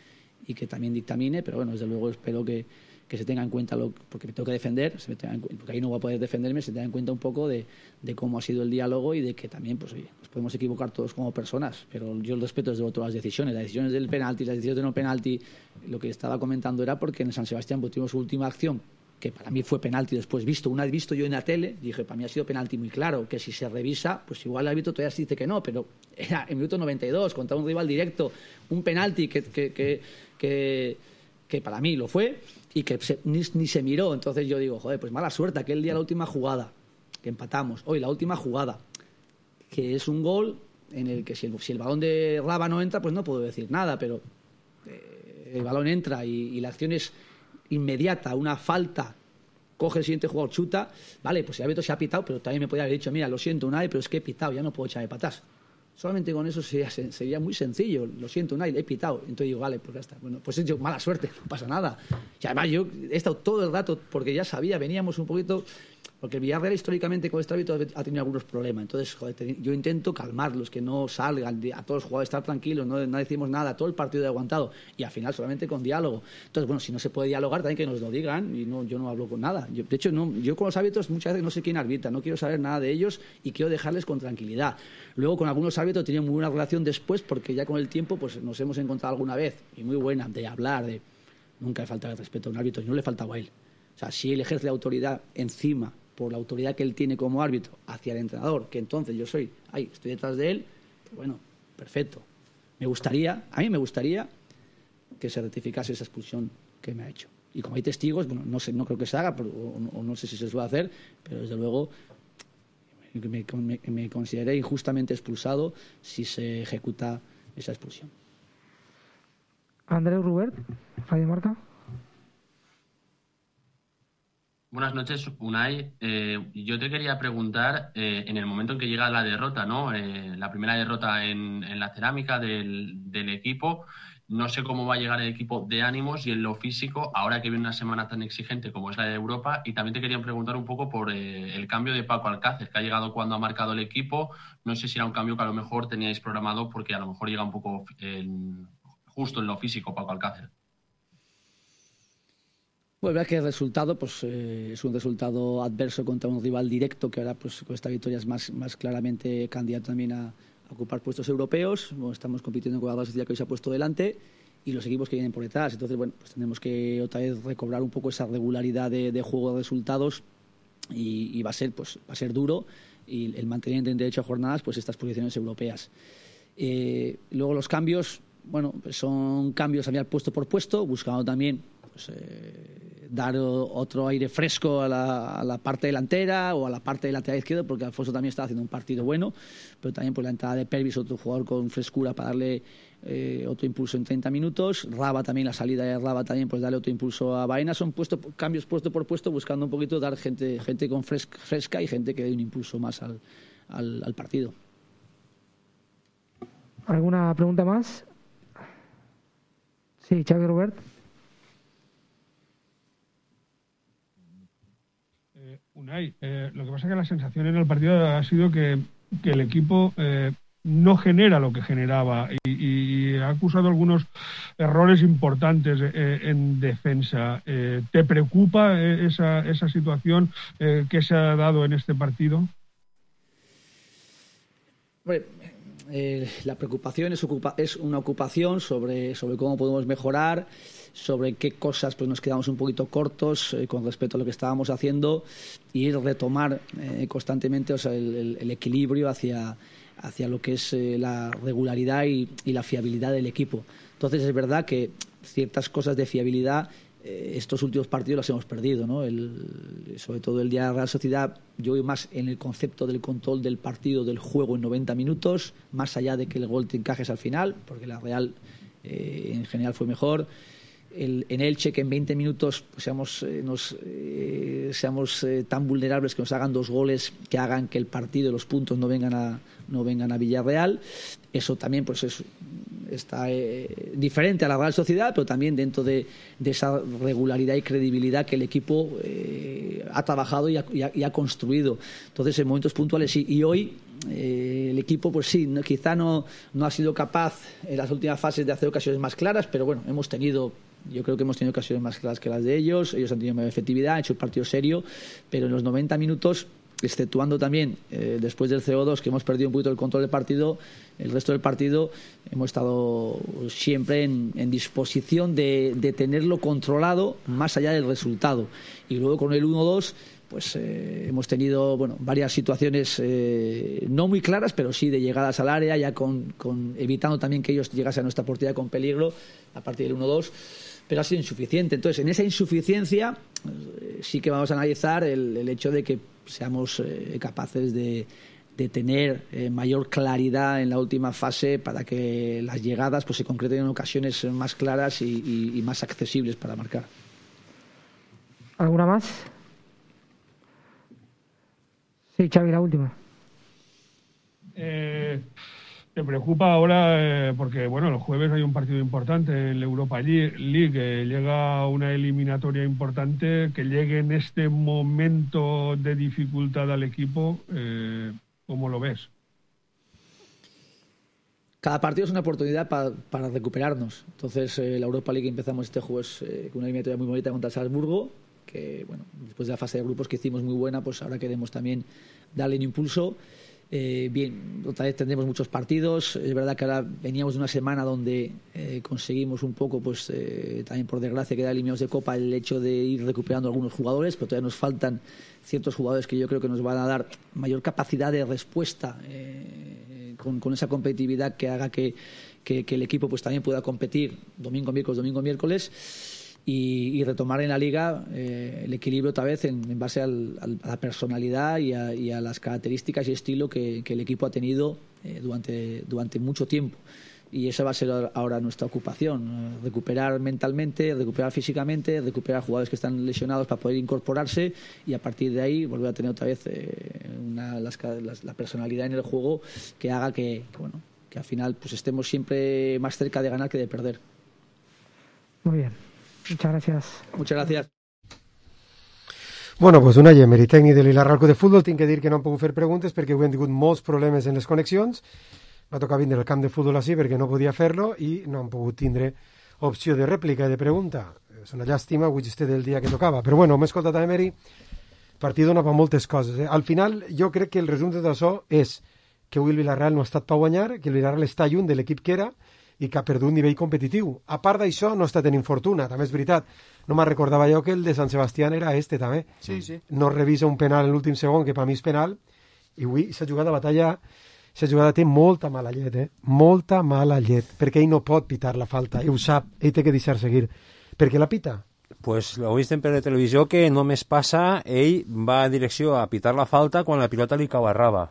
y que también dictamine, pero bueno, desde luego espero que, que se tenga en cuenta, lo, porque me tengo que defender, se me tenga en, porque ahí no voy a poder defenderme, se tenga en cuenta un poco de, de cómo ha sido el diálogo y de que también, pues oye, nos podemos equivocar todos como personas, pero yo respeto desde luego todas las decisiones, las decisiones del penalti, las decisiones de no penalti. Lo que estaba comentando era porque en San Sebastián pues, tuvimos su última acción, que para mí fue penalti después visto, una vez visto yo en la tele, dije, para mí ha sido penalti muy claro, que si se revisa, pues igual el árbitro todavía se dice que no, pero era en minuto noventa y dos, contra un rival directo, un penalti que, que, que, que, que para mí lo fue y que se, ni, ni se miró. Entonces yo digo, joder, pues mala suerte, aquel día la última jugada, que empatamos, hoy la última jugada, que es un gol en el que si el, si el balón de Raba no entra, pues no puedo decir nada, pero eh, el balón entra y, y la acción es inmediata, una falta, coge el siguiente jugador, chuta, vale, pues el árbitro se ha pitado, pero también me podría haber dicho, mira, lo siento Unai, pero es que he pitado, ya no puedo echarme para atrás. Solamente con eso sería, sería muy sencillo, lo siento Unai, he pitado. Entonces digo, vale, pues ya está. Bueno, pues yo, mala suerte, no pasa nada. Y además yo he estado todo el rato, porque ya sabía, veníamos un poquito, porque el Villarreal históricamente con este árbitro ha tenido algunos problemas. Entonces, joder, yo intento calmarlos, que no salgan, a todos los jugadores estar tranquilos, no, no decimos nada, todo el partido he aguantado. Y al final solamente con diálogo. Entonces, bueno, si no se puede dialogar, también que nos lo digan, y no, yo no hablo con nada. Yo, de hecho, no, yo con los árbitros muchas veces no sé quién arbitra, no quiero saber nada de ellos y quiero dejarles con tranquilidad. Luego, con algunos árbitros tenía muy buena relación después, porque ya con el tiempo pues nos hemos encontrado alguna vez, y muy buena, de hablar, de nunca le falta el respeto a un árbitro, y no le faltaba a él. O sea, si él ejerce la autoridad encima, por la autoridad que él tiene como árbitro hacia el entrenador, que entonces yo soy, ay, estoy detrás de él, pues bueno, perfecto. Me gustaría, a mí me gustaría que se rectificase esa expulsión que me ha hecho. Y como hay testigos, bueno, no sé, no creo que se haga, pero, o, o no sé si se suele hacer, pero desde luego me, me, me consideré injustamente expulsado si se ejecuta esa expulsión. Andreu Rubert, Radio Marca. Buenas noches, Unai. Eh, yo te quería preguntar, eh, en el momento en que llega la derrota, ¿no? Eh, la primera derrota en, en la cerámica del, del equipo, no sé cómo va a llegar el equipo de ánimos y en lo físico, ahora que viene una semana tan exigente como es la de Europa. Y también te quería preguntar un poco por eh, el cambio de Paco Alcácer, que ha llegado cuando ha marcado el equipo. No sé si era un cambio que a lo mejor teníais programado, porque a lo mejor llega un poco en, justo en lo físico Paco Alcácer. Bueno, la verdad que el resultado pues, eh, es un resultado adverso contra un rival directo que ahora pues, con esta victoria es más, más claramente candidato también a, a ocupar puestos europeos. Bueno, estamos compitiendo con la Real Sociedad que hoy se ha puesto delante y los equipos que vienen por detrás. Entonces, bueno, pues tenemos que otra vez recobrar un poco esa regularidad de, de juego de resultados y, y va a ser pues va a ser duro y el mantener en derecho a jornadas pues estas posiciones europeas. Eh, luego los cambios, bueno, pues son cambios a mirar puesto por puesto, buscando también pues, eh, dar otro aire fresco a la, a la parte delantera o a la parte del lateral izquierdo, porque Alfonso también está haciendo un partido bueno, pero también pues, la entrada de Pervis, otro jugador con frescura para darle eh, otro impulso en treinta minutos. Raba también, la salida de Raba también, pues darle otro impulso a Baena. Son puesto, cambios puesto por puesto, buscando un poquito dar gente, gente con fresca, fresca y gente que dé un impulso más al, al, al partido. ¿Alguna pregunta más? Sí, Xavi Robert. Eh, Unai, eh, lo que pasa es que la sensación en el partido ha sido que, que el equipo eh, no genera lo que generaba y, y ha acusado algunos errores importantes eh, en defensa. Eh, ¿Te preocupa eh, esa, esa situación eh, que se ha dado en este partido? Bueno, Eh, la preocupación es, ocupa, es una ocupación sobre, sobre cómo podemos mejorar, sobre qué cosas pues nos quedamos un poquito cortos eh, con respecto a lo que estábamos haciendo, y retomar eh, constantemente, o sea, el, el, el equilibrio hacia, hacia lo que es eh, la regularidad y, y la fiabilidad del equipo. Entonces es verdad que ciertas cosas de fiabilidad estos últimos partidos los hemos perdido, ¿no? El, sobre todo el día de la Real Sociedad, yo voy más en el concepto del control del partido, del juego en noventa minutos, más allá de que el gol te encajes al final, porque la Real eh, en general fue mejor. El, en Elche, que en veinte minutos pues, seamos, eh, nos, eh, seamos eh, tan vulnerables que nos hagan dos goles que hagan que el partido y los puntos no vengan a, no vengan a Villarreal. Eso también pues es, está eh, diferente a la Real Sociedad, pero también dentro de, de esa regularidad y credibilidad que el equipo eh, ha trabajado y ha, y, ha, y ha construido. Entonces, en momentos puntuales sí. Y hoy eh, el equipo, pues sí, no, quizá no, no ha sido capaz en las últimas fases de hacer ocasiones más claras, pero bueno, hemos tenido... Yo creo que hemos tenido ocasiones más claras que las de ellos. Ellos han tenido mayor efectividad, han hecho un partido serio, pero en los noventa minutos, exceptuando también eh, después del cero dos, que hemos perdido un poquito el control del partido, el resto del partido hemos estado siempre en, en disposición de, de tenerlo controlado más allá del resultado. Y luego con el uno dos pues eh, hemos tenido bueno varias situaciones eh, no muy claras, pero sí de llegadas al área, ya con, con evitando también que ellos llegasen a nuestra portería con peligro a partir del uno dos, pero ha sido insuficiente. Entonces, en esa insuficiencia eh, sí que vamos a analizar el, el hecho de que seamos eh, capaces de, de tener eh, mayor claridad en la última fase para que las llegadas pues se concreten en ocasiones más claras y, y, y más accesibles para marcar. ¿Alguna más? Sí, Xavi, la última. Eh, ¿Te preocupa ahora? Eh, porque, bueno, el jueves hay un partido importante en la Europa League, eh, llega una eliminatoria importante, que llegue en este momento de dificultad al equipo, eh, ¿cómo lo ves? Cada partido es una oportunidad pa, para recuperarnos. Entonces, eh, la Europa League empezamos este jueves eh, con una eliminatoria muy bonita contra el Salzburgo, que, bueno, después de la fase de grupos que hicimos muy buena, pues ahora queremos también darle un impulso. Eh, bien, otra vez tendremos muchos partidos. Es verdad que ahora veníamos de una semana donde eh, conseguimos un poco, pues eh, también por desgracia, quedar eliminados de Copa, el hecho de ir recuperando algunos jugadores, pero todavía nos faltan ciertos jugadores que yo creo que nos van a dar mayor capacidad de respuesta eh, con, con esa competitividad que haga que, que, que el equipo pues también pueda competir domingo, miércoles, domingo, miércoles. Y, y retomar en la Liga eh, el equilibrio otra vez en, en base al, al, a la personalidad y a, y a las características y estilo que, que el equipo ha tenido eh, durante, durante mucho tiempo. Y esa va a ser ahora nuestra ocupación, eh, recuperar mentalmente, recuperar físicamente, recuperar jugadores que están lesionados para poder incorporarse y a partir de ahí volver a tener otra vez eh, una, las, las, la personalidad en el juego que haga que, que, bueno, que al final pues estemos siempre más cerca de ganar que de perder. Muy bien. Muchas gracias. Muchas gracias. Bueno, pues una Emery, tècnic de l'Ilarralco de futbol. Tinc que dir que no hem pogut fer preguntes perquè avui hem tingut molts problemes en les connexions. Va tocar vindre al camp de futbol així perquè no podia fer-lo i no hem pogut tindre opció de rèplica i de pregunta. És una llàstima, avui este del dia que tocava. Però bueno, m'he escoltat a Emery, el partit dona per moltes coses. Eh? Al final, jo crec que el resum de tot això és que avui el Villarreal no ha estat per guanyar, que el Villarreal està lluny de l'equip que era i que ha perdut nivell competitiu. A part d'això, no està tenint fortuna, també és veritat. No me'n recordava jo que el de Sant Sebastián era este, també. Sí, sí. No revisa un penal en l'últim segon, que per mi és penal, i avui s'ha jugat a batalla, s'ha jugada té molta mala llet, eh? Molta mala llet, perquè ell no pot pitar la falta, ell ho sap, ell té que deixar seguir. Perquè la pita, Pues ho vist per la televisió que només passa, ell va en direcció a pitar la falta quan la pilota li cau a raba.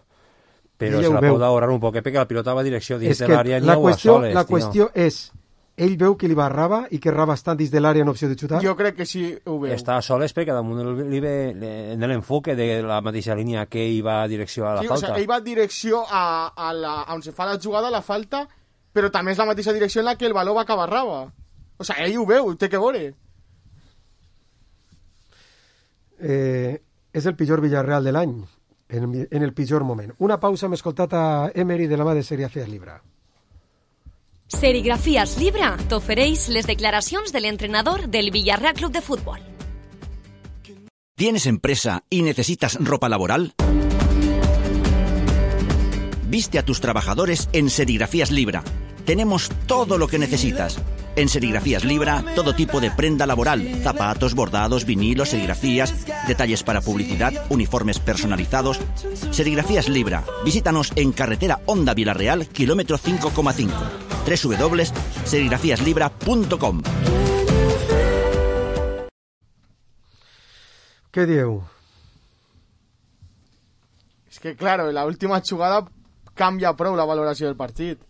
Però se la pot ahorrar un poquet perquè la pilota va a direcció dins de l'àrea ni agua soles. La qüestió és, ell veu que li va a raba i que raba està dins de l'àrea en opció de xutar? Jo crec que sí ho veu. Està a soles perquè damunt li ve en l'enfoque de la mateixa línia que ell va a direcció a la sí, falta. O sigui, ell va a direcció a, a, la, a on se fa la jugada, la falta, però també és la mateixa direcció en la que el baló va acabar a raba. O sigui, ell ho veu, té que veure. Eh, és el pitjor Villarreal de l'any, en, en el pitjor moment. Una pausa, hem escoltat a Emery de la mà de Serigrafías Libra. Serigrafías Libra t'ofereix les declaracions de l'entrenador del Villarreal Club de Fútbol. ¿Tienes empresa y necesitas ropa laboral? Viste a tus trabajadores en Serigrafías Libra. Tenemos todo lo que necesitas. En Serigrafías Libra, todo tipo de prenda laboral, zapatos, bordados, vinilos, serigrafías, detalles para publicidad, uniformes personalizados. Serigrafías Libra. Visítanos en carretera Honda Villarreal, kilómetro cinco coma cinco. doble u doble u doble u punto serigrafías libra punto com. Què dieu? És que, claro, la última jugada canvia prou la valoració del partit.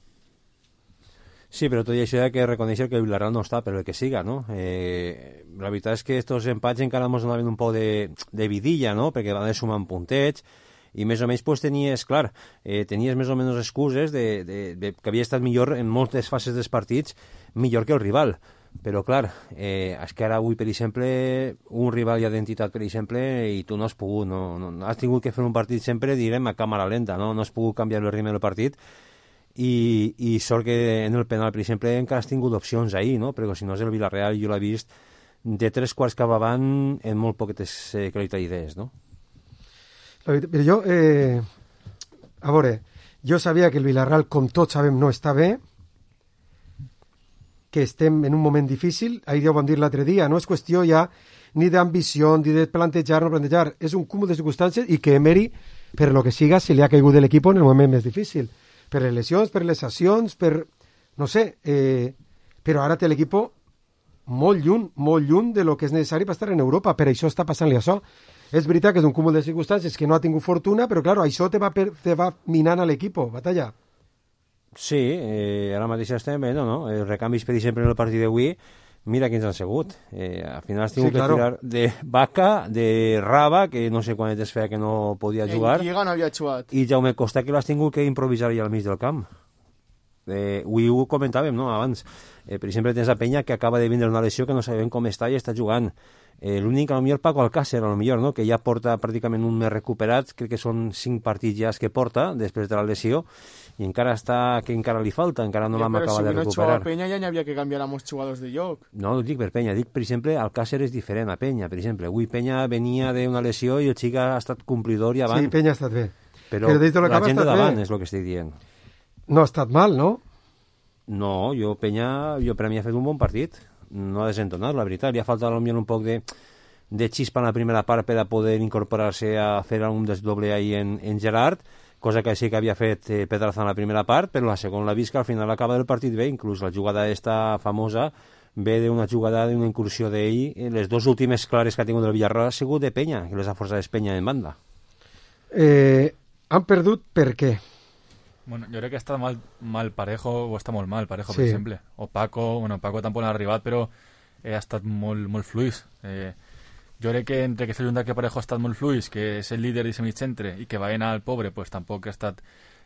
Sí, però tot i això hi ha que reconèixer que el Villarreal no està per el que siga, no? Eh, la veritat és que estos empats encara ens donaven un poc de, de vidilla, no? Perquè van sumant puntets i més o menys pues, tenies, clar, eh, tenies més o menys excuses de, de, de, que havia estat millor en moltes fases dels partits, millor que el rival. Però, clar, eh, és que ara avui, per exemple, un rival d'identitat, per exemple, i tu no has pogut, no, no, has tingut que fer un partit sempre, direm, a càmera lenta, no? No has pogut canviar el ritme del partit. I, i sort que en el penal, per exemple, encara has tingut opcions ahir, no? Perquè si no és el Villarreal, jo l'he vist de tres quarts cap avant en molt poquetes eh, qualitat d'idees, no? Però jo, eh, a veure, jo sabia que el Villarreal, com tots sabem, no està bé, que estem en un moment difícil, ahir ja ho vam dir l'altre dia, no és qüestió ja ni d'ambició, ni de plantejar, no plantejar, és un cúmul de circumstàncies i que Emery, per lo que siga, se li ha caigut de l'equip en el moment més difícil. Per les lesions, per les accions, per... no sé, eh, però ara té l'equip molt lluny, molt lluny de lo que és necessari per estar en Europa, per això està passant-li això. És veritat que és un cúmul de circumstàncies que no ha tingut fortuna, però clar, això te va, per, te va minant a l'equip, batalla. Sí, eh, ara mateix estem bé, no, no? Els recanvis, per exemple, en el partit d'avui, mira quins han sigut. Eh, al final has tingut sí, claro. que tirar de Vaca, de Raba, que no sé quan es feia que no podia jugar. En Lliga no havia jugat. I Jaume Costa, que l'has tingut que improvisar allà al mig del camp. Eh, avui ho comentàvem, no?, abans. Eh, per exemple, tens a Penya, que acaba de vindre una lesió que no sabem com està i està jugant. Eh, L'únic, a lo millor, Paco Alcácer, a lo millor, no?, que ja porta pràcticament un mes recuperat, crec que són cinc partits ja que porta, després de la lesió, i encara està, que encara li falta, encara no ja, l'hem acabat si de recuperar. Però si no Penya ja n'hi havia que canviar a molts jugadors de lloc. No, no dic per Penya, dic, per exemple, Alcácer és diferent a Penya, per exemple. Avui Penya venia d'una lesió i el xic ha estat complidor i avant. Sí, Penya ha estat bé. Però, Però la gent de davant és el que estic dient. No ha estat mal, no? No, jo Penya, jo per a mi ha fet un bon partit. No ha desentonat, la veritat. Li ha faltat potser un poc de, de xispa en la primera part per a poder incorporar-se a fer un desdoble ahí en, en Gerard, cosa que sí que havia fet eh, Pedraza en la primera part, però la segona l'ha vist que al final acaba del partit bé, inclús la jugada esta famosa ve d'una jugada, d'una incursió d'ell. Les dues últimes clares que ha tingut el Villarreal ha sigut de Penya, que les ha forçat Penya en banda. Eh, han perdut per què? Bueno, jo crec que està mal, mal Parejo, o està molt mal Parejo, sí. per exemple. O Paco, bueno, Paco tampoc no ha arribat, però eh, ha estat molt, molt fluix. Eh, jo crec que entre que s'ha juntat que Parejo ha estat molt fluix, que és el líder d'aquest mig centre, i que va anar al pobre, pues tampoc ha estat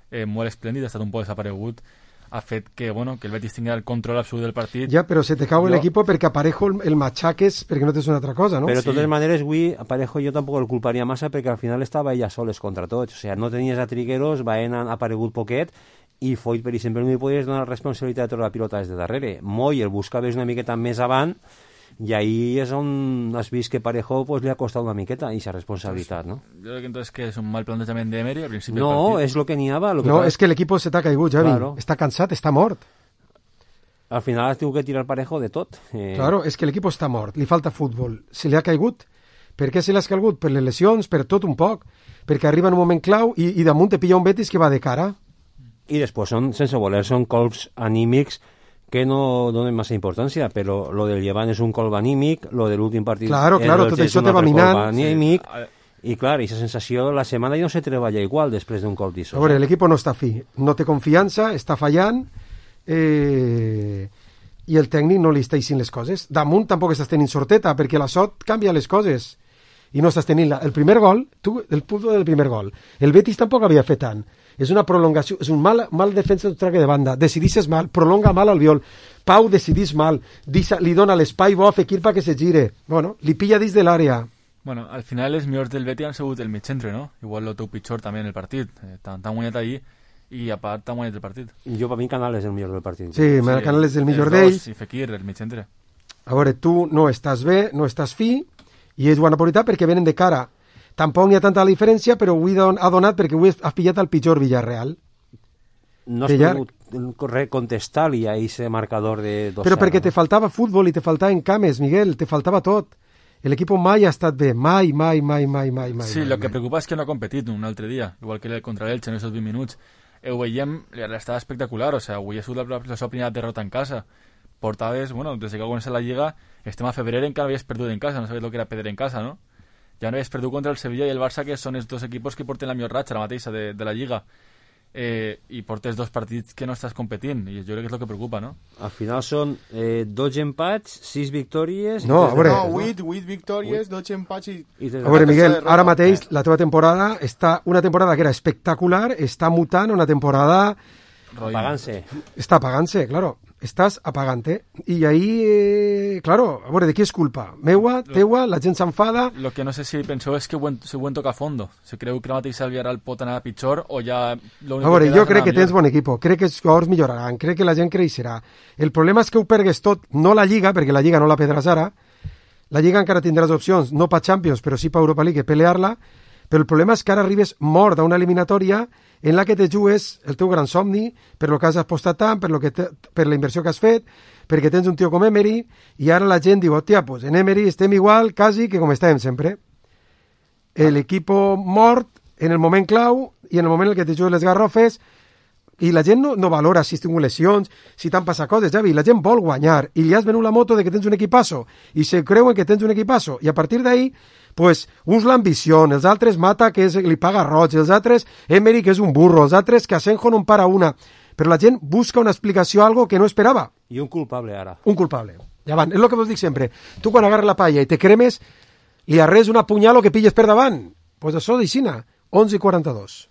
eh, molt esplèndid, ha estat un poc desaparegut, ha fet que, bueno, que el Betis tingui el control absolut del partit. Ja, però se te cau jo... l'equip perquè a Parejo el, el matxaques perquè no tens una altra cosa, no? Però de totes sí. maneres, avui a Parejo jo tampoc el culparia massa perquè al final estava ella soles contra tots. O sigui, no tenies a Trigueros, Baena ha aparegut poquet, i Foyt, per exemple, no li podies donar responsabilitat de tota la pilota des de darrere. Moy el buscaves una miqueta més avant, i ahí és on has vist que Parejo pues, li ha costat una miqueta aquesta responsabilitat, no? Jo crec que entonces que és un mal plantejament d'Emery al principi no, del partit. No, és lo que n'hi havia. Lo que no, tal... és que l'equip se t'ha caigut, Javi. Claro. Està cansat, està mort. Al final has tingut que tirar Parejo de tot. Eh... Claro, és que l'equip està mort, li falta futbol. Se li ha caigut. Per què se li ha caigut? Per les lesions, per tot un poc. Perquè arriba en un moment clau i, i damunt te pilla un Betis que va de cara. I després, són, sense voler, són colps anímics que no donen massa importància, però lo del llevant és un colp anímic, lo de l'últim partit claro, claro, tot això te va minant. Anímic, sí. I clar, aquesta sensació, la setmana ja no se treballa igual després d'un colp d'això. A veure, l'equip no està fi, no té confiança, està fallant, eh, i el tècnic no li està eixint les coses. Damunt tampoc estàs tenint sorteta, perquè la sort canvia les coses, i no estàs tenint la... el primer gol, tu, el punt del primer gol, el Betis tampoc havia fet tant. És una prolongació, és un mal, mal defensa de traque de banda, decidixes mal, prolonga mal Albiol, Pau decidís mal, Disa, li dona l'espai bo a Fekir perquè se gire, bueno, li pilla dins de l'àrea. Bueno, al final els millors del Betis han sigut el mig centre, no? Igual lo teu pitjor també en el partit, eh, t'han guanyat allí i a part t'han guanyat el partit. Jo per mi Canales és el millor del partit. Sí, sí, Canales és el millor d'ells. I Fekir, el mig centre. A veure, tu no estàs bé, no estàs fi, i ells ho han aprofitat perquè venen de cara. Tampoc n'hi ha tanta diferència, però avui ha donat perquè avui has pillat el pitjor Villarreal. No has pogut contestar-li a aquest marcador de dos. Però perquè te faltava futbol i te faltaven cames, Miguel, te faltava tot. L'equip mai ha estat bé, mai, mai, mai, mai, mai. Sí, mai, lo mai. que preocupa és que no ha competit un altre dia, igual que contra l'Elche en aquests vint minuts. Ho veiem, l'estava espectacular, o sigui, avui ha sigut la, la seva primera derrota en casa. Portaves, bueno, des que ha començat la Lliga, estem a febrer encara havies perdut en casa, no sabies el que era perdre en casa, no? Ja no havies perdut contra el Sevilla i el Barça, que són els dos equipos que porten la millor ratxa, la mateixa, de, de la Lliga. Eh, I portes dos partits que no estàs competint, i jo crec que és el que preocupa, no? Al final són eh, dos empats, sis victòries... No, a veure... No, vuit, vuit victòries, dos empats i... I a veure, Miguel, ara mateix la teva temporada està... Una temporada que era espectacular, està mutant una temporada... Apagant-se. Està apagant-se, claro. Estàs apagant-te. I ahí, eh, claro, a veure, de qui és culpa? Meua, teua, la gent s'enfada... Lo que no sé si penseu és que ho si ho en toca a fondo. Si creu que la mateixa el Villarreal pot anar a pitjor o ja... A veure, jo crec que tens bon equip, crec que els jugadors milloraran, crec que la gent creixerà. El problema és que ho pergues tot, no la Lliga, perquè la Lliga no la perdràs ara, la Lliga encara tindràs opcions, no per Champions, però sí per Europa League, pelear-la, però el problema és que ara arribes mort a una eliminatòria en la que te jugues el teu gran somni, per lo que has apostat tant, per, lo que te, per la inversió que has fet, perquè tens un tio com Emery, i ara la gent diu, hòstia, pues en Emery estem igual, quasi, que com estàvem sempre. L'equip mort en el moment clau, i en el moment en què te jugues les garrofes, i la gent no, no valora si has tingut lesions, si t'han passat coses, Javi, la gent vol guanyar, i li has venut la moto de que tens un equipasso, i se creuen que tens un equipasso, i a partir d'ahí, pues, uns l'ambició, els altres Mata, que és, li paga roig, els altres Emery, que és un burro, els altres que Asenjo no en para una, però la gent busca una explicació a algo que no esperava. I un culpable ara. Un culpable. Ja van, és el que vos dic sempre. Tu quan agarres la palla i te cremes, li arres una punyal o que pilles per davant. Pues això d'Ixina, onze i quaranta-dos.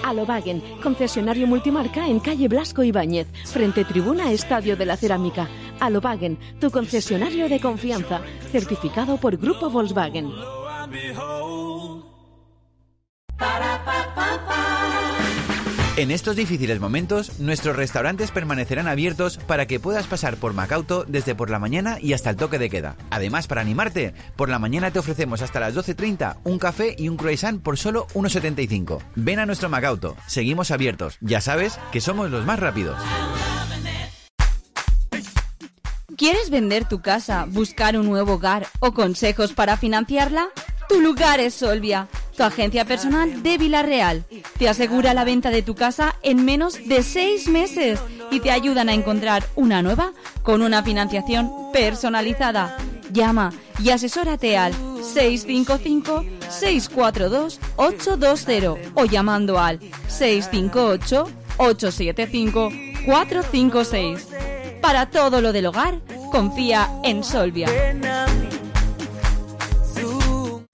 Alobagen, concesionario multimarca en calle Blasco Ibáñez, frente tribuna Estadio de la Cerámica. Alobagen, tu concesionario de confianza, certificado por Grupo Volkswagen. En estos difíciles momentos, nuestros restaurantes permanecerán abiertos para que puedas pasar por Macauto desde por la mañana y hasta el toque de queda. Además, para animarte, por la mañana te ofrecemos hasta las doce treinta un café y un croissant por solo uno setenta y cinco. Ven a nuestro Macauto, seguimos abiertos. Ya sabes que somos los más rápidos. ¿Quieres vender tu casa, buscar un nuevo hogar o consejos para financiarla? Tu lugar es Solvia, tu agencia personal de Vila-real. Te asegura la venta de tu casa en menos de seis meses y te ayudan a encontrar una nueva con una financiación personalizada. Llama y asesórate al seis cinco cinco, seis cuatro dos, ocho dos cero o llamando al seis cinco ocho, ocho siete cinco, cuatro cinco seis. Para todo lo del hogar, confía en Solvia.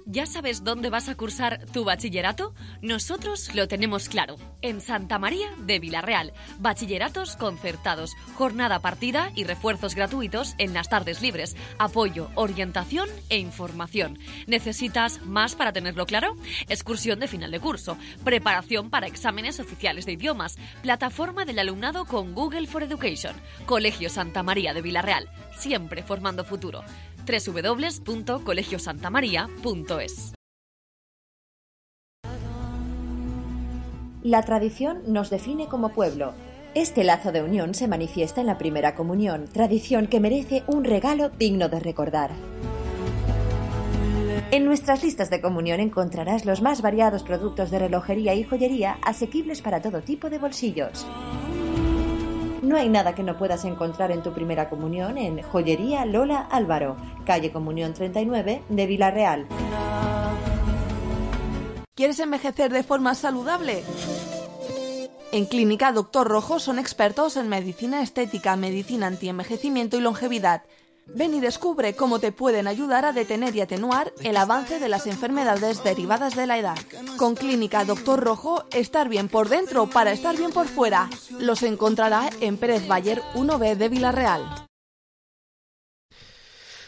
¿Ya sabes dónde vas a cursar tu bachillerato? Nosotros lo tenemos claro. En Santa María de Vila-real. Bachilleratos concertados, jornada partida y refuerzos gratuitos en las tardes libres. Apoyo, orientación e información. ¿Necesitas más para tenerlo claro? Excursión de final de curso. Preparación para exámenes oficiales de idiomas. Plataforma del alumnado con Google for Education. Colegio Santa María de Vila-real. Siempre formando futuro. doble u doble u doble u punto colegio santa maría punto es. La tradición nos define como pueblo. Este lazo de unión se manifiesta en la primera comunión, tradición que merece un regalo digno de recordar. En nuestras listas de comunión encontrarás los más variados productos de relojería y joyería asequibles para todo tipo de bolsillos. No hay nada que no puedas encontrar en tu primera comunión en Joyería Lola Álvaro, calle Comunión treinta y nueve de Vila-real. ¿Quieres envejecer de forma saludable? En Clínica Doctor Rojo son expertos en medicina estética, medicina antienvejecimiento y longevidad. Ven y descubre cómo te pueden ayudar a detener y atenuar el avance de las enfermedades derivadas de la edad. Con Clínica Doctor Rojo, estar bien por dentro para estar bien por fuera. Los encontrará en Pérez Bayer uno B de Vila-real.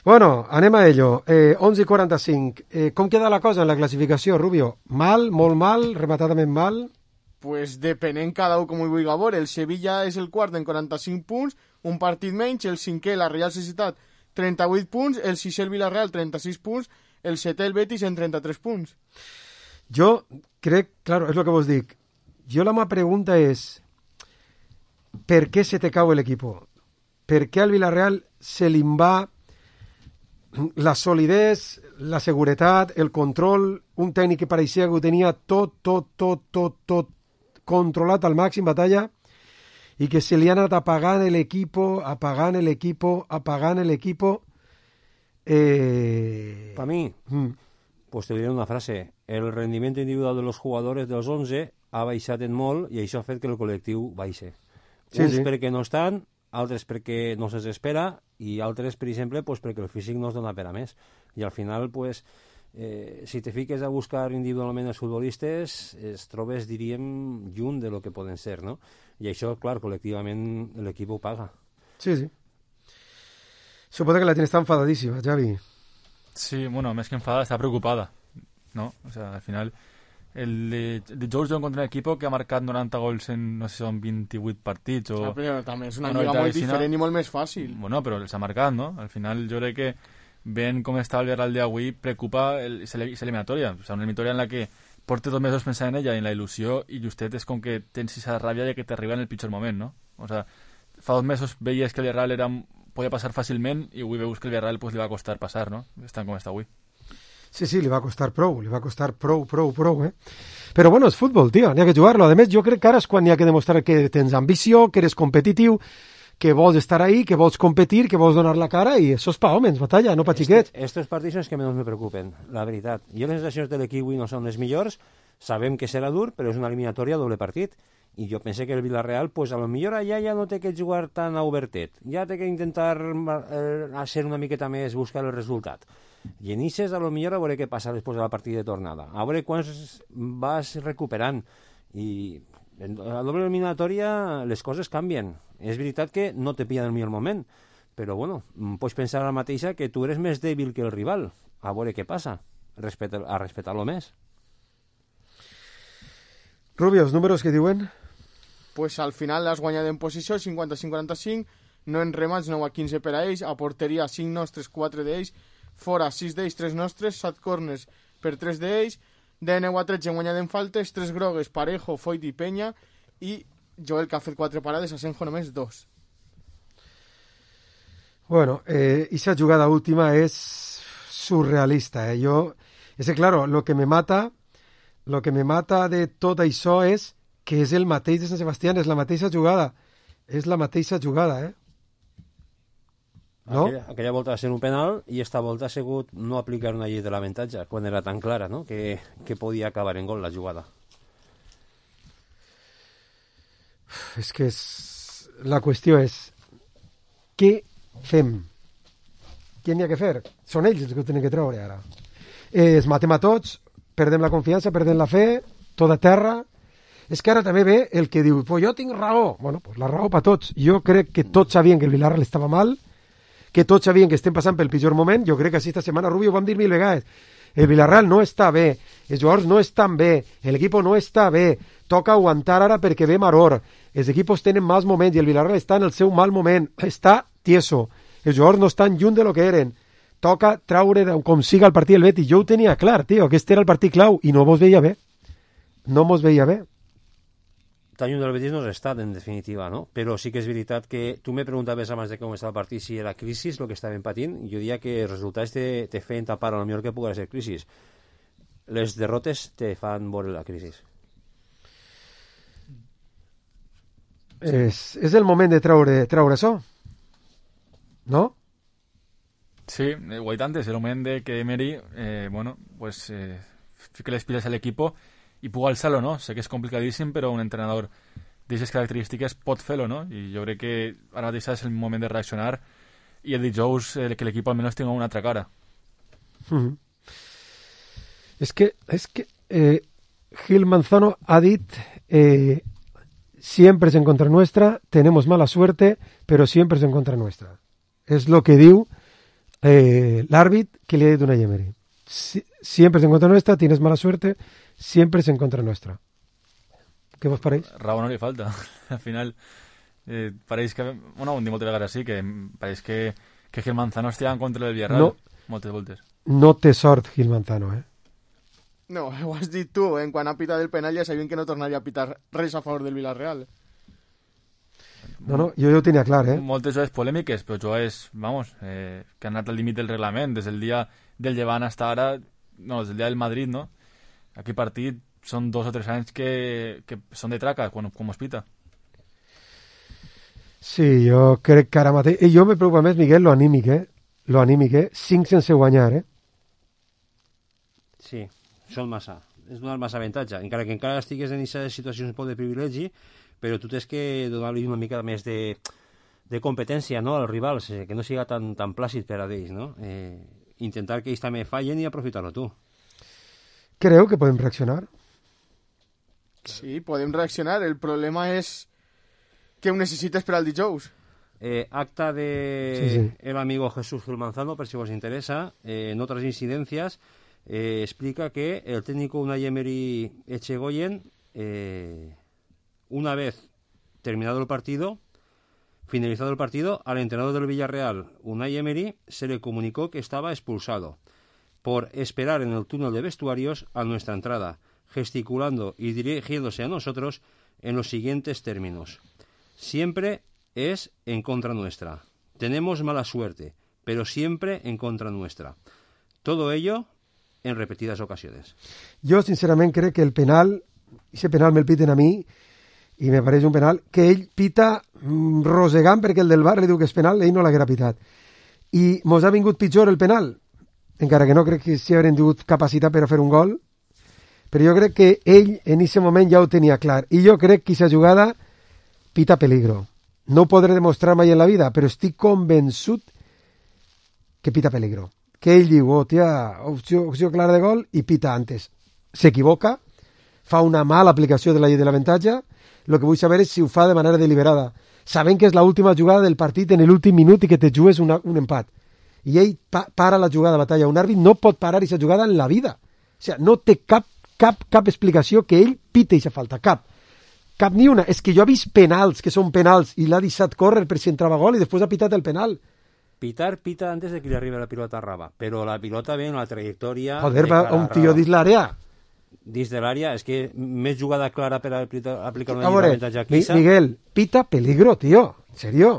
Bueno, anem a ello. Eh, onze i quaranta-cinc. Eh, com queda la cosa en la classificació, Rubio? Mal, molt mal, rematadament mal? Pues depenent cada un com ho vulgui veure. El Sevilla és el quart en quaranta-cinc punts, un partit menys, el cinquè, la Real Societat, trenta-vuit punts, el sisè, el Villarreal, trenta-sis punts, el setè, el Betis, en trenta-tres punts. Jo crec, claro, és el que vos dic, jo la meva pregunta és, per què se te cau l'equip? Per què al Villarreal se li va la solidesa, la seguretat, el control, un tècnic que pareixia que ho tenia tot, tot, tot, tot, tot controlat al màxim, Batalla, y que se le han apagado el equipo, apagando el equipo, apagando el equipo. Eh... Para mí, mm. pues te diré una frase. El rendiment individual de los jugadores dels onze ha baixat en molt i això ha fet que el col·lectiu baixe. Sí, Uns sí. perquè no estan, altres perquè no se'ls espera i altres, per exemple, pues perquè el físic no es dona per a més. I al final, pues, eh, si te fiques a buscar individualment els futbolistes, es trobes, diríem, lluny de lo que poden ser, no? I això, clar, col·lectivament l'equip ho paga. Sí, sí. Supongo que la tienes tan enfadadísima, Xavi. Sí, bueno, más que enfadada, está preocupada, ¿no? O sea, al final, el de, de George John contra un equipo que ha marcat noranta gols en, no sé si són vint-i-vuit partits o... O sigui, però també és una lliga molt diferent i molt més fàcil. Bueno, però els ha marcat, no? Al final, jo crec que ven com està el Villarreal d'avui, preocupa aquesta eliminatòria. O sigui, una eliminatòria en la que portes dos mesos pensant en ella, en la il·lusió, i justet és com que tens esa ràbia de que t'arriba en el pitjor moment, no? O sea, fa dos mesos veies que el Villarreal era, podia passar fàcilment i avui veus que el Villarreal pues, li va costar passar, no? Estan com està avui. Sí, sí, li va costar prou, li va costar prou, prou, prou, eh? Però bueno, és futbol, tio, n'hi ha que jugar-lo. A més, jo crec que ara és quan n'hi ha que demostrar que tens ambició, que eres competitiu, que vols estar ahí, que vols competir, que vols donar la cara, i això és pa homes, Batalla, no pa xiquets. Este, estos partits són els que menys me preocupen, la veritat. Jo les sensacions de l'equip avui no són les millors, sabem que serà dur, però és una eliminatòria a doble partit. I jo pensé que el Villarreal, pues a lo millor allà ja no té que jugar tan a obertet, ja té que intentar eh, ser una miqueta més, buscar el resultat. I en Ixes, a lo millor, a veure què passa després de la partida de tornada, a veure quants vas recuperant. I en la doble eliminatòria les coses canvien. És veritat que no te pillen el millor moment, però bueno, pots pensar a la mateixa que tu eres més dèbil que el rival, a veure què passa, Respeta, a respectar-lo més. Rubio, els números que diuen? Pues al final has guanyat en posició cinquanta-cinc quaranta-cinc, no en remats nou a quinze per a ells, a porteria cinc nostres, quatre d'ells, fora sis d'ells, tres nostres, set corners per tres d'ells, de nou a tretze guanyat en faltes, tres grogues, Parejo, Foyt i Peña, i Joel, que ha fet quatre parades, Asenjo només dos. Bueno, eh, esa jugada última es surrealista, eh? Yo, es que claro, lo que me mata, lo que me mata de tot això és que és el mateix de Sant Sebastián, és la mateixa jugada, és la mateixa jugada, eh? No? Aquella, aquella volta va ser un penal i esta volta ha sigut no aplicar una llei de l'avantatge quan era tan clara, no? que, que podia acabar en gol la jugada. És que és... la qüestió és què fem? Què n'hi ha que fer? Són ells els que ho tenen que treure ara. Eh, es matem a tots, perdem la confiança, perdem la fe, tot a terra. És que ara també ve el que diu, pues jo tinc raó. Bueno, pues la raó per tots. Jo crec que tots sabien que el Villarreal estava mal, que tots sabien que estem passant pel pitjor moment. Jo crec que així esta setmana, Rubio, ho vam dir mil vegades. El Villarreal no està bé, els jugadors no estan bé, l'equip no està bé, toca aguantar ara perquè ve maror, els equips tenen mals moments i el Villarreal està en el seu mal moment, està tieso, els jugadors no estan lluny de lo que eren, toca traure com siga el partit del Betis. Jo ho tenia clar, tio, aquest era el partit clau i no mos veia bé, no mos veia bé. tan lluny del Betis no has estat, en definitiva, no? Però sí que és veritat que tu me preguntaves abans de com estava el partit si era crisi el que estàvem patint, i jo diria que els resultats te, te feien tapar a lo millor que pugui ser crisi. Les derrotes te fan veure la crisi. És, és el moment de treure, treure això, no? Sí, ho he dit antes, el moment de que Emery, eh, bueno, pues eh, fique les piles al equipo i pugui alçar-lo, no? Sé que és complicadíssim, però un entrenador d'aquestes característiques pot fer-lo, no? I jo crec que ara mateix és el moment de reaccionar i el dijous eh, que l'equip almenys tingui una altra cara. Mm-hmm. És que, és que eh, Gil Manzano ha dit eh, siempre es en contra nuestra, tenemos mala suerte, pero siempre es en contra nuestra. És lo que diu eh, l'àrbit que li ha dit una Emery. Si, siempre es en contra nuestra, tienes mala suerte, siempre es en contra nuestra. Què vos pareix? Raó no li falta. Al final, eh, pareix que... Bueno, ho hem dit moltes vegades així, que pareix que, que Gil Manzano estigui en contra del Villarreal. No, moltes voltes. No té sort Gil Manzano, eh? No, ho has dit tu, eh? Quan ha pitat el penal ja sabien que no tornaria a pitar res a favor del Villarreal. No, no, jo ja ho tenia clar, eh? Moltes jugades polèmiques, però jugades, vamos, eh, que han anat al límit del reglament, des del dia del Llevant hasta ara, no, des del dia del Madrid, no? Aquest partit són dos o tres anys que, que són de traca, quan, quan es pita. Sí, jo crec que ara mateix... I jo me preocupa més, Miguel, lo anímic, eh? Lo anímic, eh? Cinc sense guanyar, eh? Sí, són massa. És donar massa avantatge. Encara que encara estigues en aquesta situació un poc de privilegi, però tu tens que donar-li una mica més de, de competència, no?, als rivals, eh, que no siga tan, tan plàcid per a ells, no? Eh, intentar que ells també fallen i aprofitar-ho tu. Creu que podem reaccionar? Sí, podem reaccionar. El problema és que ho necessites per al dijous. Eh, acta de sí, sí. el amigo Jesús Gil Manzano, per si vos interesa, eh, en otras incidencias, eh, explica que el técnico Unai Emery Echegoyen, eh, una vez terminado el partido, finalizado el partido, al entrenador del Villarreal, Unai Emery, se le comunicó que estaba expulsado por esperar en el túnel de vestuarios a nuestra entrada, gesticulando y dirigiéndose a nosotros en los siguientes términos. Siempre es en contra nuestra. Tenemos mala suerte, pero siempre en contra nuestra. Todo ello en repetidas ocasiones. Jo, sincerament, crec que el penal, ese penal me'l piten a mi, i me pareix un penal que ell pita mm, rosegant perquè el del bar li diu que és penal, ell no l'haguera pitat. I mos ha vingut pitjor el penal, encara que no crec que s'hi haurem tingut capacitat per a fer un gol, però jo crec que ell en aquest moment ja ho tenia clar. I jo crec que aquesta jugada pita peligro. No ho podré demostrar mai en la vida, però estic convençut que pita peligro. Que ell diu, oh, tia, opció, opció clara de gol, i pita antes. S'equivoca, fa una mala aplicació de la llei de l'avantatge. Lo que vull saber és si ho fa de manera deliberada, sabent que és l'última jugada del partit en l'últim minut i que te jugues una, un empat. I ell pa para la jugada de batalla. Un àrbit no pot parar aquesta jugada en la vida. O sigui, no té cap, cap, cap explicació que ell pite aquesta falta, cap. Cap ni una. És que jo he vist penals, que són penals, i l'ha deixat córrer per si entrava gol i després ha pitat el penal. Pitar, pita antes de que le arribe la pilota a Raba, però la pilota ve en la trajectòria... Joder, va un tio dins l'àrea. Dins de l'àrea, és que més jugada clara per aplicar una veure, avantatge aquí. Miguel, pita peligro, tío. En serio.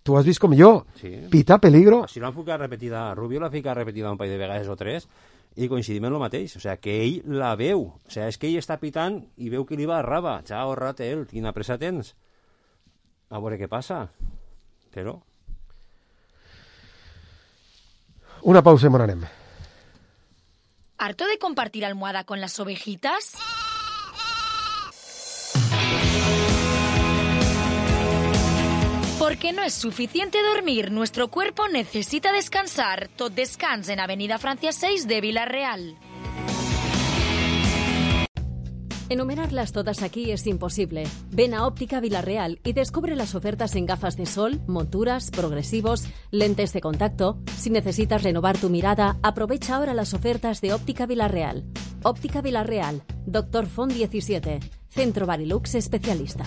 Tu has vist com jo. Sí. Pita peligro. Si l'han ficat repetida, Rubio l'ha ficat repetida un parell de vegades o tres i coincidim en el mateix. O sea, que ell la veu. O sea, és que ell està pitant i veu que li va a Raba. Chao, Ratel, quina pressa tens. A veure què passa. Però... Una pausa i me n'anem. ¿Harto de compartir almohada con las ovejitas? Porque no es suficiente dormir, nuestro cuerpo necesita descansar. Tot Descans en Avenida Francia seis de Villarreal. Enumerarlas todas aquí es imposible. Ven a Óptica Villarreal y descubre las ofertas en gafas de sol, monturas, progresivos, lentes de contacto. Si necesitas renovar tu mirada, aprovecha ahora las ofertas de Óptica Villarreal. Óptica Villarreal, Doctor Font diecisiete, Centro Barilux especialista.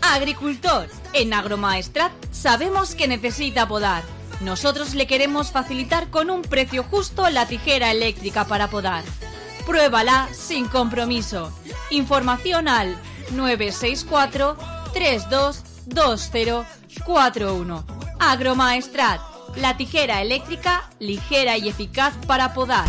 Agricultor, en Agromaestrat sabemos que necesita podar. Nosotros le queremos facilitar con un precio justo la tijera eléctrica para podar. Pruébala sin compromiso. Información al nueve seis cuatro tres dos dos cero cuatro uno. Agromaestrat, la tijera eléctrica ligera y eficaz para podar.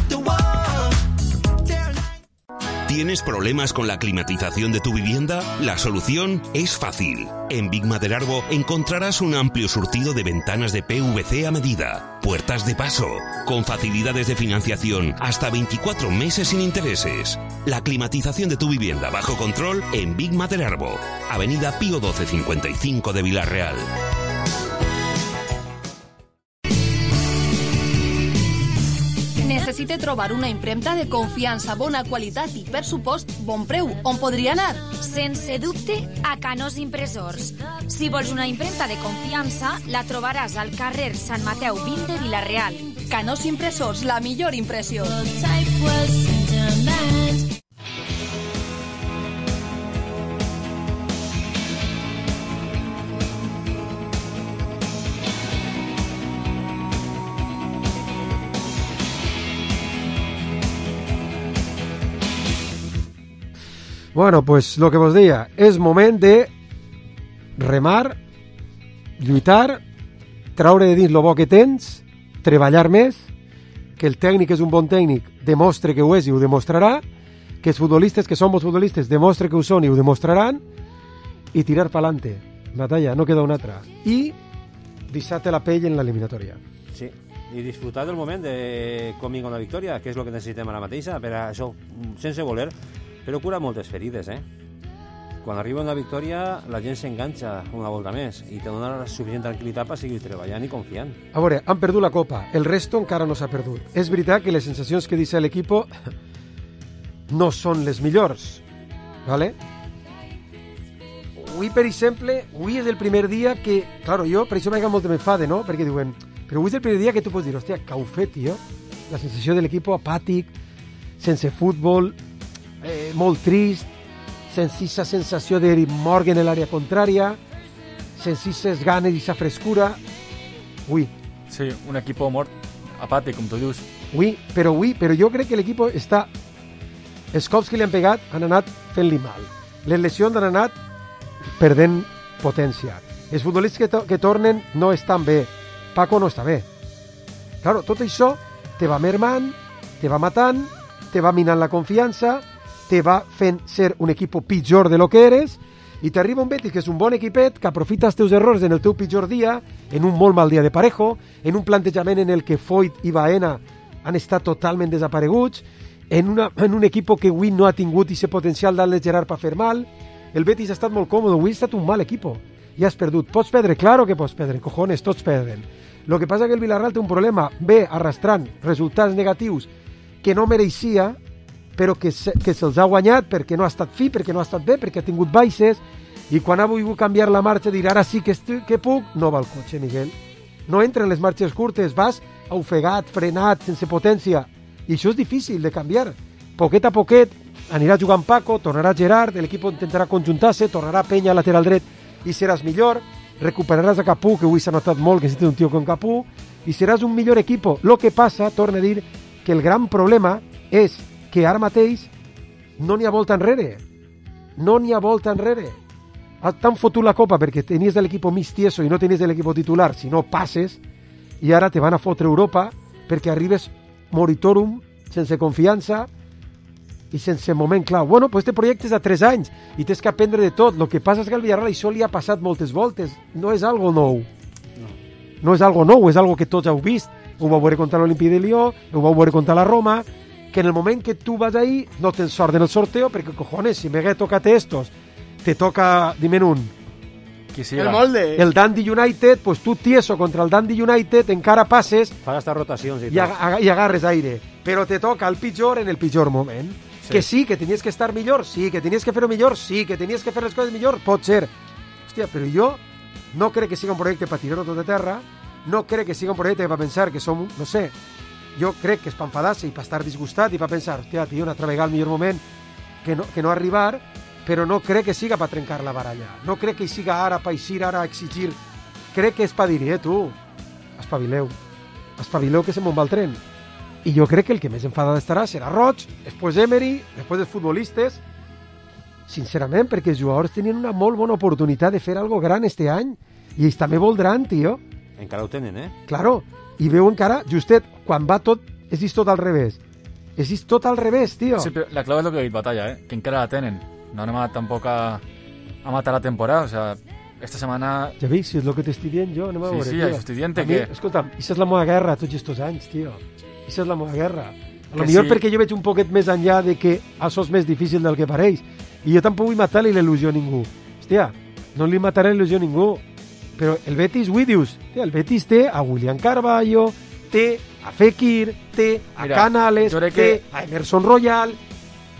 ¿Tienes problemas con la climatización de tu vivienda? La solución es fácil. En Big Maderarbo encontrarás un amplio surtido de ventanas de P V C a medida, puertas de paso, con facilidades de financiación hasta veinticuatro meses sin intereses. La climatización de tu vivienda bajo control en Big Maderarbo, Avenida Pío doce cincuenta y cinco de Vila-real. Necessite trobar una impremta de confiança, bona qualitat i, per supost, bon preu. On podria anar? Sense dubte, a Canós Impressors. Si vols una impremta de confiança, la trobaràs al carrer Sant Mateu vint de Vila-real. Canós Impressors, la millor impressió. Bueno, pues lo que vos deia, és moment de remar, lluitar, traure de dins lo bo que tens, treballar més, que el tècnic és un bon tècnic, demostre que ho és i ho demostrarà, que els futbolistes que som els futbolistes demostre que ho són i ho demostraran, i tirar pa'lante. Batalla, no queda una altra. I deixar-te la pell en l'eliminatòria. Sí, i disfrutar del moment de com vinga una victòria, que és el que necessitem ara mateixa, per això, sense voler, però cura moltes ferides, eh? Quan arriba una victòria, la gent s'enganxa una volta més i te dona la suficient tranquil·litat per seguir treballant i confiant. A veure, han perdut la Copa, el resto encara no s'ha perdut. És veritat que les sensacions que deixa l'equip no són les millors, ¿vale? Avui, per exemple, avui és el primer dia que, claro, jo, per això m'ha molt de m'enfade, no? Perquè diuen, però avui és el primer dia que tu pots dir, hòstia, que ho fet, tio? La sensació de l'equip apàtic, sense futbol, Eh, molt trist, sense aquesta sensació de morgue en l'àrea contrària, sense aquestes ganes i aquesta frescura. Ui. Sí, un equip mort, apàtic, com tu dius. Ui, però ui, però jo crec que l'equip està... Els cops que li han pegat han anat fent-li mal. Les lesions han anat perdent potència. Els futbolistes que, to que tornen no estan bé. Paco no està bé. Claro, tot això te va mermant, te va matant, te va minant la confiança, te va fent ser un equip pitjor de lo que eres, i t'arriba un Betis que és un bon equipet, que aprofita els teus errors en el teu pitjor dia, en un molt mal dia de Parejo, en un plantejament en el que Foyt i Baena han estat totalment desapareguts, en, una, en un equip que avui no ha tingut aquest potencial d'Àlex Gerard per fer mal. El Betis ha estat molt còmode, avui ha estat un mal equip, i has perdut. Pots perdre? Claro que pots perdre, cojones, tots perden. Lo que passa que el Villarreal té un problema, ve arrastrant resultats negatius que no mereixia, però que, se, que se'ls ha guanyat perquè no ha estat fi, perquè no ha estat bé, perquè ha tingut baixes, i quan ha volgut canviar la marxa dir ara sí que, estic, que puc, no va el cotxe, Miguel. No entra en les marxes curtes, vas ofegat, frenat, sense potència, i això és difícil de canviar. Poquet a poquet anirà jugant Paco, tornarà Gerard, l'equip intentarà conjuntar-se, tornarà Peña a lateral dret i seràs millor, recuperaràs a Capú, que avui s'ha notat molt que si té un tio com Capú, i seràs un millor equip. Lo que passa, torna a dir, que el gran problema és que ara mateix no n'hi ha volta enrere. No n'hi ha volta enrere. T'han fotut la copa perquè tenies l'equip mig tieso i no tenies l'equip titular, si no passes, i ara te van a fotre Europa perquè arribes moritorum, sense confiança i sense moment clau. Bueno, pues este projecte és a tres anys i tens que aprendre de tot. El que passa és que al Villarreal això li ha passat moltes voltes. No és algo nou. No, no és algo nou, és algo que tots heu vist. Ho vau veure contra l'Olimpia de Lió, ho vau veure contra la Roma, que en el moment que tu vas ahí no tens sort en el sorteo, perquè, cojones, si me toca estos, te toca, dime un, el molde. El Dundee United, pues tu tieso contra el Dundee United encara passes fa estas rotacions i, i, ag i agarres aire, però te toca el pitjor en el pitjor moment. Sí. Que sí, que tenies que estar millor, sí, que tenies que fer-ho millor, sí, que tenies que fer les coses millor, pot ser. Hòstia, però jo no crec que sigui un projecte per tirar-ho tot de terra, no crec que sigui un projecte per pensar que som, no sé, jo crec que és per enfadar-se i per estar disgustat i per pensar, hòstia, tio, una altra vegada el millor moment que no, que no arribar, però no crec que siga per trencar la baralla. No crec que hi siga ara per eixir, ara a exigir. Crec que és per dir, eh, tu, espavileu. Espavileu que se me'n va el tren. I jo crec que el que més enfadat estarà serà Roig, després Emery, després els futbolistes, sincerament, perquè els jugadors tenien una molt bona oportunitat de fer algo gran este any, i ells també voldran, tio. Encara ho tenen, eh? Claro, i veu encara, justet, quan va tot, és vist tot al revés. És vist tot al revés, tio. Sí, però la clau és el que he dit, Batalla, eh? Que encara la tenen. No anem a, tampoc a, a matar la temporada, o sea, esta setmana... Ja veus, si és el que t'estic dient jo, anem a sí, veure, sí, tio. això estic dient A que... mi, escolta'm, això és la meva guerra tots aquests anys, tio. Això és la meva guerra. A lo Que millor sí. perquè jo veig un poquet més enllà de que això és més difícil del que pareix. I jo tampoc vull matar-li l'il·lusió a ningú. Hòstia, no li mataré l'il·lusió a ningú. Però el Betis, avui dius, tia, el Betis té a William Carballo, té a Fekir, té a Mira, Canales, jo crec té que- a Emerson Royal...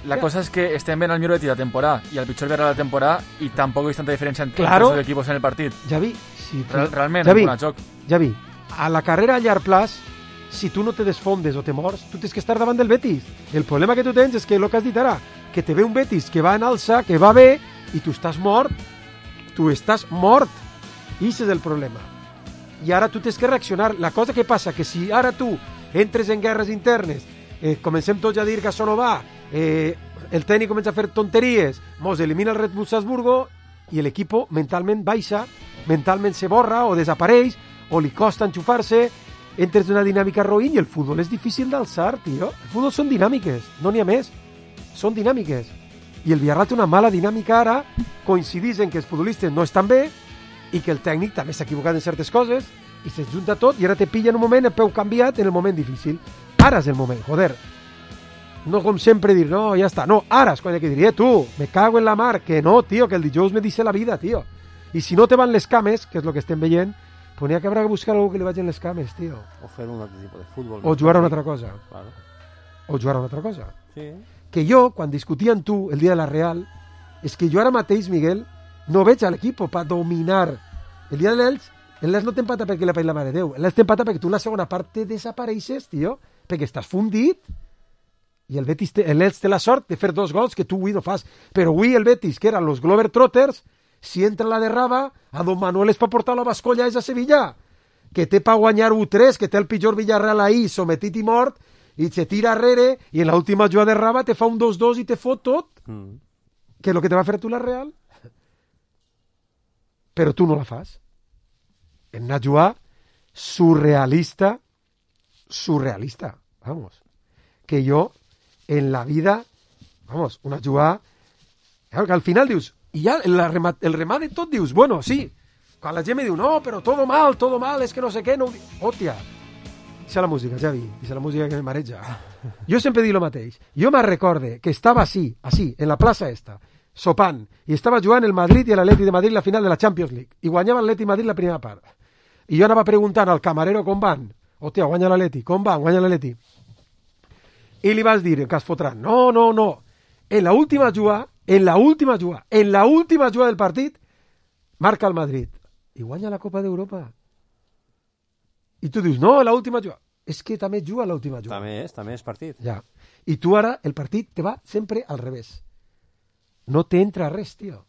La cosa es que estem ben al millor Betis de la temporada y al pitjor Villarreal de la temporada y tampoco hay tanta diferencia entre Claro. los equipos en el partido. Javi, si tu... Real, realment, Javi, en joc. Javi, a la carrera a llarg plaç, si tu no te desfondes o te mors, tu tens que estar davant del Betis. El problema que tu tens és que, el que has dit ara, que te ve un Betis que va en alça, que va bé, i tu estàs mort. Tu estàs mort. I això és el problema. I ara tu tens que reaccionar. La cosa que passa que si ara tu entres en guerres internes, eh, comencem tots a dir que això no va, eh, el tècnic comença a fer tonteries, mos elimina el Red Bull Salzburgo i l'equip mentalment baixa, mentalment se borra o desapareix, o li costa enxufar-se, entres en una dinàmica roïn i el futbol és difícil d'alçar, tio. El futbol són dinàmiques, no n'hi ha més. Són dinàmiques. I el Villarreal té una mala dinàmica ara, coincidís en que els futbolistes no estan bé i que el tècnic també s'ha equivocat en certes coses i se'n junta tot i ara te pilla en un moment el peu canviat en el moment difícil. Ara és el moment, joder. No com sempre dir, no, ja està. No, ara és quan hi ha que dir, eh, tu, me cago en la mar, que no, tio, que el dijous me dice la vida, tio. I si no te van les cames, que és el que estem veient, pues n'hi ha que haurà que buscar algú que li vagin les cames, tio. O fer un altre tipus de futbol. O jugar a una altra cosa. Claro. O jugar a una altra cosa. Sí. Que jo, quan discutia amb tu el dia de la Real, és que jo ara mateix, Miguel, no veig a l'equip per dominar. El dia de l'Elx, l'Elx no t'empata perquè l'ha paït la mare de Déu. L'Elx t'empata perquè tu la segona part te desapareixes, tio, perquè estàs fundit. I el Betis té, l'Elx té la sort de fer dos gols que tu avui no fas. Però avui el Betis, que eren los Globetrotters, si entra la derraba, a Don Manuel és per portar la bascolla és a Sevilla, que té per guanyar u tres, que té el pitjor Villarreal ahí, sometit i mort, i se tira arrere, i en l'última jugada de Raba te fa un dos dos i te fot tot. Mm. Que és el que te va fer tu la Real. Però tu no la fas. En una jugada surrealista, surrealista, vamos. Que jo, en la vida, vamos, una jugada, claro, que al final dius, i ja el remat, el remat de tot dius, bueno, sí, quan la gent me diu, no, però todo mal, todo mal, és que no sé què, no... Hòstia, deixa la música, Javi, deixa la música que me mareja. Jo sempre dic el mateix. Jo me recorde que estava així, així, en la plaça esta, sopant, i estava jugant el Madrid i l'Atleti de Madrid la final de la Champions League, i guanyava l'Atleti de Madrid la primera part. I jo anava preguntant al camarero com van. Hòstia, guanya l'Atleti, com van, guanya l'Atleti. I li vas dir, que es fotran, no, no, no, en la última jugada, en la última jugada, en la última jugada del partit, marca el Madrid, i guanya la Copa d'Europa. I tu dius, no, la última jugada. És que també juga l'última jugada. També és, també és partit. Ja. I tu ara, el partit te va sempre al revés. No te entra res, tio.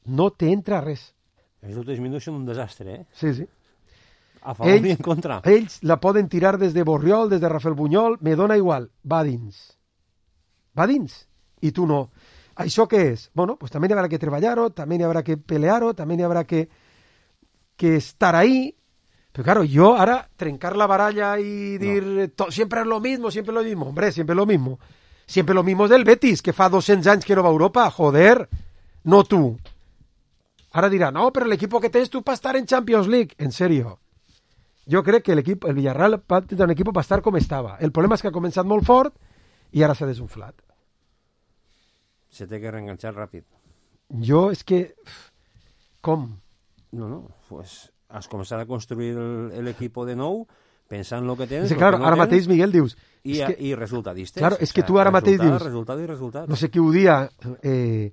No te entra res. Els últims minuts són un desastre, eh? Sí, sí. A favor i en contra. Ells la poden tirar des de Borriol, des de Rafael Bunyol, me dona igual. Va dins. Va dins. I tu no. Això què és? Bueno, pues també hi haurà que treballar-ho, també hi haurà que pelear-ho, també hi haurà que, que estar ahí. Pero claro, yo ahora trencar la baralla y dir no. to, siempre es lo mismo, siempre es lo mismo. Hombre, siempre es lo mismo. Siempre lo mismo es del Betis, que fa doscientos anys que no va a Europa. Joder, no tú. Ahora dirá, no, pero el equipo que tens tu para estar en Champions League. En serio. Jo crec que l'equip, el Villarreal va tenir un equip per estar com estava. El problema és que ha començat molt fort i ara s'ha desunflat. Se té que reenganxar ràpid. Jo és que... Com? No, no, pues has començat a construir l'equip de nou pensant en el que tens. Sí, claro, no ara tens, mateix, Miguel, dius... I, que, i resultadistes. Claro, és que o sea, tu ara mateix resultat, dius... Resultat i resultat. No sé qui ho dia... Eh,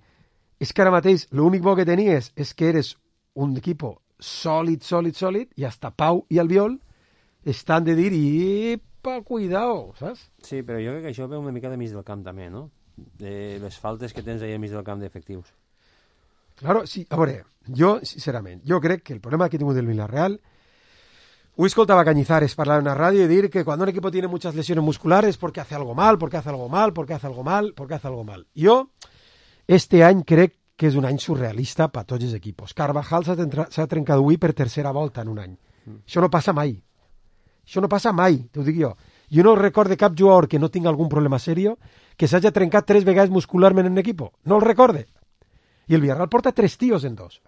és que ara mateix l'únic bo que tenies és que eres un equip sòlid, sòlid, sòlid, i hasta Pau i Albiol estan de dir, ipa, cuidao, saps? Sí, però jo crec que això ve una mica de mig del camp també, no? De les faltes que tens ahí al mig del camp d'efectius. Claro, sí, a veure, jo, sincerament, jo crec que el problema que ha tingut el Villarreal, ho escoltaba Cañizares parlar en una radio y decir que cuando un equipo tiene muchas lesiones musculares porque hace algo mal, porque hace algo mal, porque hace algo mal, porque hace algo mal. Yo, Este any crec que és un any surrealista per tots els equips. Carvajal s'ha trencat avui per tercera volta en un any. Mm. Això no passa mai. Això no passa mai, t'ho dic jo. Jo no recorde cap jugador que no tingui algun problema serio que s'hagi trencat tres vegades muscularment en un equip. No el recorde. I el Villarreal porta tres tios en dos.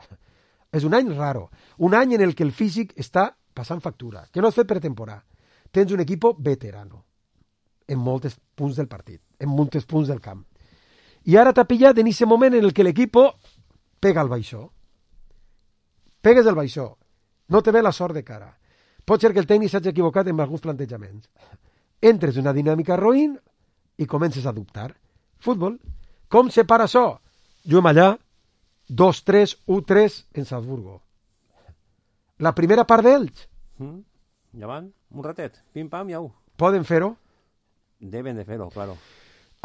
És un any raro. Un any en el que el físic està passant factura. Que no has fet pretemporada. Tens un equip veterano en molts punts del partit, en molts punts del camp. I ara t'ha pillat en aquest moment en el que l'equip pega el baixó. Pegues el baixó. No te ve la sort de cara. Pot ser que el tècnic s'hagi equivocat en alguns plantejaments. Entres en una dinàmica roïn i comences a dubtar. Futbol. Com se para això? Juguem allà, dos tres, u tres en Salzburgo. La primera part d'ells. Mm. Ja van, un ratet, pim-pam, ja ho. Poden fer-ho? Deben de fer-ho, claro.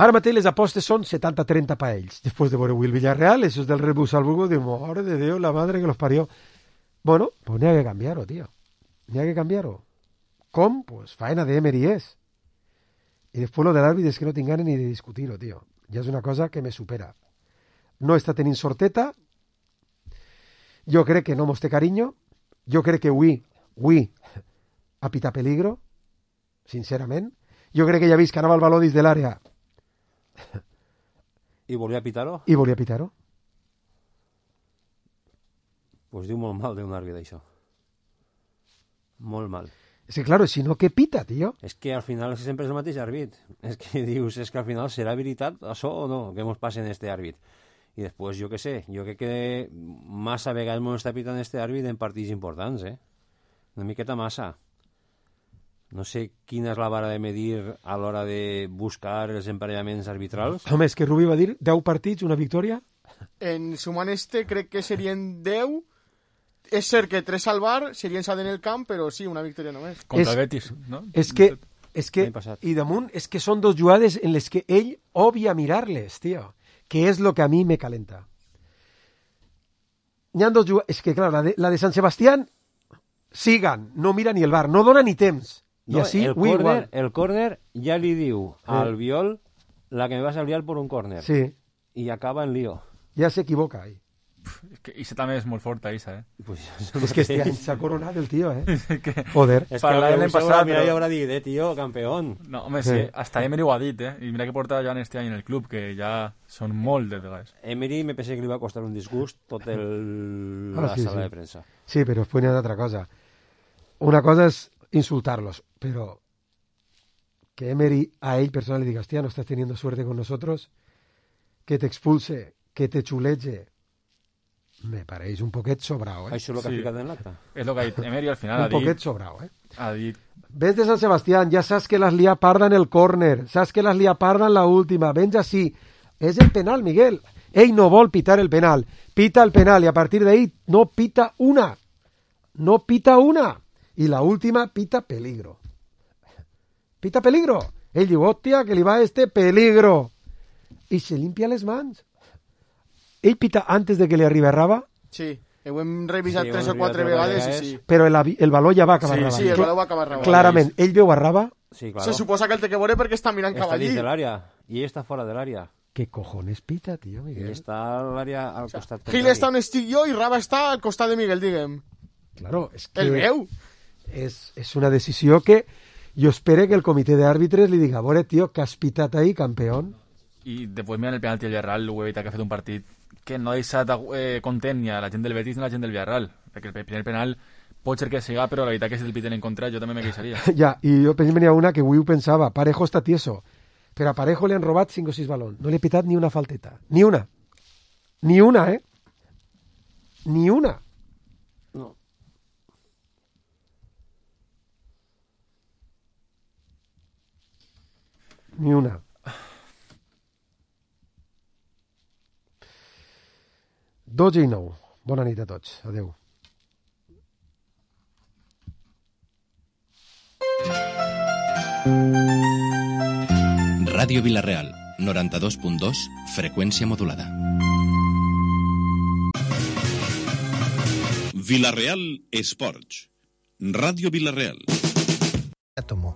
Ara mateix les apostes són setanta trenta per ells. Després de veure el Villarreal, esos del Red Bull Salzburgo, diu, madre de Déu, la madre que los parió. Bueno, pues n'hi ha que canviar-ho, tío. N'hi ha que canviar-ho. Com? Pues faena de Emery és. I després lo de l'àrbit és que no tinc ganes ni de discutir-ho, tío. Ja és una cosa que me supera. No està tenint sorteta. Jo crec que no mos té carinyo. Jo crec que avui, avui, ha pitat peligro, sincerament. Jo crec que ja ha vist que anava el baló dins de l'àrea. I volia pitar-ho? I volia pitar-ho. Pues diu molt mal d'un àrbit, això. Molt mal. És que, claro, si no, què pita, tio? És que al final sempre és el mateix àrbit. És que dius, és que al final serà veritat això o no, que ens passa en este àrbit. I després, jo què sé, jo crec que massa vegades ens està pitant este àrbit en partits importants, eh? Una miqueta massa. No sé quina és la vara de medir a l'hora de buscar els emparellaments arbitrals. Home, és que Rubí va dir deu partits, una victòria? En sumant este crec que serien deu. És cert que tres al bar serien s'ha en el camp, però sí, una victòria només. Contra el Betis, no? És que, és que, i damunt, és que són dos jugades en les que ell obvia mirar-les, tio, que és lo que a mi me calenta. N'hi ha dos jugades, és que, clar, la de, la de Sant Sebastián, sigan, no mira ni el bar, no dona ni temps. I no, així, el córner, el córner ja li diu al Viol la que me vas a liar por un córner. Sí. I acaba en lío. Ja s'equivoca, ahí. És que Isa també és molt forta, Isa, eh? Pues és que este any s'ha coronat el tio, eh? que... Joder. És que l'any passat, mira, ja haurà dit, eh, tio, campeón. No, home, sí, hasta Emery ho ha dit, eh? I mira que porta ja en este any en el club, que ja són molt de vegades. Emery me pensé que li va costar un disgust tot el... ah, la sí, sala sí. de premsa. Sí, però després n'hi ha d'altra cosa. Una cosa és insultarlos, pero que Emery a él personal le diga, hostia, no estás teniendo suerte con nosotros, que te expulse, que te chuleche, me pareix un poquet sobrao, eh? Això és el que ha ficat en l'acte. És el que ha dit Emery al final. Un ha dit, poquet sobrao, eh? Ha dit... Ves de San Sebastián, ya sabes que las lía parda en el córner, sabes que las lía parda en la última, ven ya sí. Es el penal, Miguel. Ell no vol pitar el penal, pita el penal y a partir de ahí no pita una. No pita una. Y la última pita peligro. Pita peligro. Ell diu, hòstia, que li va este peligro. I se limpia les mans. Ell pita antes de que li arribi a Raba? Sí, ho hem revisat Sí, tres ho o hem quatre revisat vegades vegades. i sí. Però el, avi- el baló ja va acabar Sí, a Raba. sí, el baló va acabar a Raba. Clarament, ell veu a Raba. Sí, claro. Se suposa que el té que veure perquè està mirant cap Està allí. dins de l'àrea i ell està fora de l'àrea. ¿Qué cojones pita, tío, I Miguel? està a l'àrea al costat Gil està on estic jo i Raba està al costat de Miguel, diguem. Claro, es que... El veu. Es, es una decisión que yo espero que el comité de árbitros le diga, bueno, tío, que has pitat ahí, campeón. I després mirant el penalti del Villarreal, ho he evitat que ha fet un partit que no ha deixat eh, content ni a la gent del Betis ni a la gent del Villarreal, perquè el primer penal pot ser que siga, però la veritat que si el piten en contra jo també me queixaria. Ya, y yo pensé venía una que Wiu pensaba, Parejo está tieso, pero a Parejo le han robado cinco o seis balón, no le he pitat ni una falteta, ni una, ni una, ¿eh? Ni una. No. Ni una. dotze i nou. Bona nit a tots. Adeu. Ràdio Vilareal, noranta-dos punt dos, freqüència modulada. Vilareal Esports. Ràdio Vilareal. Átomo.